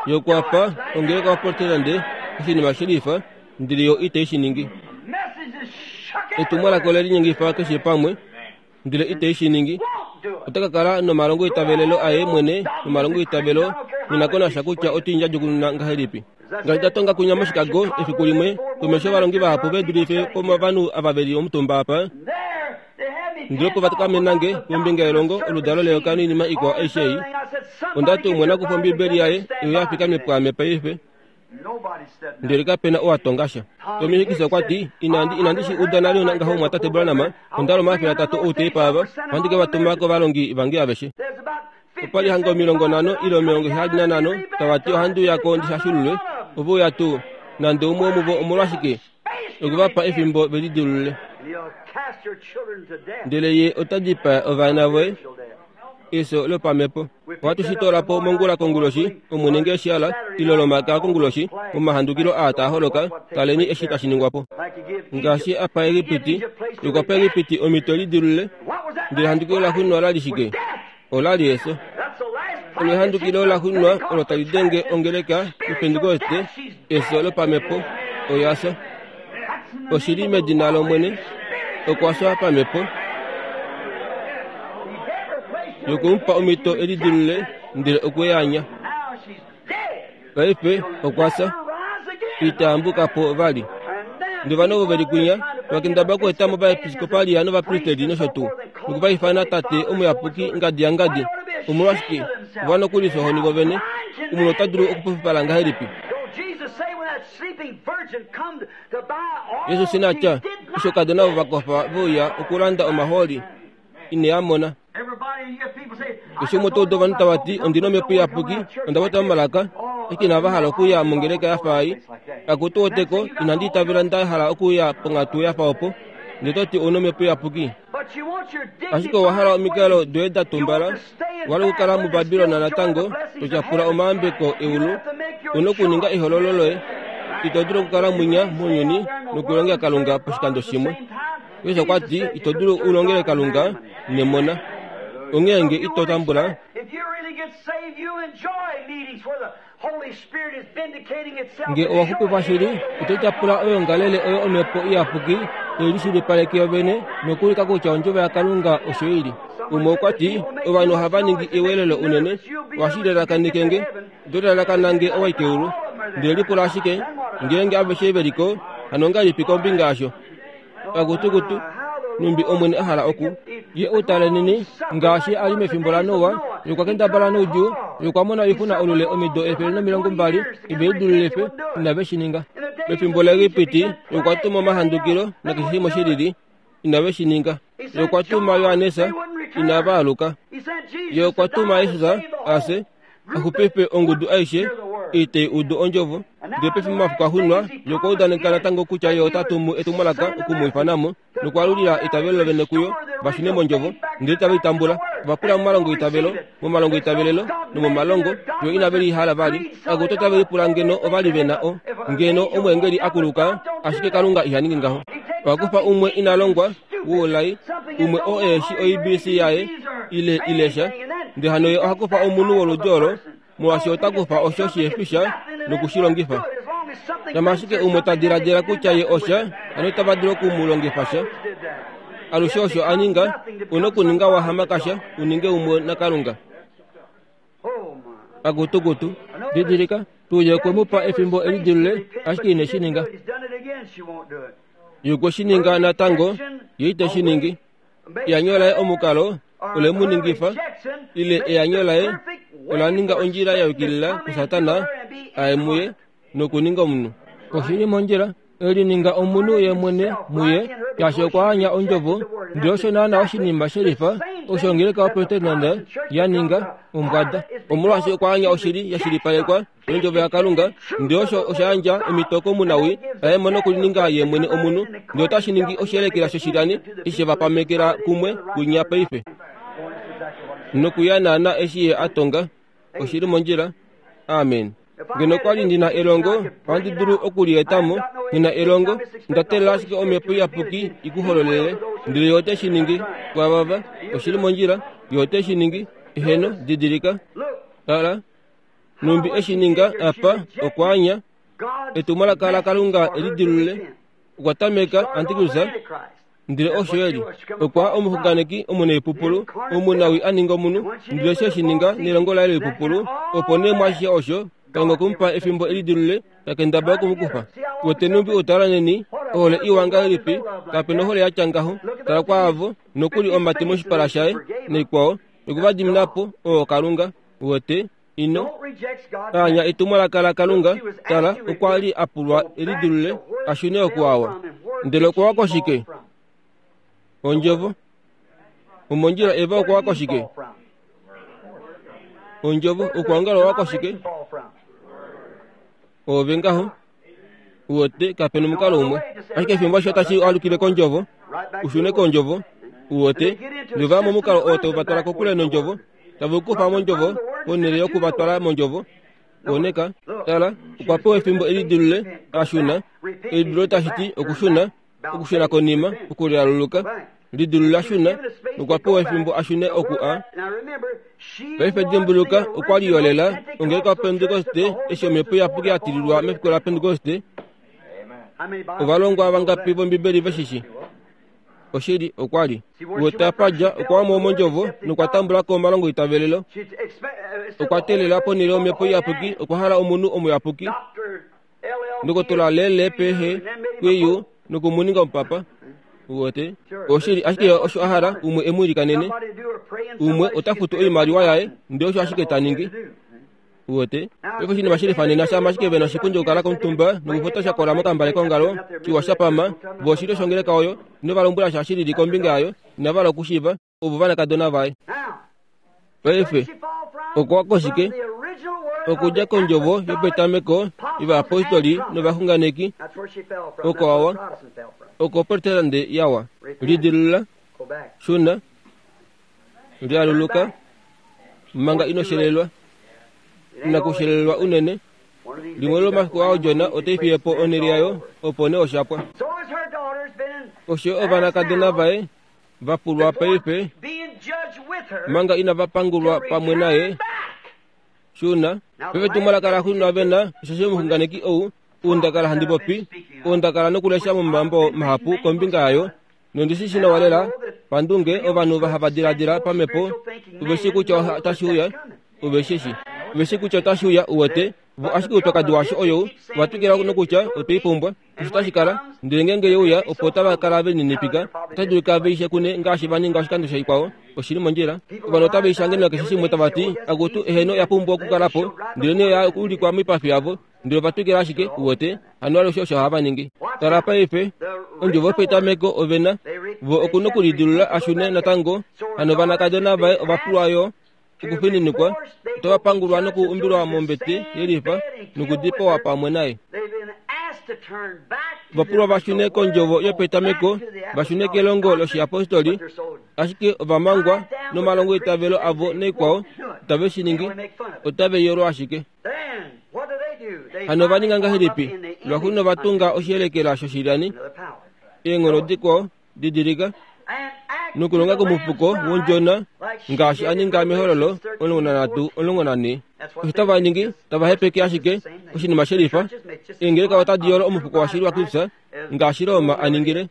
Ye okwa pa ongeleka yoProtestante oshinima she lifa, ndele yo itai shi ningi. Etumwalaka ole linyengifa keshe pamwe, ndele ite shi ningi. Ota ka kala nomalongoitavelelo aye mwene nomalongoitavelo nena ko nasha kutya ote i ndjadjukununa ngahelipi. Ngaashi nda tonga kunya moChicago efiku limwe, komesho ovalongi vahapu ve dulife pomovanhu ava ve li omutumba apa, ndele opo va kamena nge kombinga yelongo oludalo leyoka noinima ikwao aishe ei. Onda ti umwe na kufa Ombibeli yaye oyo ya fikame pwaame paife. Ndele kape na oo a tonga sha. Tommy Hicks okwa ti, Inandi, inandi shi uda nale ngaho Mumwatate Branham. Onda loma 300 outeipa ava, ohandi ke va tuma kovalongi vange aveshe. Opa li hanga 50 ile 75 tava ti ohandi uya ko ndi shashululwe. Ove uya tuu? Nande umwe womuvo omolwashike? Okwe va pa efimbo ve lidilulule. Ndele ye ota dipaa ovana voye efyo lopamhepo. Ohatu shi toola po mongula konguloshi, Omwene nge eshi hala, ile Olomakaya konguloshi, momahandukilo aa taa holoka, taleni eshi tashi ningwa po. Ngaashi a pa Egipiti, ye okwa pa Egipiti omhito lidilule, ndele ehandukilo laxuuninwa ola li shike? Ola li efyo. Olo ehandukilo laxuuninwa olo tali denge ongeleka yOpentekoste, efyo lopamhepo, oya fya. Oshi li medina lOmwene, okwa fya pamhepo. Yoku mu pa omhito e lidilulule, ndele okwe i anya. Paife okwa fya. Ita yambuka po vali. Ndele ovanhu ovo ve li kwinya va kendabala okueta mo ovaepiskopalia novapristeli nosho tuu, noku va ifana Tate Omuyapuki ngadi yangadi. Omolwashike, ova nokuli fya ohoni vovene. Omunhu ota dulu okupupipala ngahelipi? Jesus ina tya, Eshi oukadona ovo va kofa ve uya okulanda omahooli, ine a mona. Eshi umwe to udu ovanhu tava ti, Ondi na omhepo iyapuki, onda kwatwa momalaka, ashike inava hala okuya mongeleka ya fa ei. Akutu woteko, inandi itavela nda hala okuya ponghatu ya fa opo. Ndele to ti ou na omhepo iyapuki. Ashike owa hala omikalo doye da tumbala, owa hala okukala muBabilon natango, to tyapula omayambeko eulu. U na okuninga ehololo loye. Ito dulu okukala mwinya mounyuni nokulongela Kalunga poshikando shimwe. Jesus okwa ti, Ito dulu u longele Kalunga nemona. Onghee nge ito tambula, Nge owa xupifwa shili, oto tyapula oyoongalele oyo Omhepo Iyapuki tai lishilipaleke yovene nokuulika kutya Ondjovo yaKalunga osho i li. Umwe okwa ti, Ovanhu ohava ningi eweelelo unene, ohashi lalakaneke nge. Oto lalakana nge owa i keulu. Ndele lipula ashike, ngeenge aveshe ve li ko, hano ongahelipi kombinga yasho? Kakutukutu, nhumbi Omwene a hala oku ye u taleneni, ngaashi a li mefimbo laNoa, ye okwa kendabala noudjuu, ye okwa mona oixuna olule omido 120, ove lidulule fye, inave shi ninga. Mefimbo laEgipiti, ye okwa tuma omahandukilo nakeshe shimwe shi lili, inave shi ninga. Ye okwa tuma Johannes, inava aluka. Ye okwa tuma Jesus a fye, a xupife ongudu aishe ei tai udu ondjovo. Ndele pefimbo omafiku axuuninwa, ye okwa udaneka natango kutya ye ota tumu etumwalaka oku mu ifana mo, nokwaalulila eitavelo lovene kuyo, va shune mondjovo, ndele itave i tambula. Ova pula momalongoitavelo, momalongoitavelelo nomomalongo, yo inave li hala vali. Akutu otave lipula ngeno ova li ve na o, ngeno omweengeli a kuluka, ashike Kalunga iha ningi ngaho. Oha kufa umwe ina longwa, woulai, umwe oo ehe shi oibc yaye, ile, ile sha. Ndele hano ye oha kufa omunhu woludi olo, molwaashi ota kufa osho shihe fi sha noku shi longifa. Shama ashike umwe ta diladila kutya ye osha, hano itava dulu oku mu longifa sha. Alushe osho a ninga, u nokuninga wa hamakasha u ninge umwe naKalunga. Akutukutu, didilika, tuu ye okwe mu pa efimbo e lidilule, ashike ine shi ninga. Ye okwe shi ninga natango, ye ite shi ningi. Eanyo laye omukalo ole mu ningifa, ile eanyo laye ola ninga ondjila ya yukilila kuSatana a ye muye nokuninga omunhu. Oshi li mondjila. E lininga omunhu ye mwene muye, shaashi okwa anya Ondjovo. Ndele osho naana oshinima shelifa osho ongeleka yoProtestante ya ninga, ombwada. Omolwaashi okwa anya oshili ya shilipalekwa yOndjovo yaKalunga, ndele osho osha yandja omhito komunawii a ye mo nokulininga ye mwene omunhu, ndele otashi ningi oshiyelekela shoshilyani eshi she va pamekela kumwe kwinya paife. Nokuya naana eshi ye a tonga. Oshi li mondjila. Amen. Ngeno kwa li ndi na elongo, ohandi dulu oku li eta mo. Nghi na elongo, nda teelela ashike Omhepo Iyapuki i ku hololele. Ndele Ye ote shi ningi. Kwavava, oshi li mondjila. Ye ote shi ningi. Eheno, didilika. Tala, nhumbi e shi ninga apa, okwa anya etumwalaka laKalunga e lidilulule. Okwa tameka antikrista. Ndele osho e li. Okwa omuxunganeki omunaipupulu, omunawii a ninga omunhu, ndele osho e shi ninga nelongo laye loipupulu, opo nee mwaashishe osho, Kalunga okwe mu pa efimbo e lidilule, ta kendabala oku mu kufa. Wete nhumbi utala neni, ohole iwa ngahelipi, kape nohole ya tya ngaho. Tala kwaavo, nokuli omate moshipala shaye, naikwao, noku va dimina po, oo Kalunga. Wete? Ino anya etumwalaka laKalunga. Tala, okwa li a pulwa e lidilule a shune oku awa. Ndele okwa wa koshike? Ondjovo. Omondjila Eva okwa wa koshike? Ondjovo. Okwaongala owa koshike? Oove ngaho. Uwete, kape nomukalo umwe. Ashike efimbo ashishe otashi alukile kOndjovo, u shune kOndjovo. Uwete, nova momukalo oo tau va twala kokule nOndjovo, tave u kufa mOndjovo ponhele yoku va twala mOndjovo. Koneka, tala, okwa pewa efimbo e lidilule, a shuna. Elidululo tashi ti okushuna, okushuna konima, okulialuluka. Lidilula shuna, nokwa pewa efimbo a shune oku a. Paife dimbuluka, okwa li yolela ongeleka yoPentekoste eshi Omhepo Iyapuki ya tililwa mefiku laPentekoste. Ovalongwa vangapi vOmbibeli ve shi shi? Oshili, okwa li. Wete apa dja, okwa wa mo mOndjovo nokwa tambula ko omalongoitavelelo. Okwa teelela ponhele yOmhepo Iyapuki, okwa hala omunhu omuyapuki. Ndokotola Lele Pehe Kwiyu noku mu ninga omupapa. Uwete? Oshili, ashike osho a hala umwe e mu ilikanene. Umwe ota futu oimaliwa yaye, ndele osho ashike ta ningi. Uwete? Paife oshinima shi lifa nena shama ashike ve na oshipundi okukala komutumba nokufuta sha kola mokambale kongalo, shiwa sha pama, vo oshilyo shongeleka oyo, ino va lombwela sha shi lili kombinga yayo, inava hala okushiiva. ovo ovanakadona vaye. Paife okwa koshike? Okudja kondjovo yopetameko yovayapostoli novaxunganeki, oko awa, oko Protestante yawa. Lidilula, shuna, lialuluka, manga ino shelelwa. Inakushelelwa unene. Limwe lomafiku ao Jona otai fiye po onhele yayo, opo nee osha pwa. Osho ovanakadona vaye va pulwa paife manga inava pangulwa pamwe naye. Shuna, paife etumwalaka laxuuninwa ve na, osheshi omuxunganeki ou, ou nda kala handi popi, ou nda kala nokulesha momambo mahapu kombinga yayo, nondi shi shi nawa lela, pandunge, ovanhu va hava diladila pamhepo, ove shii kutya otashi uya, ove shi shi. Ove shii kutya otashi uya, uwete. Vo ashike oupyakadi washo oyou, ova twikila nokutya otwe i pumbwa. Osho tashi kala, ndele ngeenge ye uya, opo otava kala ve lininipika, otashi dulika ve i shekune ngaashi va ninga oshikando shaikwao. Oshi li mondjila. Ovanhu otave i shange nakeshe shimwe tava ti, Akutu, eheno, oya pumbwa okukala po. Ndelenee oya ulikwa moipafi yavo, ndele ova twikila ashike, uwete, hano alushe osho hava ningi. Tala paife, ondjovo yopetameko ove na, vo oku nokulidilula a shune natango, hano ovanakadona vaye ova pulwa yo. okufininikwa, otava pangulwa noku umbilwa mombete yelifa nokudipawa pamwe naye. Ova pulwa va shune kondjovo yopetameko, va shune kelongo loshiyapostoli, ashike ova mangwa nomalongoitavelo avo naikwao, itave shi ningi, otave yolwa ashike. Hano ova ninga ngahelipi? Lwaxuuninwa ova tunga oshiyelekela shoshilyani, eenghono dikwao, Didilika, nokulonga komufuko wondjona ngaashi a ninga mehololo 13 14. Osho tava ningi, tava hepeke ashike oshinima shelifa. Eengeleka otadi yolo omufuko washili waKristus ngaashi Roma a ningile.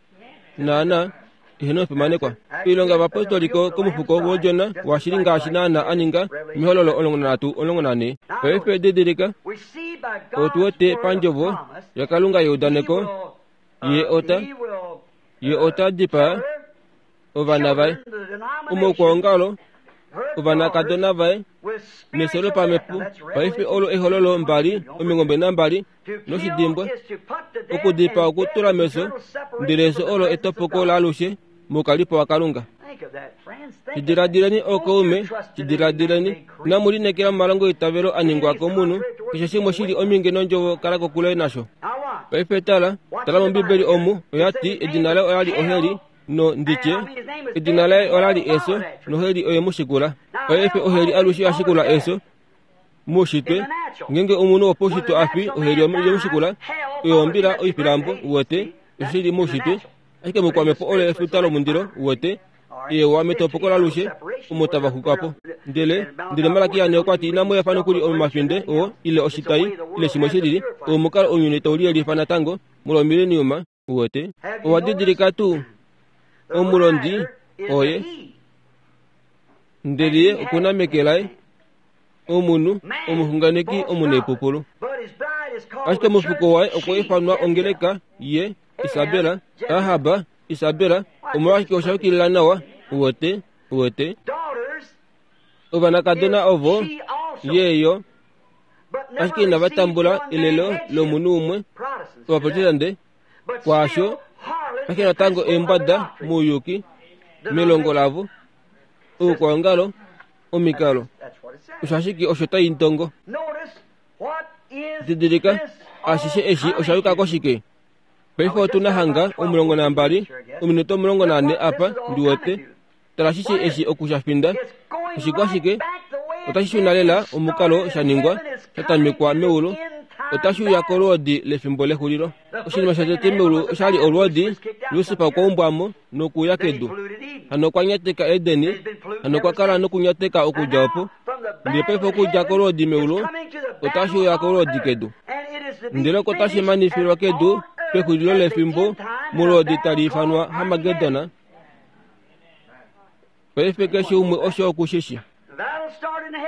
Naana, eheno omufimanekwa. Oilonga yovapostoli komufuko wodjona washili ngaashi naana a ninga mehololo 13 14. Paife didilika, otu wete pandjovo yaKalunga yeudaneko Ye ota, ye ota dipaa ovana vaye. Omaukwaongalo, ovanakadona vaye. Nefyo lopamhepo paife olo ehololo 22 noshidimbwa. Okudipaa okutula mefyo, ndele efyo olo etopoko laalushe moukalipo waKalunga. Shidiladileni ookaume, shidiladileni. Inamu lineekela momalongoitavelo a ningwa komunhu, keshe shimwe shi li ominge nondjovo kala kokule nasho. Paife tala, tala mOmbibeli omu, oya ti edina laye ola li oheli, no ndi tye, edina laye ola li efyo, noheli oye mu shikula. Paife oheli alushe oya shikula efyo. Muushitwe, ngeenge omunhu wopaushitwe a fi, oheli ye mu shikula, oyo ombila oifilambo, uwete, osho shi li muushitwe. Ashike moukwamhepo olo efuta lomundilo, uwete, eewa metopoko lalushe, omo tava xuka po. Ndele, ndele Malakia ne okwa ti inamu efa nokuli omafinde oo, ile oshitai, ile shimwe shilili, oo omukalo ounyuni tau liyelifa natango, molwomileniuma, uwete. Owa didilika tuu? Omulondi oye. Ndele ye oku na meke laye omunhu omuxunganeki omunaipupulu. Ashike omufuko waye okwa ifanwa ongeleka ye, Isabela, Ahab, Isabela, omolwashike osha yukilila nawa, uwete, uwete. Ovanakadona ovo, ye yo, ashike inava tambula elelo lomunhu umwe, Ovaprotestante, kwaasho, ashike natango eembwada mouyuki, melongo lavo, oukwaongalo, omikalo. Osho ashike osho tai ntongo. Didilika, ashishe eshi osha yuka koshike? Paife otu na hanga 12, ominute 14 apa, ndi wete. Tala ashishe eshi oku sha finda. Oshikwashike? Otashi shuna lela omukalo sha ningwa, sha tamekwa meulu. Otashi uya kolwoodi lefimbo lexulilo. Oshinima shotete meulu osha li olwoodi, Lusifa okwa umbwa mo nokuuya kedu. Hano okwa nyateka Edeni, hano okwa kala nokunyateka okudja opo. Ndele paife okudja kolwoodi meulu, otashi uya kolwoodi kedu. Ndele oko tashi manifilwa kedu pexulilo lefimbo molwoodi tali ifanwa Harmagedon. Paife keshe umwe osho oku shi shi.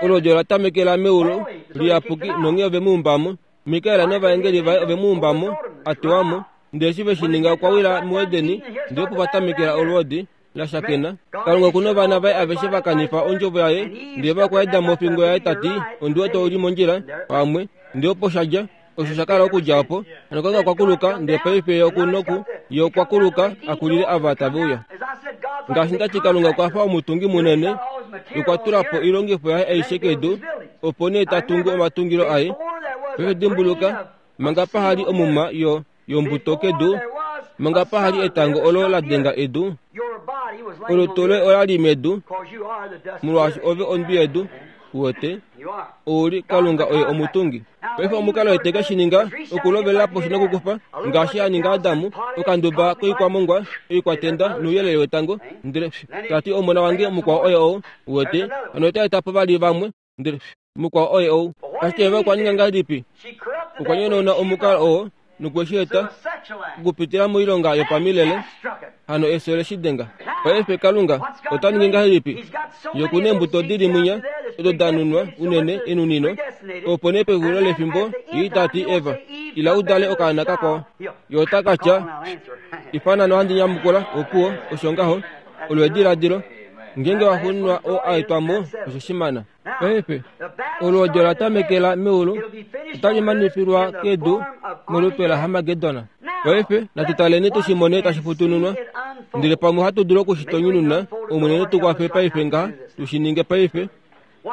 Olwoodi ola tamekela meulu liyapuki nonghee ove mu umba mo. Mikael novaengeli vaye ove mu umba mo, a tewa mo. Ndele eshi ve shi ninga okwa wila muEdeni, ndele opo va tamekela olwoodi la shakena. Kalunga oku novana vaye aveshe va kanifa ondjovo yaye, ndele va kwaeda mofingo yaye ta ti, Ondi wete ou li mondjila, pamwe. Ndele opo sha dja, osho sha kala okudja opo. Hano Kalunga okwa kuluka, ndele paife Ye oku noku, Ye okwa kuluka a kulile ava tave uya. Ngaashi nda ti, Kalunga okwa fa omutungi munene, Ye okwa tula po oilongifo yaye aishe kedu, opo nee ta tungu omatungilo aye. Paife dimbuluka, manga paha li omuma yo, yombuto kedu, manga paha li etango olo la denga edu, olutu loye ola li medu, molwaashi ove ondwi yedu. Uwete? Ou li Kalunga oye omutungi. Paife omukalo ete ke shi ninga okulovelela poshi nokukufa, ngaashi a ninga Adamu, okanduba koikwamongwa, oikwatenda nouyelele wetango, ndele ta ti omona wange mukwao oye ou. Uwete? Hano ota eta po vali vamwe, ndele mukwao oye ou. Ashike Eva okwa ninga ngahelipi? Okwa nyonauna omukalo oo nokwe shi eta okupitila moilonga yopamilele, hano efyo le shi denga. Paife Kalunga ota ningi ngahelipi? Ye oku neembuto di li mwinya odo da nunwa unene enunino, opo nee pexulilo lefimbo ye ita ti, Eva, ila u dale okaana kakwao. Ye ota ka tya, Ifana nohandi nyamukula, opuwo, osho ngaho. Olo ediladilo. Ngeenge wa xuuninwa oo a etwa mo, osho shimana. Paife, olwoodi ola tamekela meulu, otali manifilwa kedu molupe laHarmagedon. Paife, natu taleni tu shi mone tashi futununwa. Ndele pamwe ohatu dulu oku shi tonyununa, Omwene ne tu kwafe paife ngaha, tu shi ninge paife.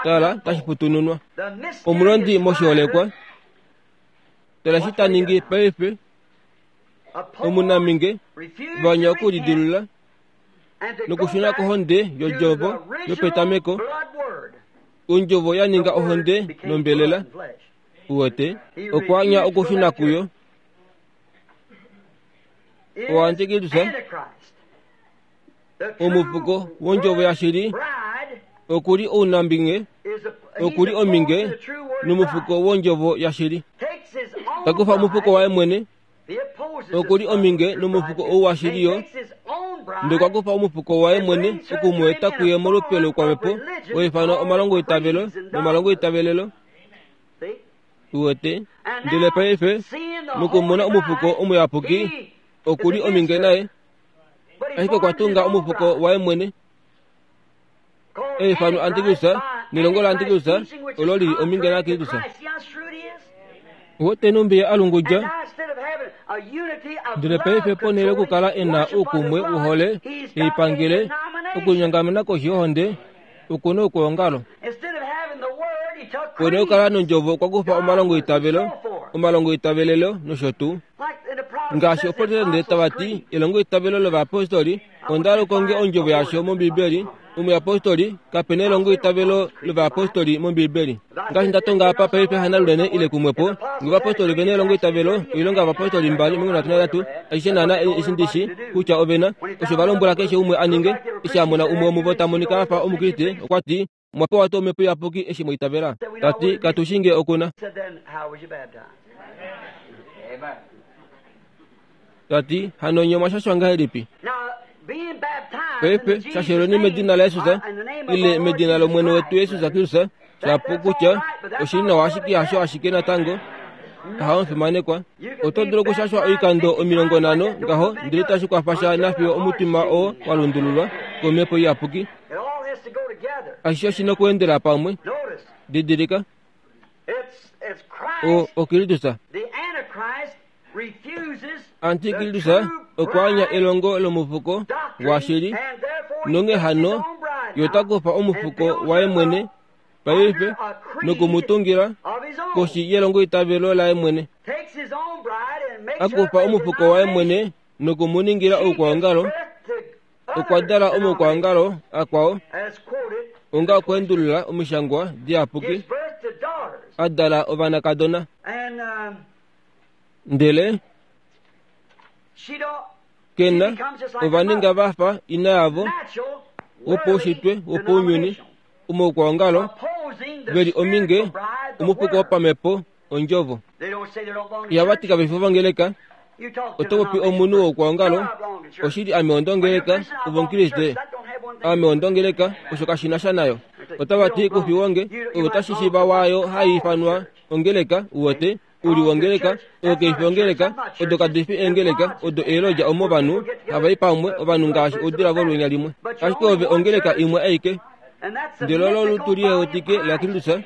Tala, tashi futununwa. Omulondi moshiholekwa, tala eshi ta ningi paife. Omunaminge, vanya okulidilula. nokushuna kohonde yodjovo yopetameko, ondjovo ya ninga ohonde nombelela. Uwete, okwa anya okushuna kuyo. Oantikristus, omufuko wondjovo yashili, oku li ounambinge, oku li ominge nomufuko wondjovo yashili. Ta kufa omufuko waye mwene Oku li ominge nomufuko ou washili yo, ndele okwa kufa omufuko waye mwene oku mu eta kuye molupe loukwamhepo wa ifanwa omalongoitavelo nomalongoitavelelo. Uwete? Ndele paife, mokumona omufuko omuyapuki, oku li ominge naye, ashike okwa tunga omufuko waye mwene, e ifanwa Antikristus. Nelongo laAntikristus olo li li ominge naKristus. Ote numbi ye a lungudja, ndele paife ponhele yokukala e na oukumwe wohole yoipangele okulinyongamena koshi yohonde, oku na oukwaongalo. Ponhele yokukala nondjovo okwa kufa omalongoitavelo, omalongoitavelelo nosho tuu. Ngaashi Oprotestante tava ti elongoitavelo lovayapostoli, onda hala ukonge ondjovo yasho mOmbibeli. Omuyapostoli, kape na elongoitavelo lovayapostoli mOmbibeli. Ngaashi nda tonga apa paife hanalunene ile kumwepo, nge ovapostoli ve na elongoitavelo, Oilonga yOvapostoli 2:33, ashishe naana eshi ndi shi kutya ove na, osho va lombwela keshe umwe a ninge. Eshi a mona umwe womuvo ta monika a fa Omukriste, okwa ti, Omwa pewa tuu Omhepo Iyapuki eshi mwa itavela? Ta ti, Katu shii nge oku na. Ta ti, Hano nye omwa shashwa ngahelipi? Paife, shashelweni medina laJesus, ile medina lOmwene wetu Jesus Kristus, shapu kutya oshi li nawa ashike hasho ashike natango. Aha omufimanekwa, oto dulu okushashwa oikando 50 ngaho ndele itashi kwafa sha nafiyo omutima oo wa lundululwa kOmhepo Iyapuki. Ashishe oshi na okweendela pamwe. Didilika, o, oKristus. Antikristus okwa anya elongo lomufuko washili, nonghee hano ye ota kufa omufuko waye mwene paife noku mu tungila koshi yelongoitavelo laye mwene. A kufa omufuko waye mwene noku mu ningila oukwaongalo, okwa dala omaukwaongalo akwao onga okweendulula omishangwa diyapuki, a dala ovanakadona. Ndele ke na ova ninga va fa ina yavo wopaushitwe wopaunyuni, omaukwaongalo, ve li ominge omufuko wopamhepo Ondjovo. Ihava ti kave fi ovangeleka. Oto popi omunhu woukwaongalo, oshili ame ondongeleka, ove Omukriste. Ame ondongeleka, osho kashi na sha nayo. Otava ti kufi wonge, ove otashi shiiva waayo hai ifanwa ongeleka, uwete, u li wongeleka, oyo kai fi ongeleka, odo kadi fi eengeleka, odo eelodja omo ovanhu hava i pamwe, ovanhu ngaashi oudila volwenya limwe. Ashike ove ongeleka imwe aike. Ndele olo olutu lihewetike laKristus,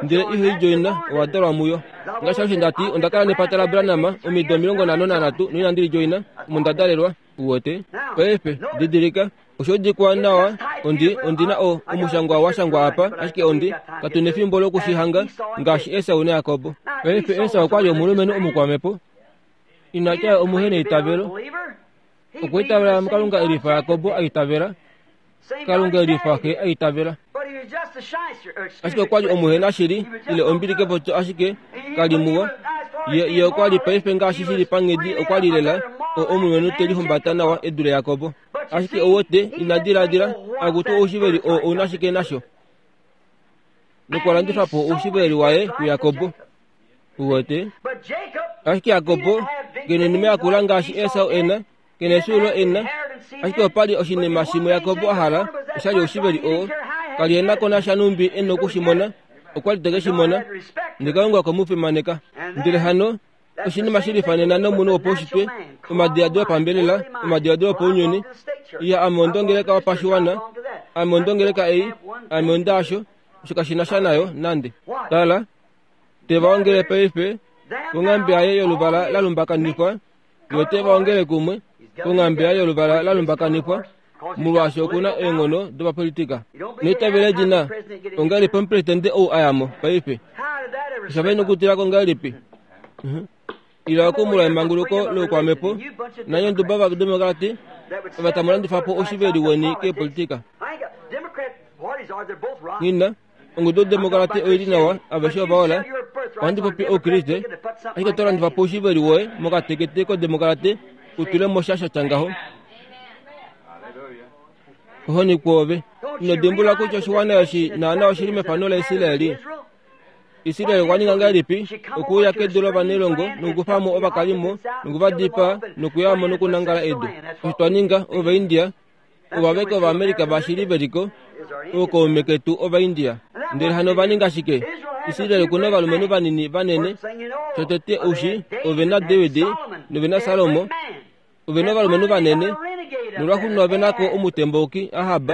ndele iho i djoina, owa dalwa muyo. Ngaashi alushe nda ti, onda kala nepata laBranham omido 53 noinandi li djoina, omo nda dalelwa. Uwete? Paife, didilika, osho dikwa nawa, ondi, ondi na o, omushangwa wa shangwa apa, ashike ondi, katu nefimbo loku shi hanga, ngaashi Esau naJakob. Paife, Esau okwa li omulumenhu omukwamhepo. Ina tya omuheneitavelo. Okwa itavela muKalunga e lifa Jakob a itavela. Kalunga e lifa xe a itavela. Ashike okwa li omuhenashili, ile ombili kepopyo ashike ka li muwa. Ye, ye okwa li paife ngaashi shi li panghedi okwa li lela o, omulumenhu te lihumbata nawa e dule Jakob. Ashike ou wete, ina diladila, akutu oushiveli oo ou na shike nasho? Nokwa landifa po oushiveli waye kuJakob. Uwete? Ashike Jakob ke noinima yakula ngaashi Esau e na, ke na efyuululo e na, ashike opa li oshinima shimwe Jakob a hala, osha li oushiveli oo. Ka li e na ko nasha nhumbi e noku shi mona, okwa li te ke shi mona. Ndele Kalunga okwe mu fimaneka. Ndele hano, oshinima shi lifa nena nomunhu wopaushitwe, omadiladilo opambelela, omadiladilo opaunyuni, Iya, ame ondongeleka wopashiwana, ame ondongeleka ei, ame ondaasho, osho kashi na sha nayo nande. Tala, Te va ongele paife konghambe yaye yoluvala la lumbakanifwa, yo te va ongele kumwe konghambe yaye yoluvala la lumbakanifwa, molwaashi oku na eenghono dopapolitika. Neitavelo edina ongahelipi omupresidente ou a ya mo paife? Osha fa nokutila ko ngahelipi? Ila oku molwa emanguluko loukwamhepo nanye onduba vademokrati ova tamu landifa po oushiveli weni keepolitika. Nghi na. Ongudu yOdemokrati oi li nawa, aveshe ova hola. Ohandi popi Oukriste, ashike oto landifa po oushiveli woye mokatekete kOdemokrati u tule mo sha sha tya ngaho. Ohoni kwoove. Ino dimbulula kutya oshiwana eshi naana oshi li mefano laIsraeli? Israel okwa ninga ngahelipi okuuya kedu lovanailongo nokukufa mo ovakalimo noku va dipaa nokuya mo nokunangala edu? Osho twa ninga, Ovaindia, Ovaveke Ovaamerica vashili ve li ko, ookaume ketu Ovaindia. Ndele hano ova ninga shike? Israel oku na ovalumenhu vanini vanene. Shotete oushi, ove na David, nove na Salomo, ove na ovalumenhu vanene. Nolwaxuuninwa ove na ko omutembauki, Ahab,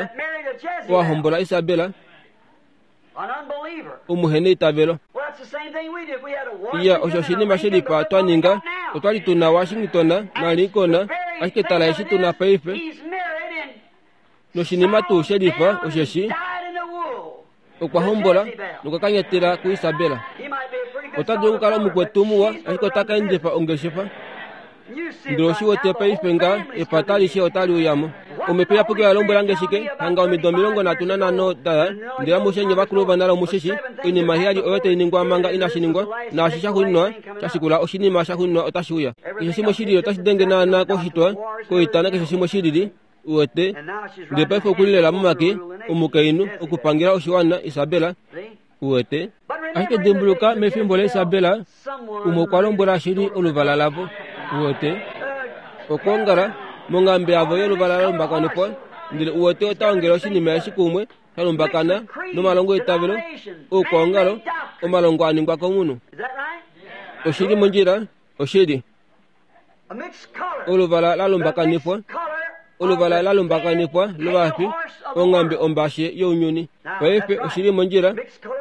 oo a hombola Isabel. Omuheneitavelo. Iya, osho oshinima shelifa twa ninga. Otwa li tu na Washington naLincoln, ashike tala eshi tu na paife. Noshinima tuu shelifa osheshi okwa hombola nokwa kanyatela kuIsabela. Ota dulu okukala omukwetu muwa, ashike ota ka endifa ongeshefa. Ndele oshi wete paife nga epata alishe otali uya mo. Omhepo Iyapuki oya lombwela nge shike? Hanga omido 35 da ya, ndele amushe nye vakulu ovanale omu shi shi, oinima heyali oyo tai ningwa manga inashi ningwa, naashi sha xuuninwa sha shikula oshinima sha xuuninwa otashi uya. Keshe shimwe shilili otashi denge naanaa koshitwa, koita nakeshe shimwe shilili, uwete. Ndele paife oku li lela momake omukainhu okupangela oshiwana, Isabela. Uwete? Ashike dimbuluka, mefimbo laIsabela, umwe okwa lombwela shili oluvala lavo. Uwete? Okwoongala, monghambe yavo yoluvala la lumbakanifwa, ndele uwete ota ongele oshinima eshi kumwe, sha lumbakana, nomalongo eitavelo, oukwaongalo, omalongo a ningwa komunhu. Oshi li mondjila? Oshili. Oluvala la lumbakanifwa, oluvala la lumbakanifwa lovafi, onghambe ombashe younyuni. Paife oshi li mondjila.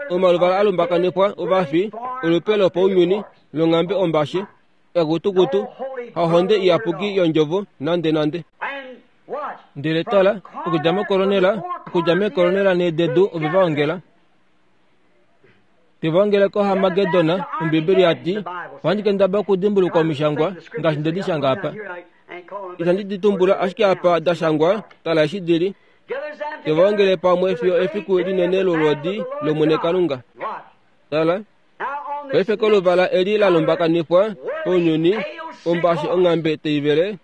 Omaluvala a lumbakanifwa ovafi, olupe lopaunyuni longhambe ombashe, ekutukutu, hahonde iyapuki yondjovo nande nande. Ndele tala, okudja mokoronela, okudja mekoronela neededu ove va ongela. Te va ongele koHarmagedon, Ombibeli ya ti, Ohandi kendaba okudimbulukwa omishangwa ngaashi nde di shanga apa. Itandi di tumbula ashike apa da shangwa, tala eshi di li. Te va ongele pamwe fiyo efiku linene lolwoodi lOmwene Kalunga. Tala, paife koluvala eli la lumbakanifwa kounyuni, ombashe onghambe tai vele.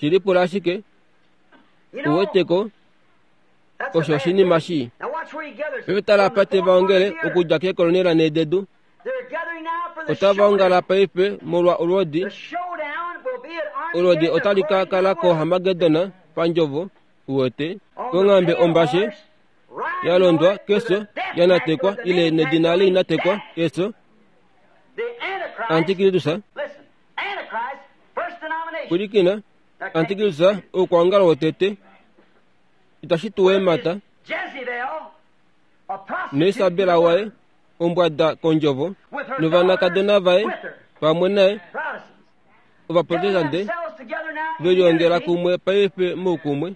Shi lipula ashike. U wete ko? Osho oshinima shii. Paife tala apa te va ongele okudja keekolonela nhee dedu. Otava ongala paife molwa olwoodi. Olwoodi otali ka kala koHarmagedon pandjovo, uwete, konghambe ombashe ya londwa kefyo ya natekwa ile nedina le inatekwa efyo. Antikristus. Pwilikina, Antikristus oukwaongalo wotete. Itashi tu emata naIsabela waye ombwada kondjovo novanakadona vaye pamwe naye Ovaprotestante ve liongela kumwe paife moukumwe.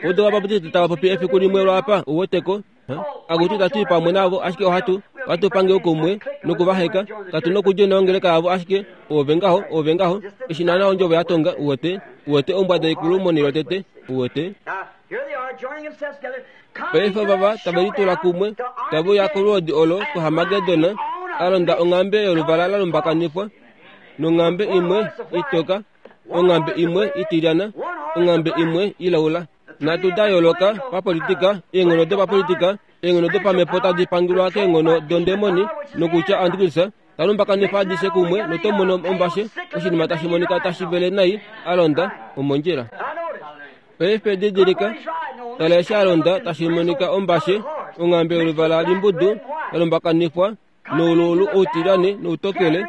Odo Ovabaptiste tava popi efiku limwe lwaapa, uwete ko. Akutu itatu i pamwe navo, ashike ohatu, ohatu pange oukumwe noku va heka. Katu nokudja ongeleka yavo, ashike ove ngaho, ove ngaho. Eshi naana ondjovo ya tonga, uwete, uwete ombwada ikulu monhele yotete, uwete. Paife ovava tave litula kumwe, tave uya kolwoodi olo kuHarmagedon, a londa onghambe yoluvala la lumbakanifwa, nonghambe imwe itoka, onghambe imwe itilyana, onghambe imwe ilaula. Nhatu da yooloka papolitika, eenghono dopapolitika, eenghono dopamhepo tadi pangulwa keenghono dondemoni, nokutya Antikristus ta lumbakanifa adishe kumwe noto mono ombashe, oshinima tashi monika tashi vele nai, a londa omondjila. Paife didilika, tala eshi a londa tashi monika ombashe, onghambe yoluvala limbudu ya lumbakanifwa nouluulu outilyane noutokele,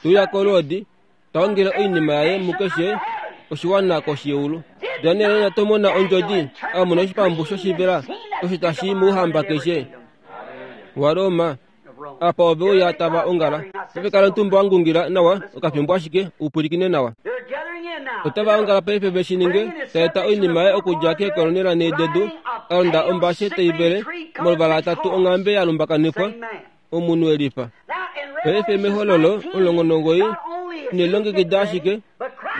te uya kolwoodi, ta ongele oinima yaye mukeshe oshiwana koshi yeulu. Daniel ina tomona ondjodi, a mona oshipambu shoshivela osho tashi i mouhamba keshe waRoma. Apa ove uya tava ongala. Paife kala omutumba wa ngungila nawa okafimbo ashike, u pwilikine nawa. Otava ongala paife ve shi ninge, ta eta oinima yaye okudja keekolonela nhee dedu, a londa ombashe tai vele, moluvala atatu onghambe ya lumbakanifwa, omunhu e lifa. Paife mEhololo 19 ine lilongekida ashike,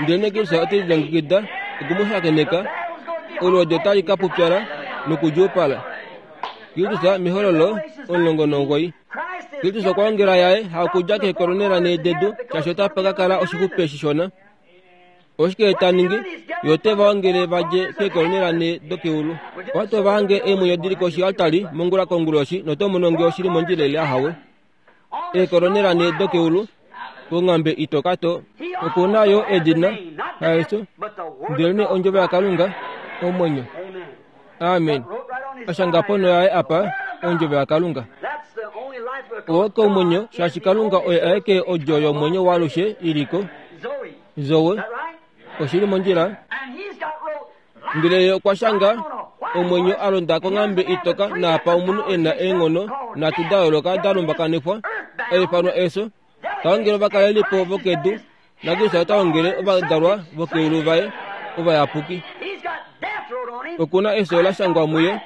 ndelenee Kristus ote lilongekida oku mu shakeneka, olwoodi otali ka pupyala nokudjuupala. Kristus mEhololo 19. Kristus okwa ongela yaye hakudja keekolonela nhee dedu, shaashi otapa ka kala oshixupe shishona. Oshike ta ningi? Ye ote va ongele va dje keekolonela nhee dokeulu. Ohatu va hange eemwenyo di li koshialtari mongula konguloshi noto mono nge oshi li mondjila ile ahawe. Eekolonela nhee dokeulu, konghambe itoka to. Oku na yo edina, haEso, ndelenee Ondjovo yaKalunga, omwenyo. Amen. A shanga ponho yaye apa, Ondjovo yaKalunga. Oo komwenyo, shaashi Kalunga oye aeke odjo yomwenyo waalushe i li ko. Zoe, oshi li mondjila? Ndele ye okwa shanga Omwenyo a londa konghambe itoka naapa omunhu e na eenghono nhatu da yooloka da lumbakanifwa, a ifanwa Eso, ta ongele ovakalelipo vokedu, naKristus ota ongele ovadalwa vokeulu vaye ovayapuki. Oku na efyo la shangwa muye,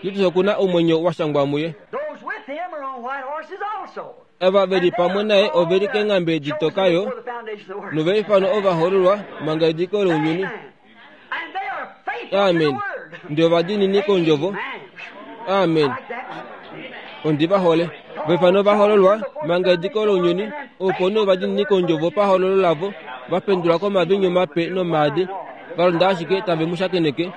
Kristus oku na omwenyo wa shangwa muye. Ava ve li pamwe naye ove li keenghambe ditoka yo, nova ifanwa ovahoololwa manga ediko lounyuni. Amen. Ndi ovadiinini kondjovo. Amen. Ondi va hole. Vefano va hololwa manga ediko lounyuni, opo nee ovadiinini kondjovo pahololo lavo va pendulwa komavinyu mape nomaadi, va londa ashike tave mu shakeneke.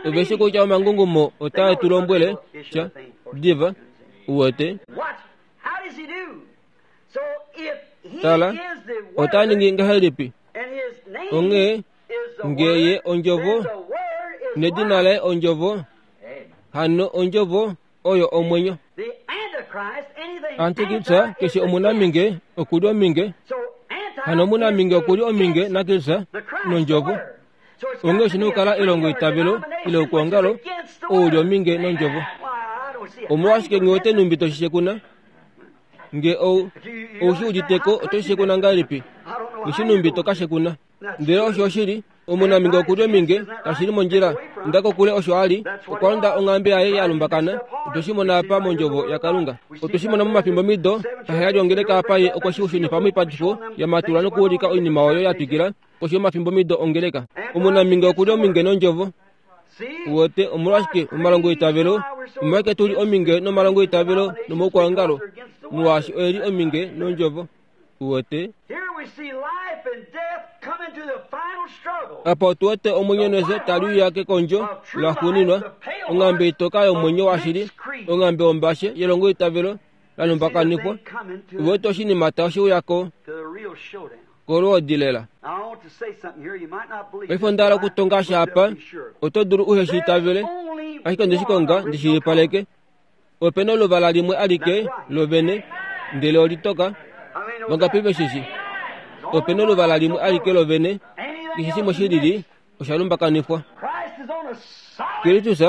Ove shi kutya omangungumo otae tu lombwele sha diva, uwete. Tala, ota ningi ngahelipi? Onghee nge ye ondjovo, nedina laye ondjovo, hano ondjovo oyo omwenyo. Antikristu keshe omunaminge oku li ominge, hano omunaminge oku li ominge naKristus nondjovo. Onghee oshi na okukala elongoitavelo ile oukuongalo ou li ominge nondjovo. Omolwashike nghi wete nhumbi to shi shekuna? Nge ou ou shi udite ko oto shi shekuna ngahelipi? Nghi shi nhumbi to ka shekuna. Ndele osho oshili, omunaminge oku li ominge, kashi li mondjila. Inda kokule osho a li, okwa londa onghambe yaye ya lumbakana. Otwe shi mona apa mOndjovo yaKalunga. Otwe shi mona momafimbomido aheyali ongeleka apa ye okwe shi shunifa moipatifo ya matulwa nokuulika oinima oyo ya twikila koshi yomafimbomido ongeleka. Omunaminge oku li ominge nOndjovo. Uwete, omolwashike omalongoitavelo, omolwashike tu li ominge nomalongoitavelo nomaukwaongalo? Molwaashi oe li ominge nOndjovo. Uwete? Apa otu wete omwenyo nefyo tali uya kekondjo laxuuninwa, onghambe itoka yomwenyo washili, onghambe yombashe yelongoitavelo la lumbakanifwa. Uwete oshinima tashi uya ko kolwoodi lela. Paife onda hala okutonga sha apa, oto dulu uhe shi itavele, ashike onde shi konga ndi shilipaleke. Ope na oluvala limwe alike lovene, ndele olitoka. Vangapi ve shi shi? Ope na oluvala limwe alike lovene, keshe shimwe shi lili osha lumbakanifwa. Kristus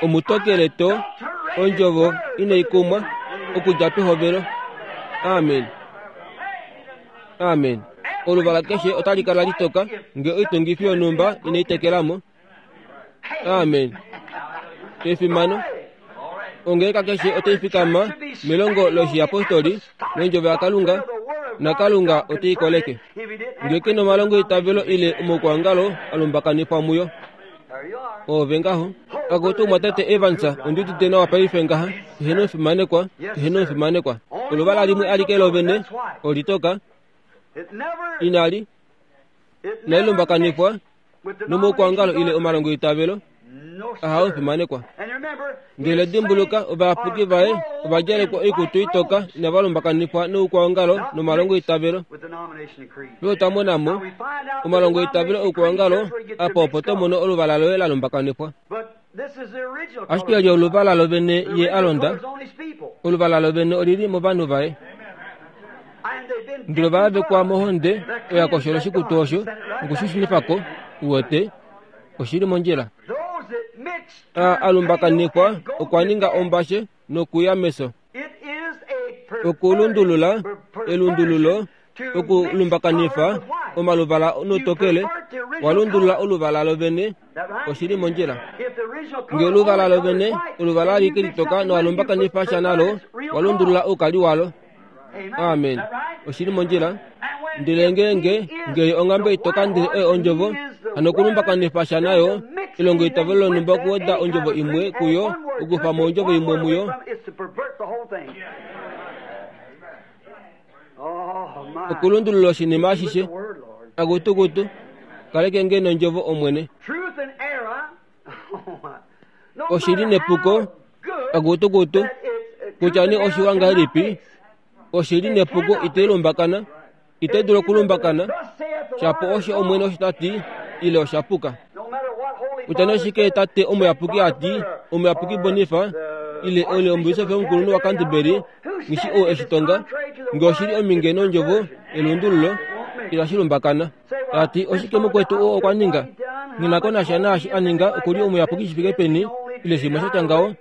omutokele to, ondjovo inai kumwa okudja pehovelo. Amen. Amen. Oluvala keshe otali kala litoka nge oitungifi yonhumba inai tekela mo. Amen. Efimano. Ongeleka keshe otai fikama melongo loshiyapostoli nondjovo yaKalunga, naKalunga ote i koleke. Nge ke nomalongo eitavelo ile omaukwaongalo a lumbakanifwa muyo. Oove ngaho. Akutu omwatate Evans, ondi udite nawa paife ngaha. Eheno omufimanekwa, eheno omufimanekwa. Oluvala limwe alike lovene, olitoka. Inali, inali lumbakanifwa nomoukwangalo ile omalongoitavelo ahawe fimanekwa. Ndele dimbuluka, ovayapuki vaye ova djalekwa oikutu itoka inava lumbakanifwa noukwaongalo nomalongoitavelo. Paife otwa mona mo omalongoitavelo oukwaongalo apa opo to mono oluvala loye la lumbakanifwa. Ashike eli oluvala lovene ye a londa, oluvala lovene olili movanhu vaye. Ndele ova yavekwa mohonde oyo ya koshola oshikutu osho noku shi shunifa ko, uwete, oshi li mondjila. A, a lumbakanifwa okwa ninga ombashe nokuya meso. Okulundulula, elundululo, okulumbakanifa omaluvala notokele, wa lundulula oluvala lovene, oshi li mondjila. Nge oluvala lovene, oluvala alike litoka nowa lumbakanifa sha nalo, wa lundulula oukali walo. Amen. Oshi li mondjila. Ndele ngeenge ngee onghambe itoka ndele oyo ondjovo, hano okulumbakanifa sha nayo, elongo itavelo lonhumba okuweda ondjovo imwe kuyo, okukufa mo ondjovo imwe muyo, okulundulula oshinima ashishe. Akutukutu, kaleke nge nondjovo, Omwene. Oshili nepuko, akutukutu, kutya nee oshiwa ngahelipi, oshili nepuko itai lumbakana, itai dulu okulumbakana, shapo osho Omwene osho ta ti, ile osha puka. Kutya nee oshike tate omuyapuki a ti, omuyapuki Bonifa, ile ole omubisofi omukulunhu waCanterbury, ngishi ou e shi tonga, nge oshi li ominge nondjovo elundululo, itashi lumbakana. Ta ti, Oshike mukwetu oo okwa ninga? Nghi na ko nasha naashi a ninga, oku li omuyapuki shi fike peni. Ile shimwe sha tya ngaho.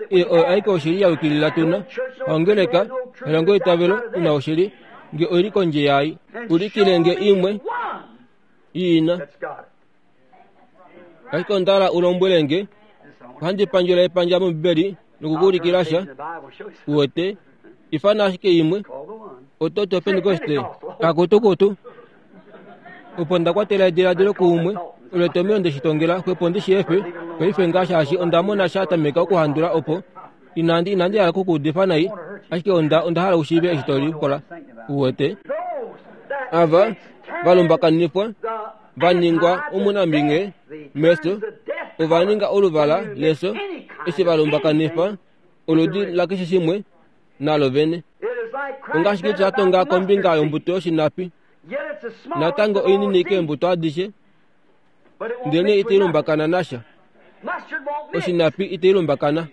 Ei oyo aike oshili ya yukilila tu na. Ongeleka, elongo eitavelo, ina oshili, nge oi li kondje yaai. Ulikile nge imwe i na. Ashike onda hala u lombwele nge, ohandi pandjula epandja mOmbibeli nokukuulikila sha, uwete, ifana ashike imwe. Oto ti Opentekoste, kakutukutu. Opo nda kwatela ediladilo kuumwe, olo etomheno nde shi tongela, xwepo ndi shi efe paife ngaa shaashi onda mona sha tameka okuhandula opo. Inandi, inandi hala okukuudifa nai, ashike onda, onda hala u shiive eshi to likola. Uwete? Ava va lumbakanifwa, va ningwa omunamhinge mefyo, ova ninga oluvala lefyo eshi va lumbakanifa oludi lakeshe shimwe nalo vene. Ongaashi Jesus a tonga kombinga yombuto yoshinapi, natango oinini keembuto adishe, ndelenee itai lumbakana nasha. Oshinapi itai lumbakana.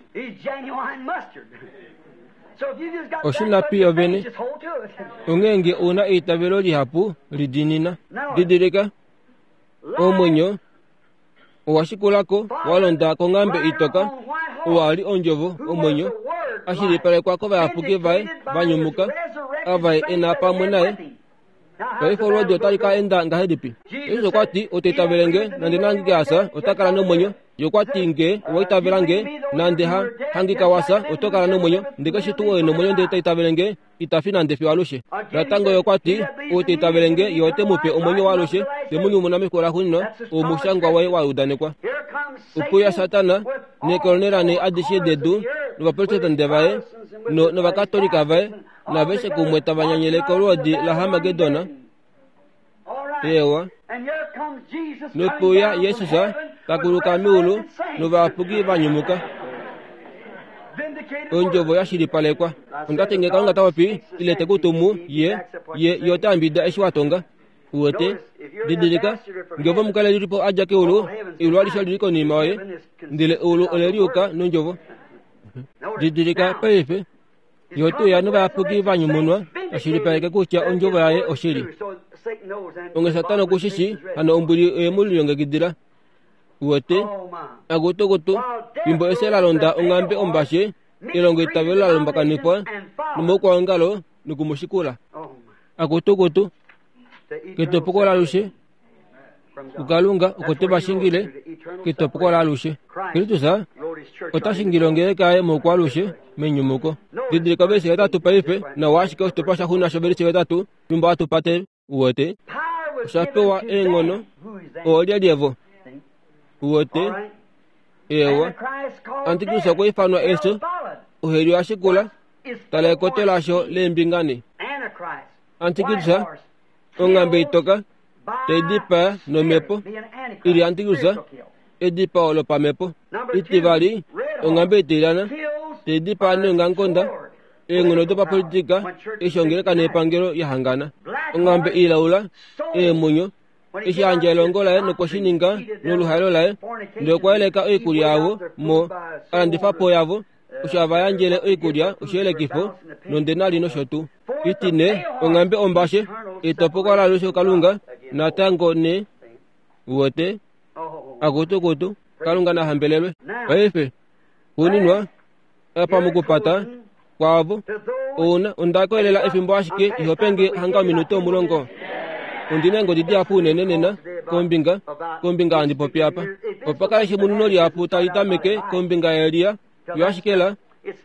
Oshinapi yo vene. Onghee nge u na eitavelo lihapu, lidiinina. Didilika, omwenyo owa shikula ko wa londa konghambe itoka, owa li ondjovo, omwenyo, a shilipalekwa kovayapuki vaye va nyumuka, ava e na pamwe naye. Paife olwoodi otali ka enda ngahelipi? Jesus okwa ti, Ote itavele nge, nande nangike a fya, ota kala nomwenyo. Ye okwa ti, Nge owa itavela nge, nande ha hangika wa fya, oto kala nomwenyo. Ndele keshe tuu oo e nomwenyo ndele ta itavele nge, ita fi nande fiyo alushe. Natango ye okwa ti, Ou ta itavele nge, ye ote mu pe omwenyo waalushe, te mu nyumuna mefiku laxuuninwa, oo omushangwa waye wa udanekwa. Okuya Satana neekolonela nee adishe dedu novaprotestante vaye no, novakatolika vaye naveshe kumwe tava nyanyele kolwoodi laHarmagedon. Eewa. Nokuya Jesus ta kuluka meulu novayapuki va nyumuka. Ondjovo ya shilipalekwa. Onda ti nge Kalunga ta popi ile te ku tumu, ye, ye, ye ota yambidida eshi wa tonga. Uwete? Didilika, nge ove omukalelipo a dja keulu, eulu alishe oli li konima yoye, ndele eulu ole liuka nondjovo. Didilika paife. Ye ote uya novayapuki va nyumunwa, a shilipaleke kutya ondjovo yaye oshili. Onge Satana oku shi shii, hano ombwili oye mu lilongekidila. Uwete? Akutukutu, fimbo efyo la londa onghambe ombashe, elongo itavelo la lumbakanifwa nomaukwaongalo noku mu shikula. Akutukutu, ketopoko lalushe kuKalunga oko te va shingile ketopoko laalushe. Kristus ota shingile ongeleka yaye moukwaalushe menyumuko. Didilika ovelishe hetatu paife, nawa ashike oshitukulwa shaxuuninwa shovelishe hetatu fimbo hatu pate. Uwete? Osha pewa eenghono. Oolyelye vo? Uwete? Eewa. Antikristus okwa ifanwa efyo, oheli oya shikula. Tala ekoto lasho leembinga ne. Antikristus onghambe itoka tai dipaa nomhepo i li antikristus edipao lopamhepo. Itivali, onghambe itilyana tai dipaa neongamukonda eenghono dopapolitika eshi ongeleka nepangelo ya hangana. Onghambe ilaula eemwenyo eshi a yandja elongo laye nokwe shi ninga noluhaelo laye, ndele okwa yeleka oikulya yavo mo a landifa po yavo osho hava yandjele oikulya oshiyelekifo nondenari nosho tuu. Itine, onghambe ombashe, etopoko laalushe kuKalunga, natango ne uwete, akutukutu, Kalunga na hambelelwe. Paife, xuuninwa, apa mokupata kwaavo, ouna, onda koyelela efimbo ashike iho penge hanga ominute omulongo. Ondi na eengodi dihapu unene nena kombinga, kombinga handi popi apa. Opa kala eshimununo lihapu tali tameke kombinga yaElia, yo ashike la,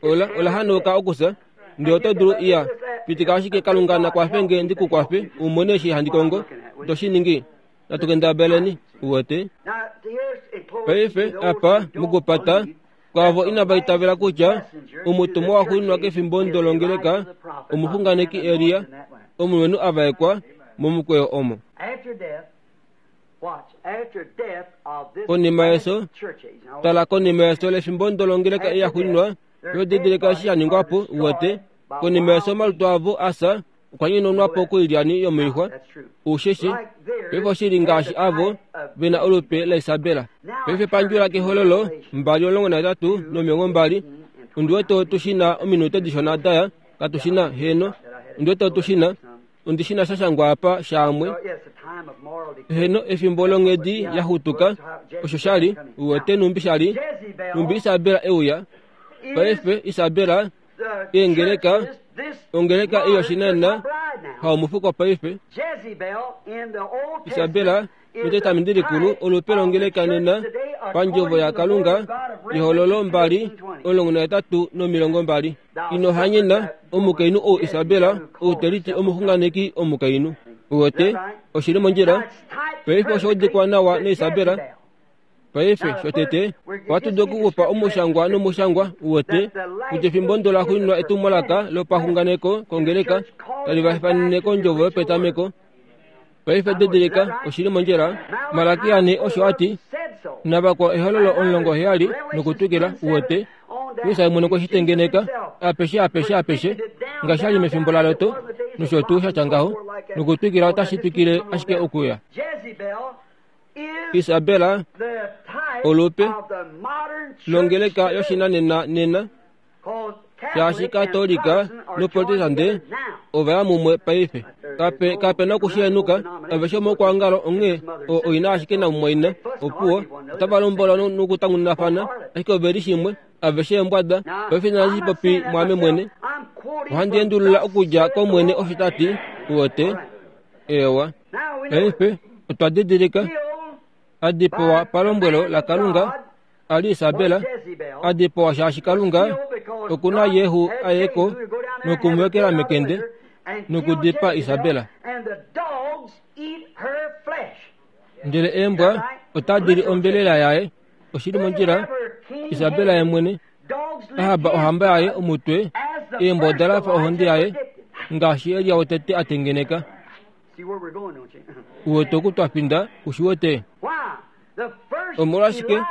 ola, ola hanauka okufya. Ndele oto dulu iya, pitika ashike Kalunga na kwafe nge ndi ku kwafe u mone eshi handi kongo. To shi ningi? Natu kendabeleni, uwete. Paife, apa, mokupata, kwaavo inava itavela kutya omutumwa waxuuninwa kefimbo ndolongeleka omuxunganeki Elia, omulumenhu a vaekwa momukweyo omo. Konima yefyo, tala konima yefyo lefimbo ndolongeleka eya xuuninwa, yo didilika eshi sha ningwa po, uwete, konima yefyo omalutu avo a fya okwa nyononwa po koilyani yomoixwa. Usheshi, paife oshi li ngaashi avo ve na olupe laIsabela. Paife pandjula kehololo 2:13 no20. Ondi wete otu shi na ominute dishona daya, katu shi na? Heeno, ondi wete otu shi na. Ondi shi na sha shangwa apa shaamwe. Heno, efimbo longhedi ya xutuka, osho sha li, uwete nhumbi sha li, nhumbi Isabela e uya. Paife, Isabela, eengeleka, ongeleka ei yoshinanena, haomufuko paife. Isabela, mEtestamenti Likulu, olupe longeleka nena, pandjovo yaKalunga, Ehololo 2, 18 no20. Ino hanyena omukainhu ou Isabela, ou te liti omuxunganeki omukainhu. Uwete, oshi li mondjila. Paife osha udikwa nawa naIsabela. Paife, shotete, ohatu dulu okukufa omushangwa nomushangwa, uwete, kutya efimbo ndo la xuuninwa etumwalaka lopaxunganeko kongeleka tali va ifanene kondjovo yopetameko. Paife didilika, oshi li mondjila. Malakia ne osho a ti, Navakwao Ehololo 17 nokutwikila, uwete, Jesus mwene okwe shi tengeneka apeshe apeshe apeshe, ngaashi a li mefimbo laLot, nosho tuu sha tya ngaho, nokutwikila otashi twikile ashike okuya. Isabela, olupe longeleka yoshinanena nena, shaashi Katolika noProtestante ova ya mumwe paife. Kape, kape na okushihenuka, aveshe omokwaongalo onghee o, oi na ashike namumwaina. Opuwo, otava lombola nokutangununafana, ashike ove li shimwe, aveshe eembwada. Paife inandi shi popi mwaame mwene. Ohandi endulula okudja kOmwene osho ta ti, uwete. Eewa. Paife, otwa didilika, a dipawa palombwelo laKalunga, a li Isabela, a dipawa shaashi Kalunga oku na Jehu a ye ko noku mu ekela mekende nokudipaa Isabela. Ndele eembwa otadi li ombelela yaye. Oshi li mondjila, Isabela ye mwene. Ahab ohamba yaye omutwe, eembwa oda lafa ohonde yaye, ngaashi Elia wotete a tengeneka. Uwete oku twa finda, u shi wete? Omolwashike,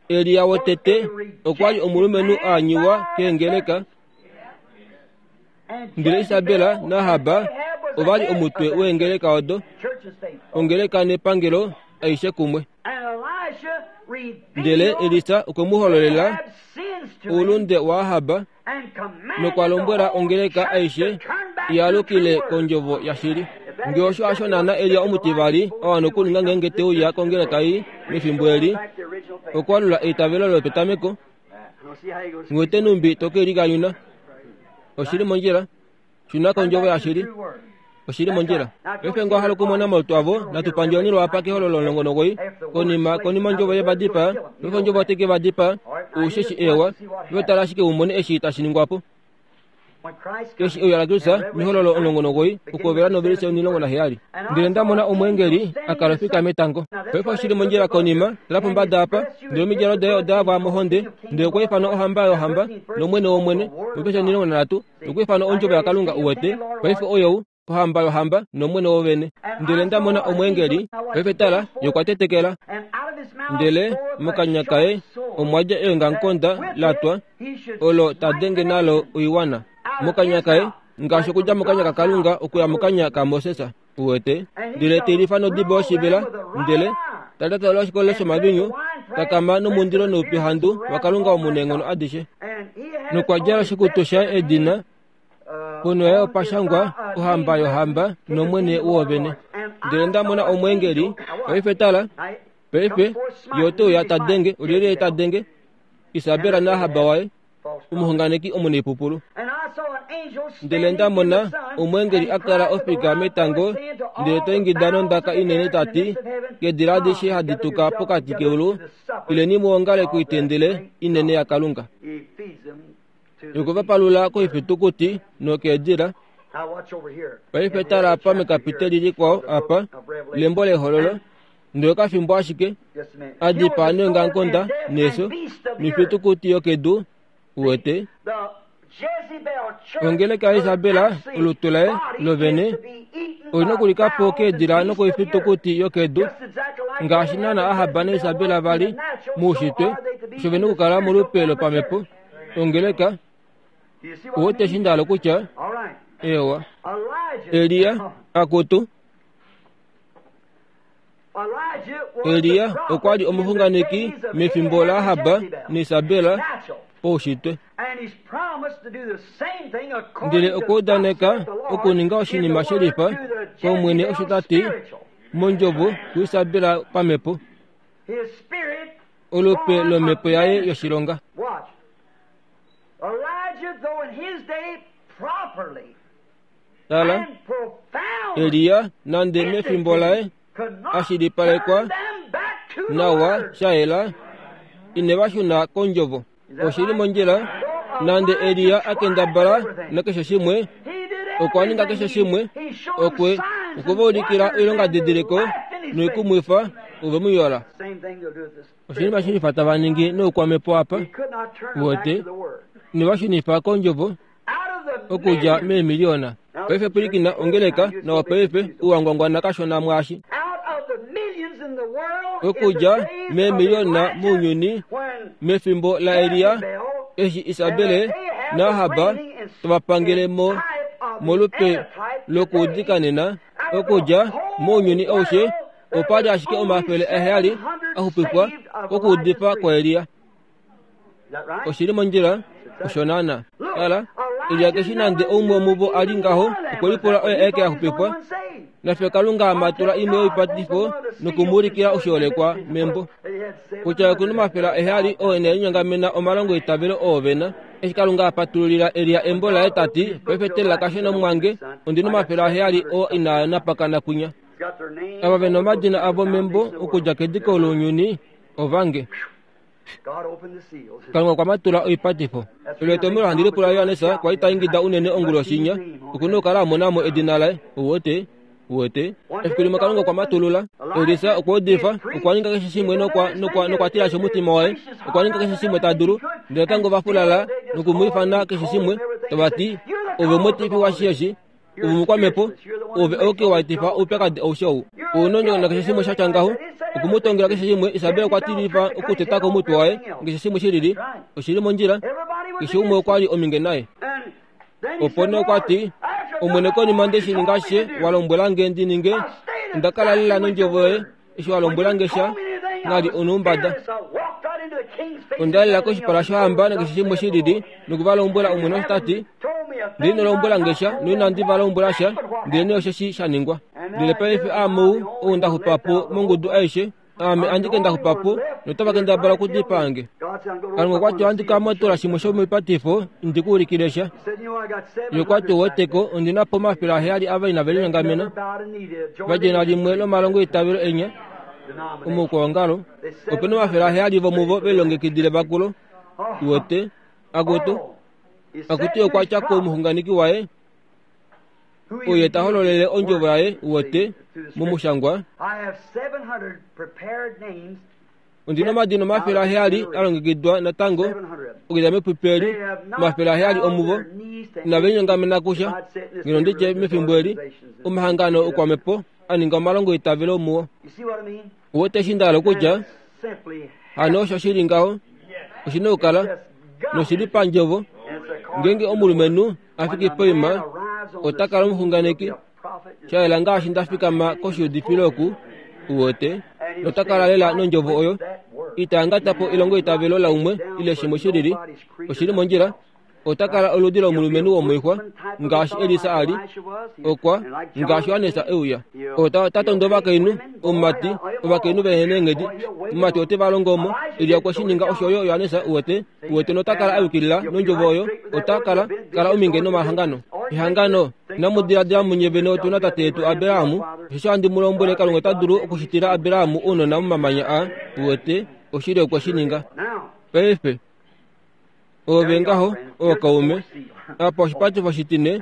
Elia wotete okwa li omulumenhu a anyiwa keengeleka, ndele Isabela naAhab ova li omutwe weengeleka odo, ongeleka nepangelo aishe kumwe. Ndele Elisa okwe mu hololela oulunde waAhab nokwa lombwela ongeleka aishe i alukile kondjovo yashili. Nge osho hasho naana Elia omutivali a wana okuninga ngeenge te uya kongeleka ei mefimbo eli, okwaalula eitavelo lopetameko. Nghi wete nhumbi to ke likanyuna. Oshi li mondjila. Shuna kondjovo yashili. Oshi li mondjila. Paife ngee owa hala okumona omalutu avo, natu pandjeleni lwaapa kehololo 19. Konima, konima ondjovo ye va dipaa, paife ondjovo otai ke va dipaa. Ousheshi eewa. Ove tala ashike u mone eshi tashi ningwa po. Eshi euya laKristus, mehololo 19, okuhovela novelise 17. Ndele nda mona omweengeli a kala ofika metango. Paife oshi li mondjila konima, tala pombada apa, ndele omidjalo daye oda yavwa mohonde, ndele okwa ifanwa ohamba yohamba, nOmwene womwene, novelise 13. Nokwiifana ondjovo yaKalunga uwete, paife oyou, ohamba yohamba nomwene wovene. Ndele nda mona omweengeli, paife tala, ye okwa tetekela. Ndele mokanya kaye omwa dja eongamukonda la twa, olo ta denge nalo oiwana. Mokanya kaye, ngaashi okudja mokanya kaKalunga okuya mokanya kaMoses. Uwete? Ndele te lifa nodibo yoshivela, ndele ta lyatala oshikolelo shomavinyu, ta kama nomundilo noupyuhandu waKalunga omunaenghono adishe. Nokwa djala oshikutu shaye edina, ponho yaye opa shangwa, Ohamba yohamba nOmwene woovene. Ndele nda mona omweengeli, paife tala, paife, ye ote uya ta denge, olyelye ye ta denge? Isabela naAhab waye. omuxunganeki omunaipupulu. Ndele nda mona omweengeli a kala ofika metango, ndele ta ingida nondaka inene ta ti, Keedila adishe hadi tuka pokati keulu, ileni mu ongale koitendele inene yaKalunga. Okwe va palula koifitukuti nokeedila. Paife tala apa mekapiteli likwao apa, lembo lEhololo. Ndele okafimbo ashike a dipaa neongamukonda neefyo noifitukuti yokedu, uwete. Ongeleka yaIsabela, olutu laye lovene, oli nokulika po keedila nokoifitukuti yokedu, ngaashi naana Ahab naIsabela va li moushitwe, osho ve nokukala molupe lopamhepo. Ongeleka, uwete eshi nda hala okutya? Eewa. Elia, akutu. Elia okwa li omuxunganeki mefimbo laAhab naIsabel. poushitwe. Ndele okwa udaneka okuninga oshinima shelifa kOmwene osho ta ti mondjovo kuIsabela pamhepo, olupe lomhepo yaye yoshilonga. Tala, Elia nande mefimbo laye a shilipalekwa nawa sha yela, ine va shuna kondjovo. Oshi li mondjila, nande Elia a kendabala nakeshe shimwe, okwa ninga keshe shimwe, okwe okwe va ulikila oilongadidiliko noikumwifa, ove mu yola. Oshinima shilifa tava ningi noukwamhepo apa, uwete, nova shunifa kondjovo okudja meemiliona. Paife pwilikina ongeleka nawa paife, uwangwangwana kashona mwaashi. Okudja meemiliona mounyuni mefimbo laElia, eshi Isabele naAhab tava pangele mo molupe lokuudika nena, okudja mounyuni aushe opa li ashike 700 a xupifwa kokuudifa kwaElia. Oshi li mondjila, osho naana. Tala, Elia keshi nande oumwe womuvo a li ngaho, okwe lipula oye aeke a xupifwa. Nafye Kalunga a matula imwe yoipatifo noku mu ulikila oshiholekwa membo. Kutya oku na 700 oo ine linyongamena omalongo eitavelo oo ve na. Eshi Kalunga a patululila Elia embo laye ta ti, Paife telela kashona omumwange, ondi na 700 oo inaa napakana kwinya. Ava ve na omadina avo membo okudja kediko lounyuni, ovange. Kalunga okwa matula oipatifo. Elo etomhelo handi lipula Johannes kwa li ta ingida unene onguloshi inya, oku na okukala a mona mo edina laye. Uwete? Uwete? Efiku limwe Kalunga okwa matulula. Elisa okwa udifa, okwa ninga keshe shimwe nokwa, nokwa, nokwa tilashi omutima waye. Okwa ninga keshe shimwe ta dulu, ndele natango ova fulala noku mu ifana keshe shimwe, tava ti, Ove omweetifi washeeshi. Ove omukwamhepo, ove ouke wa etifa oupyakadi aushe ou. Ounongo nakeshe shimwe sha tya ngaho, oku mu tongela keshe shimwe. Isabel okwa tilifa okuteta ko omutwe waye, keshe shimwe shi lili. Oshi li mondjila. Keshe umwe okwa li ominge naye. Opo nee okwa ti, Omwene, konima nde shi ninga ashishe wa lombwela nge ndi ninge, onda kala lela nondjovo yoye. Eshi wa lombwela nge sha, na li onoumbada. Onda lela koshipala shohamba nakeshe shimwe shi lili, noku va lombwela Omwene osho ta ti. Ndele ino lombwela nge sha, noinandi va lombwela sha, ndelenee osheshi sha ningwa. Ndele paife aame ou, ou nda xupa po mongudu aishe, aame andike nda xupa po, notava kendabala okudipaa nge. Kalunga okwa ti, Ohandi ka matola shimwe shomoipatifo, ndi ku ulikile sha. Ye okwa ti, Ouweteko, ondi na po 700 ava inave linyongamena, va djena limwe lomalongo eitavelo enya omoukwaongalo. Ope na 700 vomuvo ve lilongekidile vakulo. Uwete? Akutu, akutu okwa tya komuxunganeki waye, oye ta hololele ondjovo yaye, uwete, momushangwa. Ondi na omadina 700 a longekidwa natango okudja mepupi eli, 700 omuvo inave linyongamena kusha, ngeno ndi tye mefimbo eli, omahangano okwamhepo a ninga omalongo eitavelo muo. Uwete eshi nda hala okutya? Hano osho shi li ngaho, oshi na okukala noshi li pandjovo. Ngeenge omulumenhu a fiki poima, ota kala omuxunganeki, sha yela ngaashi nda fikama koshiudifilo oku, uwete, nota kala lela nondjovo oyo. Ita angata po elongo eitavelo laumwe ile shimwe shi lili. Oshi li mondjila. Ota kala oludi lomulumenhu womoixwa, ngaashi Elisa a li, okwa, ngaashi Johannes e uya. Ota, ota tondo ovakainhu, omumati, ovakainhu vehe neenghedi. Omumati ote va longo omo. Elia okwe shi ninga osho yo Johannes, uwete, uwete, nota kala a yukilila nondjovo oyo. Ota kala, kala ominge nomahangano. Ehangano, inamu diladila munye vene otu na tate yetu Abraham, osheshi ohandi mu lombwele Kalunga ota dulu okushitila Abraham ounona momamanya aa, uwete, oshili okwe shi ninga. Paife, Ove ngaho, ookaume, apa oshipatifo shitine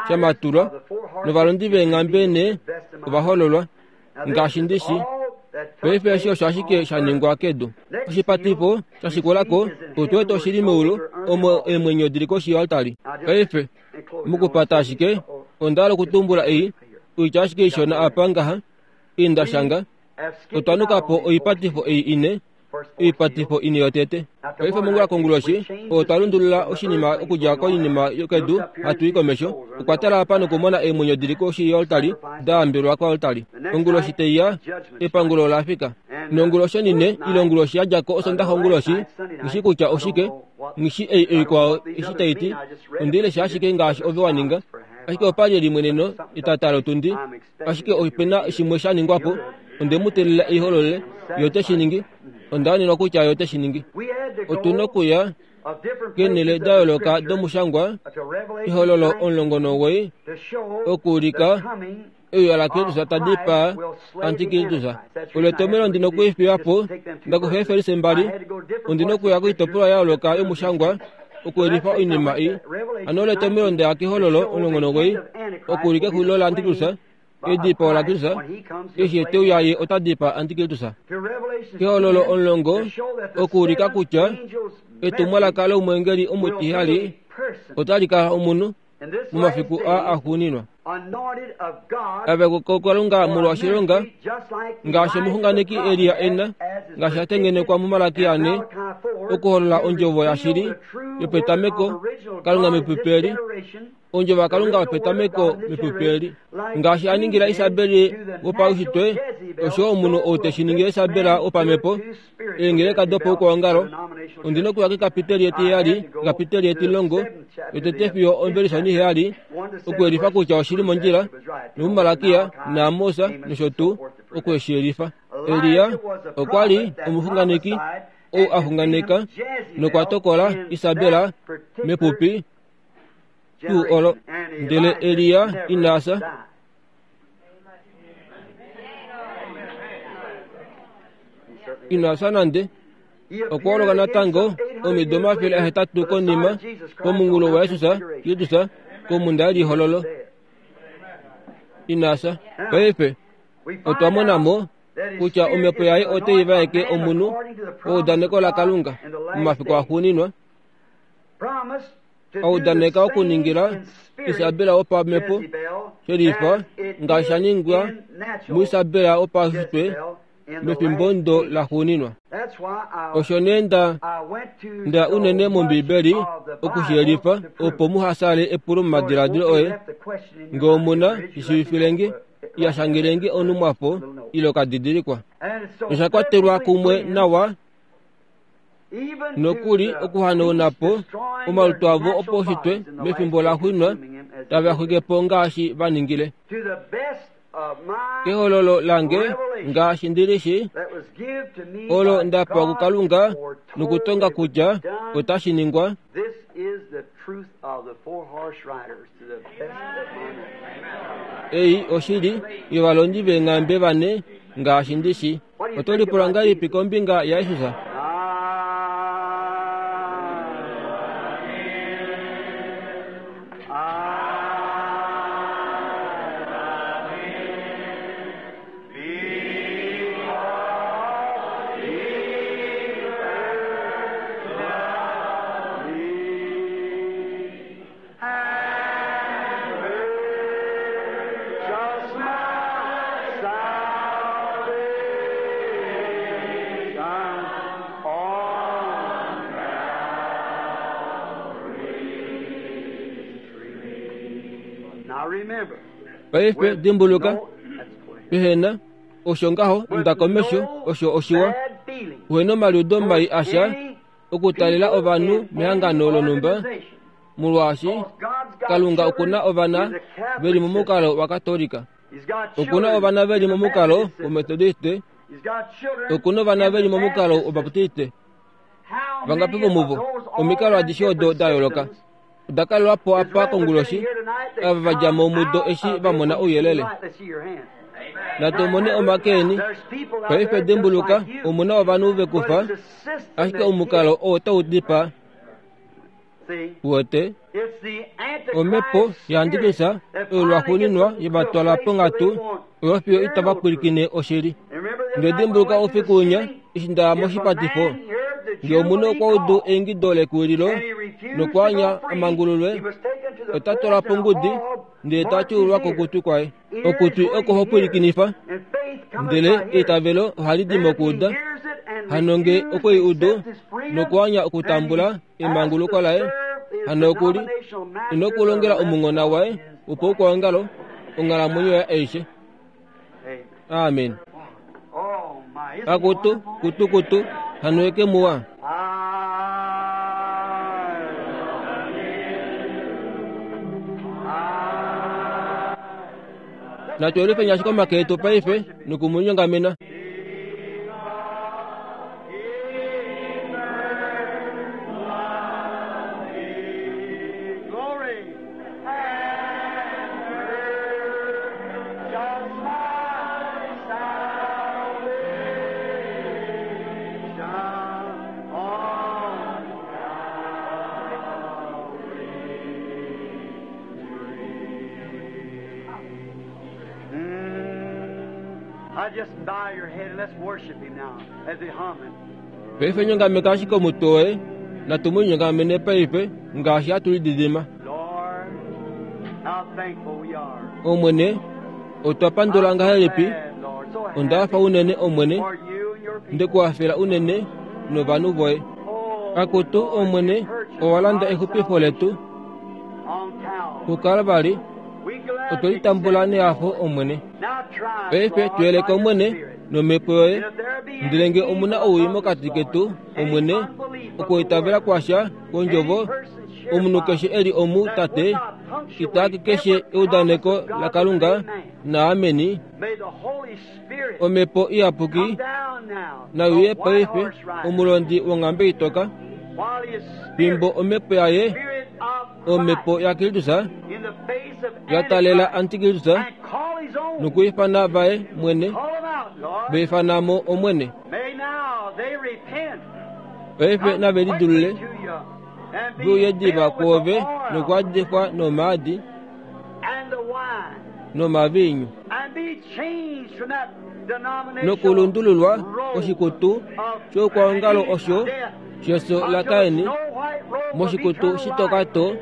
sha matulwa, novalondi veenghambe ne ova hololwa, ngaashi ndi shi. Paife eshi osho ashike sha ningwa kedu. Oshipatifo sha shikula ko, otu wete oshi li meulu, omo eemwenyo di li koshi yoaltari. Paife, mokupata ashike, onda hala okutumbula ei, oitya ashike ishona apa ngaha, ei nda shanga. Otwa nuka po oipatifo ei ine, oipatifo ine yotete. Paife mongula konguloshi, otwa lundulula oshinima okudja koinima yokedu hatu i komesho. Okwa tala apa nokumona eemwenyo di li koshi yoaltari, da yambelwa koaltari. Onguloshi tai ya, epangulo ola fika. Nonguloshi onine ile onguloshi ya dja ko Osondaxa onguloshi, nghi kutya oshike, nghi ei oikwao eshi tai ti, ondi lesha ashike ngaashi ove wa ninga. Ashike opa li elimweneno etata lotundi, ashike ope na shimwe sha ningwa po. Onde mu teelela ei holole, ye ote shi ningi. Onda wanenwa kutya ye ote shi ningi. Otu nokuya keenhele da yooloka domushangwa, Ehololo 19, okuulika euya laKristus ta dipaa Antikristus. Olo etomhelo ndi nokuifiya po, nda kufa eefelise mbali, ondi nokuya koitopolwa ya yooloka yomushangwa okuyelifa oinima ei. Hano olo etomhelo nda ya kEhololo 19, okuulika exulilo laAntikristus, edipao laKristus, eshi ye te uya ye ota dipaa Antikristus. Kehololo 10, okuulika kutya etumwalaka lomweengeli omutihali otali kala omunhu momafiku aa axuuninwa. Ave kuKalunga molwa oshilonga ngaashi omuxunganeki Elia e na, ngaashi a tengenekwa muMalaki ane, okuholola ondjovo yashili yopetameko, Kalunga mepupi eli, ondjovo yaKalunga yopetameko mepupi eli. Ngaashi a ningila Isabeli wopaushitwe, osho omunhu ou te shi ningile Isabel wopamhepo, eengeleka dopaukwaongalo. Ondi nokuya kekapiteli etiheyali, kekapiteli etilongo, yotete fiyo omvelisha oniheyali, okuyelifa kutya oshi li mondjila, nomuMalakia naAmos nosho tuu, oku eshi yelifa. Elia okwa li omuxunganeki ou a xunganeka nokwa tokola Isabel mepupi tuu olo. Ndele Elia ina fya. Ina fya nande. Okwa holoka natango omido 800 konima pomunghulo waJesus Kristus komhunda yelihololo. Ina fya. Paife otwa mona mo kutya omhepo yaye otai vaeke omunhu weudaneko laKalunga momafiku axuuninwa. A udaneka okuningila Isabel wopamhepo shelifa ngaashi sha ningwa muIsabel wopaushitwe mefimbo ndo laxuuninwa. Osho nee nda nda unene mOmbiibeli oku shi yelifa opo muha sale epulo momadiladilo oye. Nge omu na, shi shiivifile nge, ya shangele nge onhumwafo ile okadidilikwa. Osha kwatelwa kumwe nawa nokuli okuhanauna po omalutu avo opaushitwe mefimbo la xwinwa tave a xwike po ngaashi va ningile. Kehololo lange ngaashi ndi li shi, olo nda pewa kuKalunga nokutonga kutya otashi ningwa. Ei oshili yovalondi veenghambe vane ngaashi ndi shi. Oto lipula ngahelipi kombinga yaJesus? Paife dimbuluka, pehe na osho ngaho nda komesho osho oshiwa. Uhe nomaliudo mai asha okutalela ovanhu mehangano lonhumba molwaashi Kalunga oku na ovana ve li momukalo waKatolika, oku na ovana ve li momukalo wOmetodiste, oku na ovana ve li momukalo wObaptiste. Vangapi vomuvo? Omikalo adishe odo da yooloka oda kalelwa po apa konguloshi, ava va dja mo mudo eshi va mona ouyelele. Natu mone omake eni. Paife dimbuluka, omu na ovanhu ve ku fa, ashike omukalo oo otau dipaa. Uwete? Omhepo yaAntikristus oyo lwaxuuninwa ye va twala ponghatu oyo fiyo itava pwilikine oshili. Nde dimbuluka oufiku winya eshi nda ya moshipatifo. Nge omunhu okwa udu eingido lekuwililo nokwaanya a mangululwe, ota twalwa pongudi ndele ta tyuulwa kokutwi kwaye. Okutwi oko ho pwilikinifa, ndele eitavelo ohali di mokuuda. Hano nge okwe i udu nokwaanya okutambula emanguluko laye, hano oku li inokulongela omunghona waye wopaukwaongalo onghalamwenyo yaye aishe. Amen. Akutu, kutu, kutu, hano ye ke muwa. Natu yelifeni ashike omake etu paife noku mu linyongamena. Paife nyongameka ashike omutwe woye, natu mu linyongamene paife ngaashi hatu lididima. Omwene, otwa pandula ngahelipi! Onda hafa unene, Omwene, nde ku hafela unene novanhu voye. Akutu, Omwene, owa landa exupifo letu kuKalvari. Otwe li tambula nehafo, Omwene. Paife tu yeleka, Omwene, nomhepo yoye. Ndele nge omu na owii mokati ketu, Omwene, okuitavela kwasha kwondjovo, omunhu keshe e li omu, Tate, itaaki keshe eudaneko laKalunga naameni, Omhepo Iyapuki nai uye paife, omulondi wonghambe itoka, fimbo Omhepo yaye, Omhepo yaKristus, ya talela Antikristus nokuifana vaye mwene, va ifana mo Omwene. Paife nave lidulule, ve uye diva kwoove nokuadifwa nomaadi nomaviinyu, nokulundululwa koshikutu shoukwaongalo osho shefyo laKain moshikutu shitoka to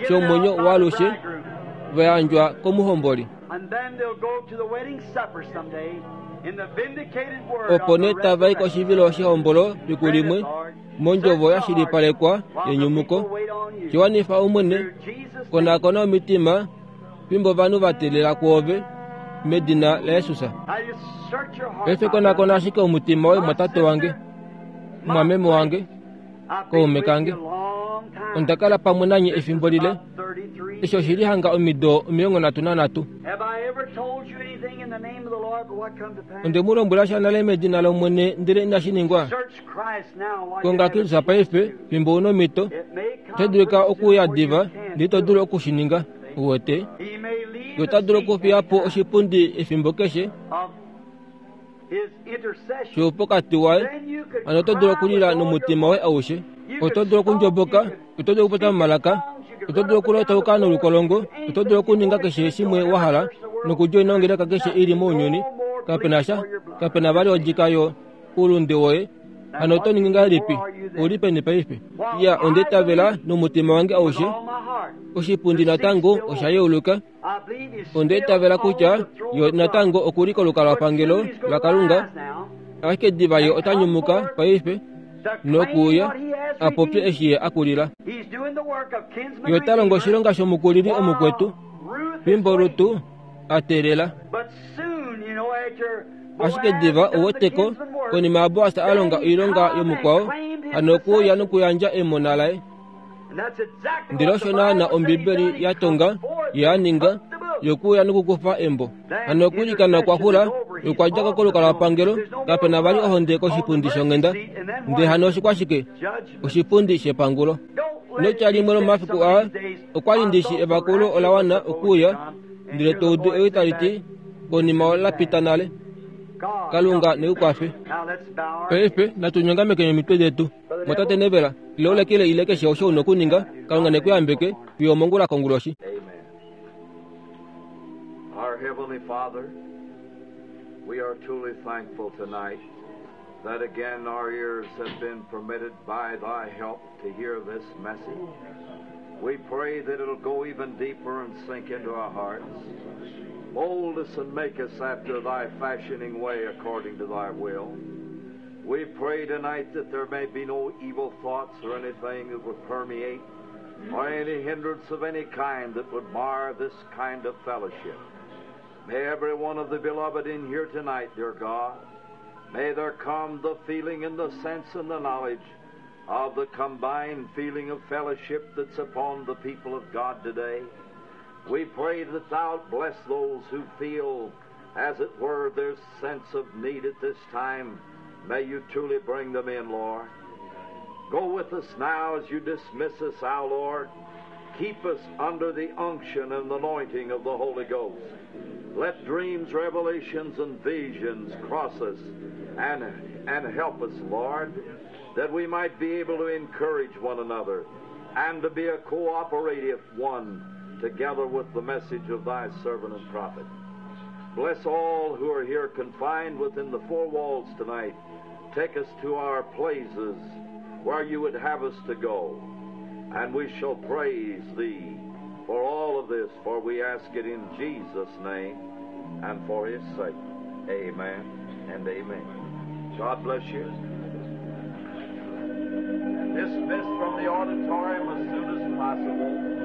shomwenyo waalushe va yandjwa komuhomboli. Opo nee tava i koshivilo shehombolo fiku limwe mondjovo ya shilipalekwa yenyumuko. Shi wanifa Omwene, konakona omitima fimbo ovanhu va teelela kwoove, medina laJesus. Paife konakona ashike omutima woye mwatate wange, mwameme wange, kaume kange. Onda kala pamwe nanye efimbo lile, eshi oshi li hanga omido 33. Onde mu lombwela sha nale medina lOmwene ndele inashi ningwa. Konga Kristus paife, fimbo u nomhito. Otashi dulika okuuya diva, ndele ito dulu oku shi ninga. Uwete? Ye ota dulu okufiya po oshipundi efimbo keshe shoupokati waye. Hano oto dulu okulila nomutima woye aushe. Oto dulu okundjoboka, oto dulu okupopya momalaka, oto dulu okulotauka nolukolongo, oto dulu okuninga keshe shimwe wa hala, nokudjoina ongeleka keshe i li mounyuni. Kape na sha, kape na vali odjika yo oulunde woye. Hano oto ningi ngahelipi? Ou li peni paife? Iya, onda itavela nomutima wange aushe. Oshipundi natango osha yeuluka. Onda itavela kutya yo natango oku li kolukalwapangelo laKalunga, ashike diva ye ota nyumuka paife nokuuya a popye eshi ye a kulila. Ye ota longo oshilonga shomukulili omukwetu, fimbo Rutu a teelela. Ashike diva u wete ko, konima yaBoas a longa oilonga yomukwao, hano okwe uya nokuyandja emona laye. Ndele osho naana Ombibeli ya tonga ye a ninga, ye okwe uya nokukufa embo. Hano okwiilikana okwa xula, ye okwa dja ko kolukalwapangelo, kape na vali ohonde koshipundi shonghenda. Ndele hano oshikwashike? Oshipundi shepangulo. Notya limwe lomomafiku aa, okwa li ndi shi evakulo ola wana okuuya, ndele to udu ewi tali ti, Konima ola pita nale. Kalunga ne ku kwafe. Paife natu nyongameke omitwe detu. Mwatate Neville, ile ulekele ile keshe osho u na okuninga, Kalunga ne ku yambeke fiyo omongula konguloshi. Our Heavenly Father, we are truly thankful tonight that again our ears have been permitted by thy help to hear this message. We pray that it'll go even deeper and sink into our hearts. Mold us and make us after thy fashioning way according to thy will. We pray tonight that there may be no evil thoughts or anything that would permeate or any hindrance of any kind that would mar this kind of fellowship. May every one of the beloved in here tonight, dear God, May there come the feeling and the sense and the knowledge of the combined feeling of fellowship that's upon the people of God today. We pray that Thou bless those who feel, as it were, their sense of need at this time. May you truly bring them in, Lord. Go with us now as you dismiss us, our Lord. Keep us under the unction and anointing of the Holy Ghost. Let dreams, revelations, and visions cross us and, and help us, Lord, that we might be able to encourage one another and to be a cooperative one together with the message of thy servant and prophet. Bless all who are here confined within the four walls tonight. Take us to our places where you would have us to go. And we shall praise thee for all of this, for we ask it in Jesus' name and for his sake. Amen and amen. God bless you. Dismissed from the auditorium as soon as possible.